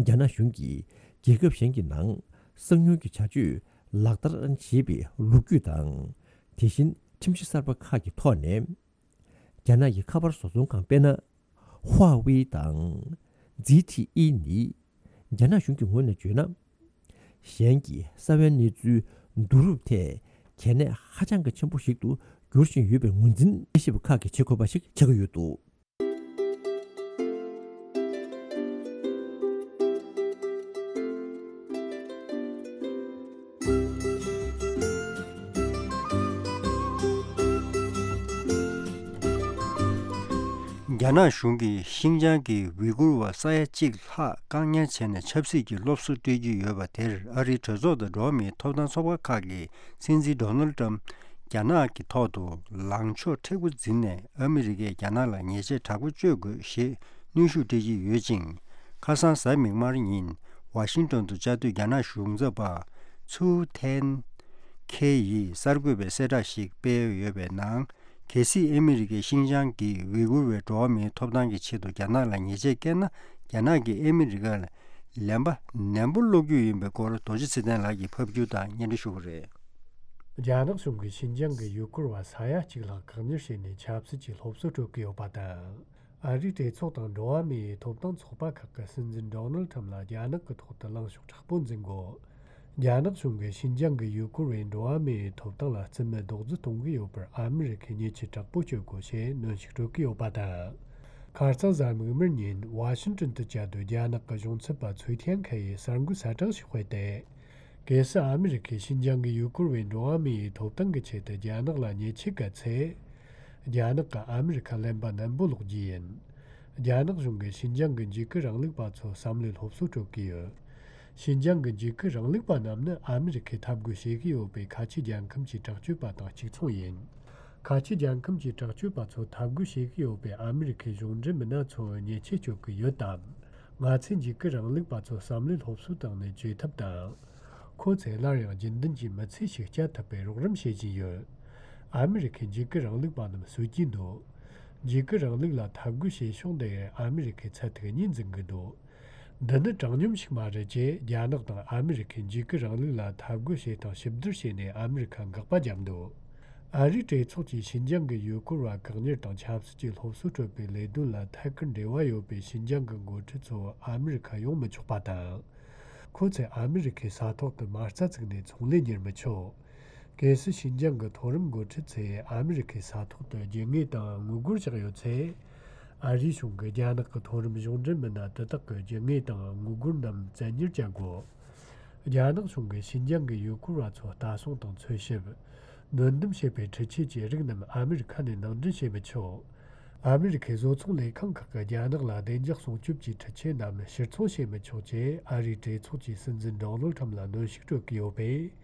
རྒྱ་ནག་གཞུང་གིས་རྒྱལ་ཁབ་གཞན་གྱི་ནང་གསང་ཉུལ་གྱི་བྱ་སྤྱོད་ལག་བསྟར་བྱེད་པའི་ལོ་རྒྱུས་དང་། དེ་བཞིན་ཁྲིམས་གཞི་གསར་པ་ཁག་གི་ཐོག་ནས། རྒྱ་ནག་གི་ཁ་པར་བཟོ་ཚོང་ཁང་དཔེར་ན། ཧྭ་ཝེ་དང་། ཛི་ཐི་ཨི་ནི། རྒྱ་ནག་གཞུང་གི་ངོས་ནས་བརྗོད་ན། གཞན་གྱི་གསང་བའི་གནས་ཚུལ་བསྡུ་རུབ་ཐད་གལ་གནད་ཧ་ཅང་གི་ཆེན་པོ་ཞིག་ཏུ་འགྱུར་བཞིན་ཡོད་པའི་ངོས་འཛིན་དཔྱད་ཞིབ་པ་ཁག་གིས་བྱེད་དགོས་པ་ཞིག་ཆགས་ཀྱི་ཡོད་འདུག་རྒྱ་ནག་གཞུང་གིས་ཤིན་ཅང་གི་ཝི་གུར་བ་ས་ཡ་གཅིག་ལྷག་བཀག་ཉར་བྱས་ནས་ཆབ་སྲིད་ཀྱི་སློབ་གསོ་སྤྲད་ཀྱི་ཡོད་པ་དེར། ཨ་རིའི་གྲོས་ཚོགས་དང་འགྲོ་བ་མིའི་ཐོབ་ཐང་ཚོགས་པ་ཁག་གིས་སྲིད་འཛིན་ཌོ་ནལ་ཊམ་རྒྱ་ནག་གི་ཐོག་ཏུ་ལངས་ཕྱོགས་མཁྲེགས་པོ་འཛིན་ནས། ཨ་མི་རི་ཀས་རྒྱ་ནག་ལ་ཉེས་ཆད་དྲག་པོ་གཅོད་དགོས་ཞེས་གནོན་ཤུགས་སྤྲད་ཀྱི་ཡོད་ཅིང་། ཁ་སང་གཟའ་མིག་དམར་ཉིན་ཝ་ཤིང་ཏོན་དུ་བཅའ་སྡོད་རྒྱ་ནག་གཞུང་ཚབ་པ་ཚུའུ་ཐན་ཁེ་ཡིས་གསར་འགོད་པའི་གསལ་བསྒྲགས་ཤིག་སྤེལ་ཡོད་པའི་ནང་། གལ་སྲིད་ཨ་མི་རི་ཀས་ཤིན་ཅང་གི་ཝི་གུར་བའི་འགྲོ་བ་མིའི་ཐོབ་ཐང་གི་ཆེད་དུ་རྒྱ་ནག་ལ་ཉེས་ཆད་བཀལ་ན། རྒྱ་ནག་གིས་ཨ་མི་རི་ཀ་ལ་ལན་པ་ནན་པོ་སློག་རྒྱུ་ཡིན་པའི་སྐོར། རྡོ་རྗེ་ཚེ་བརྟན་ལགས་ཀྱིས་ཕབ་སྒྱུར་དང་སྙན་སྒྲོན་ཞུ་གི་རེད། རྒྱ་ནག་གཞུང་གིས་ཤིན་ཅང་གི་ཡུལ་སྐོར་བ་ས་ཡ་གཅིག་ལྷག་བཀག་ཉར་བྱས་ནས་ཆབ་སྲིད་ཀྱི་སློབ་གསོ་སྤྲོད་ཀྱི་ཡོད་པ་དང་། ཨ་རིའི་གྲོས་ཚོགས་དང་འགྲོ་བ་མིའི་ཐོབ་ཐང་ཚོགས་པ་ཁག་གིས་སྲིད་འཛིན་ཌོ་ནལ་ཁྲམ་ལ་རྒྱ་ནག་གི་ཐོག་ཏུ་ལངས་ཕྱོགས་དྲག་པོ་འཛིན་དགོས། རྒྱ་ནག་གཞུང་གིས་ཤིན་ཅང་གི་ཡུལ་སྐོར་བའི་འགྲོ་བ་མིའི་ཐོབ་ཐང་ལ་རྩིས་མེད་རྡོག་རྫིས་གཏོང་གི་ཡོད་པར་ཨ་མི་རི་ཁས་ཉེས་ཆད་དྲག་པོ་གཅོད་དགོས་ཞེས་གནོན་ཤུགས་སྤྲོད་ཀྱི་ཡོད་པ་དང་། ཁ་རྩང་གཟའ་མིག་དམར་ཉིན་ཝ་ཤིང་ཏོན་དུ་བཅའ་སྡོད་རྒྱ་ནག་གི་གཞུང་ཚབ་པ་ཚུའེ་ཐན་ཁེ་ཡིས་གསར་འགོད་གསལ་བསྒྲགས་ཤིག་སྤེལ་ཏེ། གལ་སྲིད་ཨ་མི་རི་ཁས་ཤིན་ཅང་གི་ཡུལ་སྐོར་བའི་འགྲོ་བ་མིའི་ཐོབ་ཐང་གི་ཆེད་དུ་རྒྱ་ནག་ལ་ཉེས་ཆད་བཀལ་ཚེ། རྒྱ་ནག་གིས་ཨ་མི་རི་ཁར་ལན་པ་ནན་པོ་སློག་རྒྱུ་ཡིན། རྒྱ་ནག་གཞུང་གིས་ཤིན་ཅང་གི་འཇིགས་སྐུལ་རིང་ལུགས་པ་ཚོར་བསམ་བློའི་སློབ་གསོ་སྤྲོད་ཀྱི་ཡོད། ཤིན་ཅང་གི་འཇིགས་སྐུལ་རིང་ལུགས་པ་རྣམས་ནི་ཨ་མི་རི་ཁས་འཐབ་རྒོལ་བྱེད་ཀྱི་ཡོད་པའི་ཁ་ཆེ་རྒྱལ་ཁམས་ཀྱི་དྲག་སྤྱོད་པ་དང་གཅིག་མཚུངས་ཡིན། ཁ་ཆེ་རྒྱལ་ཁམས་ཀྱི་དྲག་སྤྱོད་པ་ཚོར་འཐབ་རྒོལ་བྱེད་ཀྱི་ཡོད་པའི་ཨ་མི་རི་ཁའི་གཞུང་འབྲེལ་མི་སྣ་ཚོར་ཉེས་ཆད་གཅོད་ཀྱི་ཡོད་སྟབས། ང་ཚོས་འཇིགས་སྐུལ་རིང་ལུགས་པ་ཚོ་བསམ་བློའི་སློབ་གསོའི་སྟེང་ནས་བཅོས་ཐབས་དང་། ཁོ་ཚོས་སླར་ཡང་རྒྱུན་ལྡན་གྱི་མི་ཚེ་ཞིག་སྐྱེལ་ཐུབ་པའི་རོགས་རམ་བྱེད་བཞིན་ཡོད། ཨ་མི་རི་ཁའི་འཇིགས་སྐུལ་རིང་ལུགས་པ་རྣམས་གསོད་ཀྱིན་འདུག་འཇིགས་སྐུལ་རིང་ལུགས་ལ་འཐབ་རྒོལ་བྱེད་ཕྱོགས་འདི་ཨ་མི་རི་ཁའི་ཚད་ཐིག་གཉིས་འཛིན་གྱི་འདུག་འདི་ནི་དྲང་སྙོམས་ཤིག་མ་རེད་ཅེས། རྒྱ་ནག་དང་ཨ་མི་རི་ཁས་འཇིགས་སྐུལ་རིང་ལུགས་ལ་འཐབ་རྒོལ་བྱེད་སྟངས་ཞིབ་བསྡུར་བྱས་ནས་ཨ་མི་རི་ཁ་དགག་པ་བརྒྱབ་འདུག་ཨ་རིའི་གྲོས་ཚོགས་ཀྱིས་ཞིན་ཅང་གི་ཡུལ་སྐོར་བ་བཀག་ཉར་དང་ཆབ་སྲིད་ཀྱི་སློབ་གསོ་སྤྲོད་པའི་ལས་དོན་ལ་ཐད་ཀར་འབྲེལ་བ་ཡོད་པའི་ཞིན་ཅང་གི་འགོ་ཁྲིད་ཚོ་ཨ་མི་རི་ཁ་ཡོང་མི་ཆོག་པ་དང་། ཁོ་ཚོས་ཨ་མི་རི་ཁའི་ས་ཐོག་ཏུ་མ་རྩ་བཙུགས་ནས་ཚོང་ལས་གཉེར་མི་ཆོག་གལ་སྲིད་ཞིན་ཅང་གི་མཐོ་རིམ་འགོ་ཁྲིད་ཚོས་ཨ་མི་རི་ཁའི་ས་ཐོག་ཏུ་རྒྱུ་དངོས་དང་དངུལ་སྒོར་བཞག་ཡོད་ཚེ། ཨ་རིའི་གཞུང་གིས་རྒྱ་ནག་གི་མཐོ་རིམ་གཞུང་འབྲེལ་མི་སྣ་དེ་དག་གི་རྒྱུ་དངོས་དང་དངུལ་སྒོར་རྣམས་བཙན་གཉེར་བྱ་དགོས། རྒྱ་ནག་གཞུང་གིས་ཞིན་ཅང་གི་ཡུལ་སྐོར་བ་ཚོ་ལྟ་སྲུང་དང་འཚོལ་ཞིབ། སྡོད་འདུམ་བྱེད་པའི་འཕྲུལ་ཆས་ཀྱི་རིགས་རྣམས་ཨ་མི་རི་ཁ་ནས་ནང་འདྲེན་བྱེད་མི་ཆོག་ཨ་མི་རི་ཁའི་བཟོ་ཚོང་ལས་ཁང་ཁག་གིས་རྒྱ་ནག་ལ་བདེ་འཇགས་སྲུང་སྐྱོབ་ཀྱི་འཕྲུལ་ཆས་རྣམས་ཕྱིར་ཚོང་བྱེད་མི་ཆོག་ཅེས་ཨ་རིའི་གྲོས་ཚོགས་ཀྱི་སྲིད་འཛིན་ཌོ་ནལ་ཁྲམ་ལ་གནོན་ཤུགས་སྤྲོད་ཀྱི་ཡོད་པས།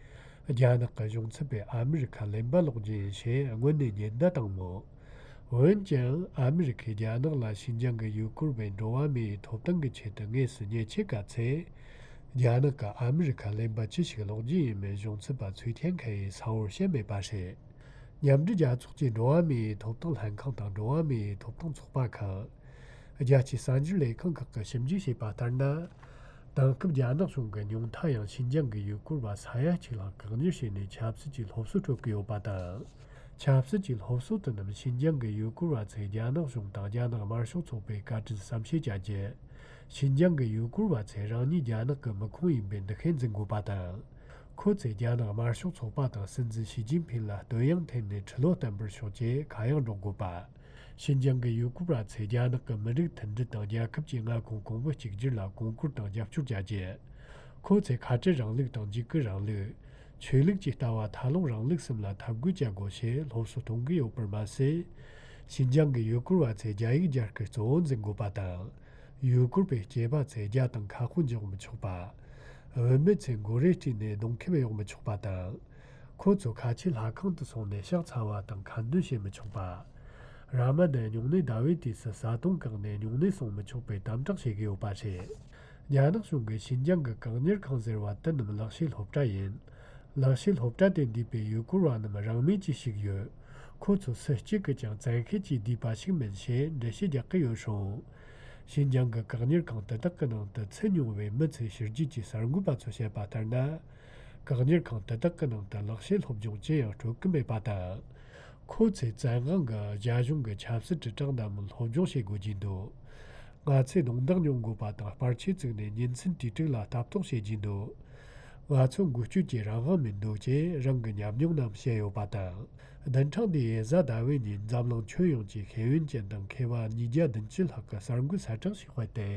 རྒྱ་ནག་གི་གཞུང་ཚབ་པས་ཨ་མི་རི་ཁ་གླེན་པ་སློག་རྒྱུ་ཡིན་ཞེས་སྔོན་ནས་ཉེན་བརྡ་བཏང་མོད། འོན་ཀྱང་ཨ་མི་རི་ཁས་རྒྱ་ནག་ལ་ཞིན་ཅང་གི་ཡུལ་སྐོར་བའི་འགྲོ་བ་མིའི་ཐོབ་ཐང་གི་ཆེད་དུ་དངོས་སུ་ཉེས་ཆད་བཀལ་ཚེ། རྒྱ་ནག་གིས་ཨ་མི་རི་ཁ་གླེན་པ་ཅི་ཞིག་སློག་རྒྱུ་ཡིན་མིན་གཞུང་ཚབ་པ་ཚུའེ་ཐེན་ཁེ་ཡིས་གསལ་བོར་བཤད་མེད་པ་རེད། མཉམ་འབྲེལ་རྒྱལ་ཚོགས་ཀྱི་འགྲོ་བ་མིའི་ཐོབ་ཐང་ལྷན་ཁང་དང་འགྲོ་བ་མིའི་ཐོབ་ཐང་ཚོགས་པ་ཁག་རྒྱལ་སྤྱིའི་གསར་འགྱུར་ལས་ཁང་ཁག་གིས་ཞིབ་འཇུག་བྱས་པ་ལྟར་ན། དེང་སྐབས་རྒྱ་ནག་གཞུང་གིས་ཉུང་མཐའ་ཡང་ཞིན་ཅང་གི་ཡུལ་སྐོར་བ་ས་ཡ་གཅིག་ལྷག་བཀག་ཉར་བྱས་ནས་ཆབ་སྲིད་ཀྱི་སློབ་གསོ་སྤྲོད་ཀྱི་ཡོད་པ་དང་། ཆབ་སྲིད་ཀྱི་སློབ་གསོ་དེ་རྣམས་ཞིན་ཅང་གི་ཡུལ་སྐོར་བ་ཚོས་རྒྱ་ནག་གཞུང་དང་རྒྱ་ནག་དམར་ཤོག་ཚོགས་པའི་བཀའ་དྲིན་བསམ་ཤེས་བྱ་རྒྱུ། ཞིན་ཅང་གི་ཡུལ་སྐོར་བ་ཚོས་རང་ཉིད་རྒྱ་ནག་གི་མི་ཁུངས་ཡིན་པའི་འདུ་ཤེས་འཛིན་དགོས་པ་དང་། ཁོ་ཚོས་རྒྱ་ནག་དམར་ཤོག་ཚོགས་པ་དང་སྲིད་འཛིན་ཞི་ཅིན་ཕིན་ལ་བསྟོད་དབྱངས་འཐེན་ནས་ཁྲི་ལོ་བརྟན་པར་ཤོག་ཅེས་ཁ་གཡང་སྒྲོག་དགོས་པ། ཞིན་ཅང་གི་ཡུལ་སྐོར་བ་ཚོས་རྒྱ་ནག་གི་མི་རིགས་མཐུན་སྒྲིལ་དང་རྒྱལ་ཁབ་ཀྱི་མངའ་ཁོངས་གོང་བུ་གཅིག་གྱུར་ལ་གོང་བཀུར་དང་རྒྱབ་སྐྱོར་བྱ་རྒྱུ། ཁོ་ཚོས་ཁ་བྲལ་རིང་ལུགས་དང་འཇིགས་སྐུལ་རིང་ལུགས། ཆོས་ལུགས་ཀྱི་ལྟ་བ་མཐའ་ལྷུང་རིང་ལུགས་གསུམ་ལ་འཐབ་རྒོལ་བྱ་དགོས་ཞེས་སློབ་གསོ་གཏོང་གི་ཡོད་པར་མ་ཟད། ཞིན་ཅང་གི་ཡུལ་སྐོར་བ་ཚོས་རྒྱ་ཡིག་སྦྱང་རྒྱུར་གཙོ་བོ་འཛིན་དགོས་པ་དང་། ཡུལ་སྐོར་བའི་སྐྱེས་པ་ཚོས་རྒྱ་དང་ཁ་དཔོན་འཇོག་མི་ཆོག་པ། བུད་མེད་ཚོས་མགོ་རས་བཀྲུས་ནས་གདོང་ཁེབས་གཡོག་མི་ཆོག་པ་དང་། ཁོ་ཚོ་ཁ་ཆེ་ལྷ་ཁང་དུ་སོང་ནས་ཕྱག་འཚལ་བ་དང་ཁ་འདོན་བྱེད་མི་ཆོག་པ། ར་མ་དན་སྨྱུང་གནས་ཟླ་བའི་དུས་སུ་བཟའ་བཏུང་བཀག་ནས་སྨྱུང་གནས་སྲུང་མི་ཆོག་པའི་དམ་དྲག་བྱེད་ཀྱི་ཡོད་པ་རེད། རྒྱ་ནག་གཞུང་གིས་ཞིན་ཅང་གི་བཀག་ཉར་ཁང་ཟེར་བ་དེ་རྣམས་ལག་ཤེས་སློབ་གྲྭ་ཡིན། ལག་ཤེས་སློབ་གྲྭ་དེ་འདུས་པའི་ཡུལ་སྐོར་བ་རྣམས་རང་མོས་ཀྱིས་ཞུགས་ཡོད། ཁོ་ཚོ་སུ་གཅིག་གིས་ཀྱང་བཙན་ཤེད་ཀྱིས་བསྡུས་པ་ཞིག་མིན་ཞེས་འགྲེལ་བཤད་རྒྱག་གི་ཡོད་རུང་། ཞིན་ཅང་གི་བཀག་ཉར་ཁང་དེ་དག་གི་ནང་དུ་ཚུད་མྱོང་བའི་མི་ཚོས་ཕྱི་རྒྱལ་གྱི་གསར་འགོད་པ་ཚོར་བཤད་པ་ལྟར་ན། བཀག་ཉར་ཁང་དེ་དག་གི་ནང་དུ་ལག་ཤེས་སློབ་སྦྱོང་ཅི་ཡང་སྤྲོད་ཀྱི་མེད་པ་དང་། ཁོ་ཚོས་བཙན་དབང་གིས་རྒྱ་གཞུང་གི་ཆབ་སྲིད་དྲིལ་བསྒྲགས་རྣམས་སློབ་སྦྱོང་བྱེད་དགོས་ཀྱི་འདུག་ང་ཚོས་རྡུང་རྡེག་མྱོང་དགོས་པ་དང་སྤར་ཆས་བཙུགས་ནས་ཉིན་མཚན་དུས་དྲུག་ལ་ལྟ་རྟོག་བྱེད་ཀྱི་འདུག་ང་ཚོ་འགུལ་སྐྱོད་ཀྱི་རང་དབང་མི་འདུག་ཅེས་རང་གི་ཉམས་མྱོང་རྣམས་བཤད་ཡོད་པ་དང་། བདུན་ཕྲག་འདིའི་གཟའ་ཟླ་བའི་ཉིན་འཛམ་གླིང་ཁྱོན་ཡོངས་ཀྱི་ཤེས་ཡོན་ཅན་དང་མཁས་པ་ཉིས་བརྒྱ་བདུན་ཅུ་ལྷག་གིས་གསར་འགོད་གསལ་བསྒྲགས་ཤིག་སྤེལ་ཏེ།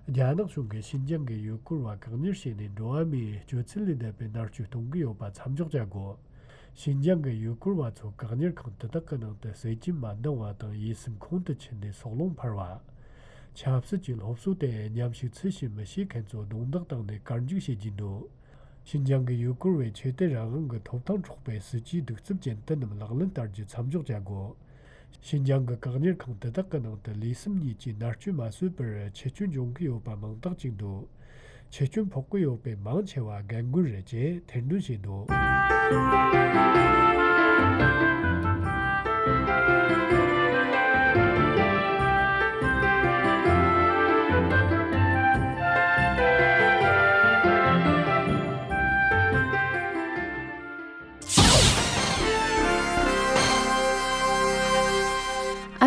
རྒྱ་ནག་གཞུང་གིས་ཞིན་ཅང་གི་ཡུལ་སྐོར་བ་བཀག་ཉར་བྱས་ནས་འགྲོ་བ་མིའི་སྤྱོད་ཚུལ་ལས་འདས་པའི་མནར་གཅོད་གཏོང་གི་ཡོད་པ་མཚམས་འཇོག་བྱ་དགོས། ཞིན་ཅང་གི་ཡུལ་སྐོར་བ་ཚོ་བཀག་ཉར་ཁང་དེ་དག་གི་ནང་དུ་ཟས་སྐྱིན་མ་འདང་བ་དང་ཡིད་སེམས་ཁོང་དུ་ཆུད་ནས་སྲོག་ལོང་འཕར་བ། ཆབ་སྲིད་ཀྱི་སློབ་གསོ་དེ་མཉམ་ཞུགས་ཚུལ་བཞིན་མི་བྱེད་མཁན་ཚོ་རྡུང་རྡེག་བཏང་ནས་བཀར་འཇུག་བྱེད་ཀྱི་འདུག་ཞིན་ཅང་གི་ཡུལ་སྐོར་བས་ཆོས་དད་རང་དབང་གི་ཐོབ་ཐང་འཕྲོག་པའི་སྲིད་ཇུས་གདུག་རྩུབ་ཅན་དེ་རྣམས་ལག་ལེན་བསྟར་རྒྱུ་མཚམས་འཇོག་བྱ་དགོས། ཞིན་ཅང་གི་བཀག་ཉར་ཁང་དེ་དག་གི་ནང་དུ་ལུས་སེམས་གཉིས་ཀྱིས་མནར་གཅོད་མ་བཟོད་པར་འཆི་སྐྱོན་འབྱུང་གི་ཡོད་པ་མང་དག་ཅིག་འདུག་འཆི་སྐྱོན་ཕོག་གི་ཡོད་པའི་མང་ཆེ་བ་རྒན་རྒོན་རེད་ཅེས་ཐེར་འདོན་བྱས་འདུག་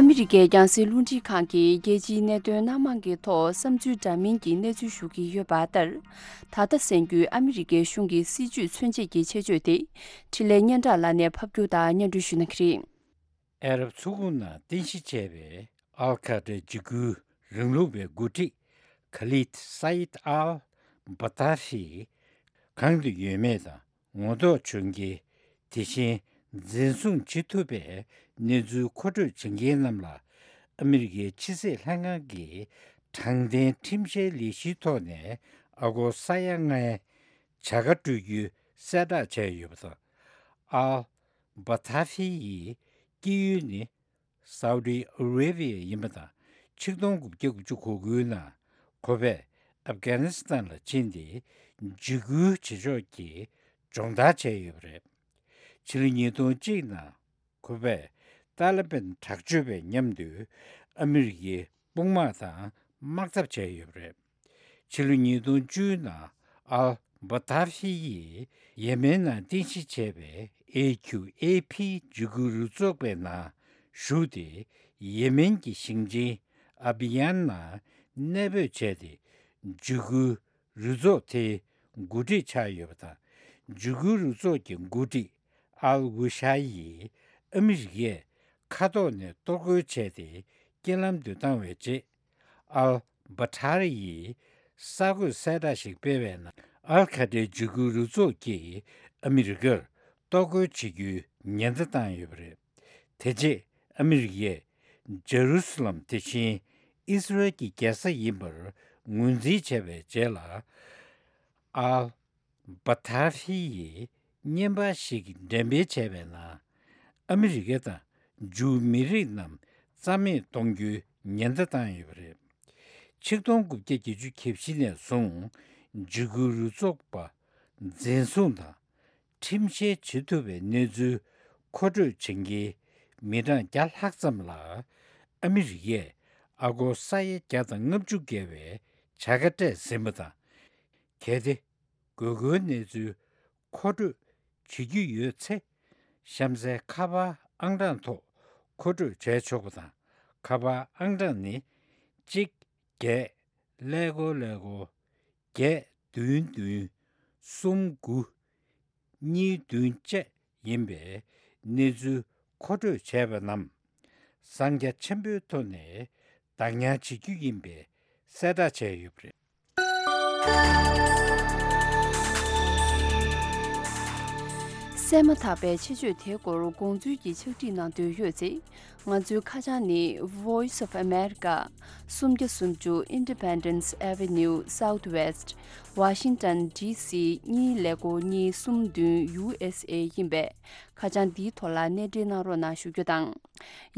ཨ་མི་རི་ཀའི་རྒྱང་སྲིང་རླུང་འཕྲིན་ཁང་གིས་རྒྱལ་སྤྱིའི་གནད་དོན་སྣ་མང་གི་ཐོག་བསམ་ཚུལ་འདྲ་མིན་གྱི་གནས་ཚུལ་ཞུ་གི་ཡོད་པ་ལྟར། ད་ལྟ་གསན་རྒྱུའི་ཨ་མི་རི་ཀའི་གཞུང་གི་སྲིད་བྱུས་མཚོན་བྱེད་ཀྱི་ཆེད་བརྗོད་དེ། འཕྲིན་ལས་སྙན་གྲགས་ལགས་ནས་ཕབ་སྒྱུར་དང་སྙན་སྒྲོན་ཞུ་གནང་གི་རེད། ཨ་རབ་མཚོ་ཁུག་ནང་རྟེན་གཞི་བྱས་པའི་ཨལ་ཁ་ཏྲ་འཇིགས་སྐུལ་རིང་ལུགས་པའི་འགོ་ཁྲིད་ཁ་ལིད་སཱ་ཡིད་ཨལ་བ་ཏཱ་ཧི་གང་དུ་ཡོད་མེད་དང་ངོ་ཐོག་བྱུང་རྐྱེན། དེ་བཞིན་འཛིན་བཟུང་བྱེད་ཐུབ་པའི་གནས་ཚུལ་མཁོ་སྤྲོད་བྱེད་མཁན་རྣམས་ལ་ཨ་མི་རི་ཀའི་ཕྱི་སྲིད་ལྷན་ཁང་གིས་དྲང་བདེན་ཁྲིམས་བཤེར་ལས་གཞིའི་ཐོག་ནས་ཨ་སྒོར་ས་ཡ་ལྔའི་བྱ་དགའ་སྤྲོད་རྒྱུའི་གསལ་བསྒྲགས་བྱས་ཡོད་པ་དང་། ཨལ་བ་ཐ་ཧི་ཡི་སྐྱེས་ཡུལ་ནི་སའུ་ཏི་ཨ་རེ་བྷི་ཡ་ཡིན་པ་དང་། ཆིག་སྟོང་དགུ་བརྒྱ་དགུ་བཅུ་གོ་དགུའི་ནང་ ཁོ་པས་ཨབ་གྷ་ནི་སི་ཐན་ལ་ཕྱིན་ཏེ་འཇིགས་སྐུལ་བྱེད་ཕྱོགས་ཀྱི་སྦྱོང་བརྡར་བྱས་ཡོད་པ་རེད། ཕྱི་ལོ་ཉིས་སྟོང་གཅིག་ནང་ཁོ་པས་ཏཱ་ལི་བན་དྲག་སྤྱོད་པའི་མཉམ་དུ་ཨ་མི་རི་ཀའི་དཔུང་དམག་དང་དམག་འཐབ་བྱས་ཡོད་པ་རེད། ཕྱི་ལོ་ཉིས་སྟོང་བཅུ་ནང་ཨལ་བྷ་ཐར་ཧི་ཡིས་ཡེ་མེན་ནང་རྟེན་གཞི་བྱས་པའི་ཨེ་ཁྱུ་ཨེ་ཕི་འཇིགས་སྐུལ་རུ་ཚོགས་པའི་ནང་ཞུགས་ཏེ། ཡེ་མེན་གྱི་ཞིང་ཆེན་ཨ་བི་ཡན་ནང་གནས་སྤོས་བྱས་ཏེ། འཇིགས་སྐུལ་རུ་ཚོགས་དེའི་འགོ་ཁྲིད་ཆགས་ཡོད་པ་དང་། འཇིགས་སྐུལ་རུ་ཚོགས་ཀྱི་འགོ་ཁྲིད་ཨལ་ཝུ་ཤ་ཡིས་ཨ་མི་རི་ཀས་མཁའ་ཐོག་ནས་གཏོར་རྒོལ་བྱས་ཏེ་རྐྱེན་ལམ་དུ་བཏང་བའི་རྗེས། ཨལ་བྷ་ཐར་ཡིས་གསར་འགོད་གསལ་བསྒྲགས་ཤིག་སྤེལ་བའི་ནང་། ཨལ་ཁ་ཏའི་འཇིགས་སྐུལ་རུ་ཚོགས་ཀྱིས་ཨ་མི་རི་ཀར་གཏོར་རྒོལ་བྱེད་རྒྱུའི་ཉེན་བརྡ་བཏང་ཡོད་པ་རེད། དེ་རྗེས་ཨ་མི་རི་ཀས་ཇེ་རུ་སི་ལམ་དེ་བཞིན་ཨིས་རལ་གྱི་རྒྱལ་ས་ཡིན་པར་ངོས་འཛིན་བྱས་པའི་རྗེས་ལ། ཨལ་བྷ་ཐར་ཧི་ཡིས་བརྙན་པར་ཞིག་འགྲེམས་སྤེལ་བྱས་པའི་ནང་། ཨ་མི་རི་ཀ་དང་ཇུའུ་མི་རིགས་རྣམས་རྩ་མེད་གཏོང་རྒྱུའི་ཉེན་བརྡ་བཏང་ཡོད་པ་རེད། ཆིག་སྟོང་དགུ་བརྒྱ་བརྒྱད་ཅུ་གྱ་བཞི་ནས་བཟུང་འཇིགས་སྐུལ་རུ་ཚོགས་པ་འཛིན་བཟུང་དང་ཁྲིམས་བཤེར་བྱེད་ཐུབ་པའི་གནས་ཚུལ་མཁོ་སྤྲོད་བྱེད་མཁན་མི་གྲངས་བརྒྱ་ལྷག་ཙམ་ལ་ཨ་མི་རི་ཀས་ཨ་སྒོར་ས་ཡ་བརྒྱ་དང་ལྔ་བཅུ་བརྒལ་བའི་བྱ་དགའ་སྤྲད་ཟིན་པ་དང་། གལ་ཏེ། དགོས་མཁོའི་གནས་ཚུལ་མཁོ་སྤྲོད་བྱེད་རྒྱུ་ཡོད་ཚེ། གཤམ་གསལ་ཁ་པར་ཨང་གྲངས་ཐོག་མཁོ་སྤྲོད་བྱས་ཆོག་པ་དང་། ཁ་པར་ཨང་གྲངས་ནི། གཅིག་བརྒྱད་ཀླད་ཀོར་ཀླད་ཀོར་བརྒྱད་བདུན་བདུན་གསུམ་དགུ་གཉིས་བདུན་བཅས་ཡིན་པས། གནས་ཚུལ་མཁོ་སྤྲོད་བྱས་པ་རྣམས་གསང་རྒྱ་ཆེན་པོའི་ཐོག་ནས་བདག་ཉར་བྱེད་རྒྱུ་ཡིན་པའི་གསལ་བསྒྲགས་བྱས་ཡོད་པ་རེད། གསན་མ་ཐག་པའི་ཆེད་བརྗོད་དེའི་སྐོར་དགོངས་ཚུལ་གྱི་ཕྱག་བྲིས་གནང་འདོད་ཡོད་ཚེ། ང་ཚོའི་ཁ་བྱང་ནི། Voice of America། སུམ་བརྒྱ་སུམ་ཅུ་Independence Avenue Southwest། Washington D C གཉིས་ཀླད་ཀོར་གཉིས་གསུམ་བདུན་U S A ཡིན་པས། ཁ་བྱང་འདིའི་ཐོག་ལ་གནས་འབྲེལ་གནང་རོགས་གནང་ཞུ་རྒྱུ་དང་།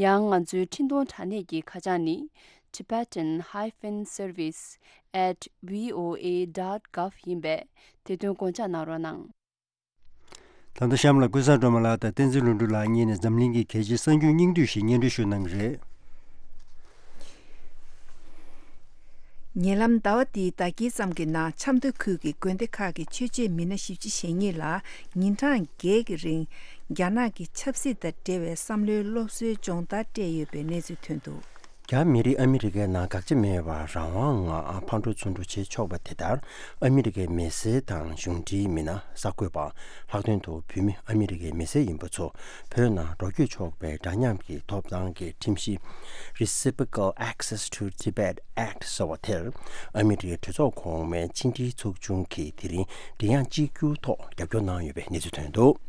ཡང་ང་ཚོའི་འཕྲིན་གཏོང་དྲ་གནས་ཀྱི་ཁ་བྱང་ནི། Tibetan hyphen service at V O A dot gov ཡིན་པས། དེ་དོན་དགོངས་འཇགས་གནང་རོགས་གནང་། ད་ལྟ་གཤམ་ལ་ཀུན་བཟང་སྒྲོལ་མ་ལགས་དང་བསྟན་འཛིན་ལྷུན་གྲུབ་ལགས་གཉིས་ནས་འཛམ་གླིང་གི་གལ་ཆེའི་གསར་འགྱུར་སྙིང་བསྡུས་ཤིག་སྙན་སྒྲོན་ཞུ་གནང་གི་རེད། ཉེ་ལམ་ཟླ་བ་འདིའི་ཟླ་དཀྱིལ་ཙམ་གྱི་ནང་ཆབ་མདོ་ཁུལ་གྱི་དགོན་སྡེ་ཁག་གི་ཆོས་བྱེད་མི་སྣ་བཞི་བཅུ་ཞེ་གཉིས་ལ་ཉིན་གྲངས་བརྒྱད་ཀྱི་རིང་རྒྱ་ནག་གི་ཆབ་སྲིད་དང་འབྲེལ་བའི་བསམ་བློའི་སློབ་གསོའི་སྦྱོང་བརྡར་སྤྲད་ཡོད་པའི་གནས་ཚུལ་ཐོན་འདུག། རྒྱ་མི་རིགས་ཨ་མི་རི་ཀའི་ནང་དགག་བྱ་མེད་པར་རང་དབང་ངང་ཕར་འགྲོ་ཚུར་འགྲོ་བྱེད་ཆོག་པ་དེ་ལྟར། ཨ་མི་རི་ཀའི་མི་སེར་དང་གཞུང་འབྲེལ་མི་སྣ། གསར་འགོད་པ། ལྷག་དོན་དུ་བོད་མི་ཨ་མི་རི་ཀའི་མི་སེར་ཡིན་པ་ཚོ་བོད་ནང་འགྲོ་སྐྱོད་ཆོག་པའི་འདྲ་མཉམ་གྱི་ཐོབ་ཐང་གི་ཁྲིམས་གཞི། Reciprocal Access to Tibet Act ཟེར་བ་དེར། ཨ་མི་རི་ཀའི་གྲོས་ཚོགས་གོང་མའི་ཕྱི་འབྲེལ་ཚོགས་ཆུང་གིས་དེ་རིང་མགྲིན་དབྱངས་གཅིག་གྱུར་ཐོག་རྒྱབ་སྐྱོར་གནང་ཡོད་པའི་གནས་ཚུལ་ཐོན་འདུག།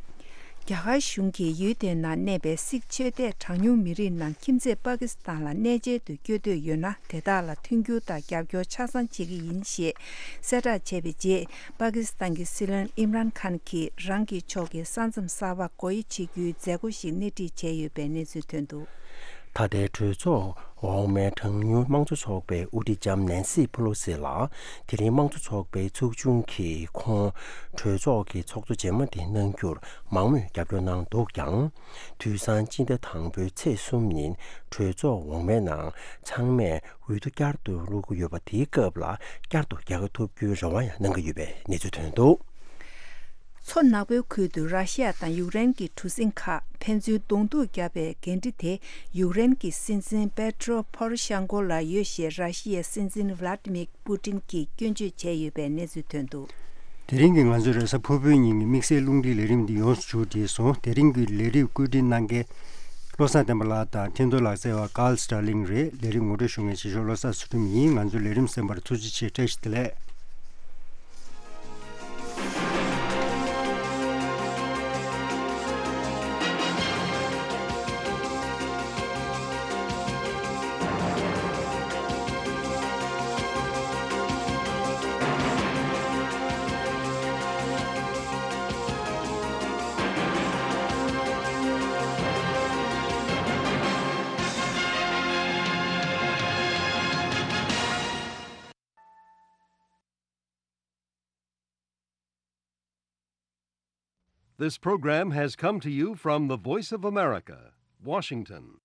རྒྱ་གར་གཞུང་གིས་ཡུལ་དེའི་ནང་གནས་པའི་སིག་ཆོས་དད་གྲངས་ཉུང་མི་རིགས་རྣམས་ཁྱིམ་མཚེས་པ་ཀི་སི་ཐན་ལ་གནས་མཇལ་དུ་བསྐྱོད་འདོད་ཡོད་ན། དེ་དག་ལ་མཐུན་འགྱུར་དང་རྒྱབ་སྐྱོར་ཆ་ཚང་བྱེད་ཀྱི་ཡིན་ཞེས་གསལ་བསྒྲགས་བྱས་པའི་རྗེས། པ་ཀི་སི་ཐན་གྱི་སྲིད་བློན་ཨིམ་རཱན་ཁཱན་གྱིས་རང་གི་ཕྱོགས་ཀྱི་ས་མཚམས་གསར་པ་སྒོ་དབྱེ་བྱེད་རྒྱུའི་མཛད་སྒོ་ཞིག་སྣེ་ཁྲིད་བྱས་ཡོད་པའི་གནས་ཚུལ་ཐོན་འདུག། ད་ལྟའི་གྲོས་ཚོགས་འོག་མའི་གྲངས་ཉུང་དམངས་གཙོ་ཚོགས་པའི་དབུ་ཁྲིད་ལྕམ་ནན་སི་ཕུ་ལོ་སི་ལགས་དེ་རིང་དམངས་གཙོ་ཚོགས་པའི་ཚོགས་ཆུང་གིས་ཁོང་གྲོས་ཚོགས་ཀྱི་ཚོགས་གཙོ་རྗེས་མ་དེ་གནང་རྒྱུར་མང་མོས་རྒྱབ་སྐྱོར་གནང་འདུག་ཀྱང་། དུས་སང་སྤྱི་ཟླ་དང་པོའི་ཚེས་གསུམ་ཉིན་གྲོས་ཚོགས་འོག་མའི་ནང་ཚང་མས་འོས་བསྡུ་བསྐྱར་དུ་བླུག་གི་ཡོད་པ། དེའི་སྐབས་ལ་བསྐྱར་དུ་རྒྱལ་ཁ་ཐོབ་རྒྱུའི་རེ་བ་ཡང་གནང་གི་ཡོད་པའི་གནས་ཚུལ་ཐོན་འདུག། མཚོ་ནག་པོའི་ཁུལ་དུ་ར་ཤི་ཡ་དང་ཡུཀ་རེན་གྱི་གྲུ་གཟིངས་ཁག་ཕན་ཚུན་གདོང་ཐུག་བརྒྱབ་པའི་འགན་འཁྲི་དེ་ཡུཀ་རེན་གྱི་སྲིད་འཛིན་པེ་ཏྲོ་པོ་རོ་ཤན་ཀོ་ལ་ཡོད་ཞེས་ར་ཤི་ཡའི་སྲིད་འཛིན་ཝ་ལ་ཏི་མིར་པུ་ཏིན་གྱིས་སྐྱོན་བརྗོད་བྱས་ཡོད་པའི་གནས་ཚུལ་ཐོན་འདུག། དེ་རིང་གི་ང་ཚོའི་རེས་གཟའ་ཕུར་བུའི་ཉིན་གྱི་དམིགས་བསལ་རླུང་འཕྲིན་ལས་རིམ་འདི་ཡོངས་སུ་མཇུག་བསྒྲིལ་སོང་། དེ་རིང་གི་ལས་རིམ་བཀོད་སྒྲིག་གནང་མཁན་བློ་བཟང་བསྟན་པ་ལགས་དང་འཕྲིན་གཏོང་ལག་རྩལ་བ་ཀཱལ་སི་ཏྲ་ལིང་རེད། ལས་རིམ་ངོ་སྤྲོད་ཞུ་མཁན་ཆེ་ཤོས་བློ་བཟང་ཚུལ་ཁྲིམས་ཡིན། ང་ཚོའི་ལས་རིམ་གསན་པར་ཐུགས་རྗེ་ཆེ། བཀྲ་ཤིས་བདེ་ལེགས། This program has come to you from the Voice of America, Washington.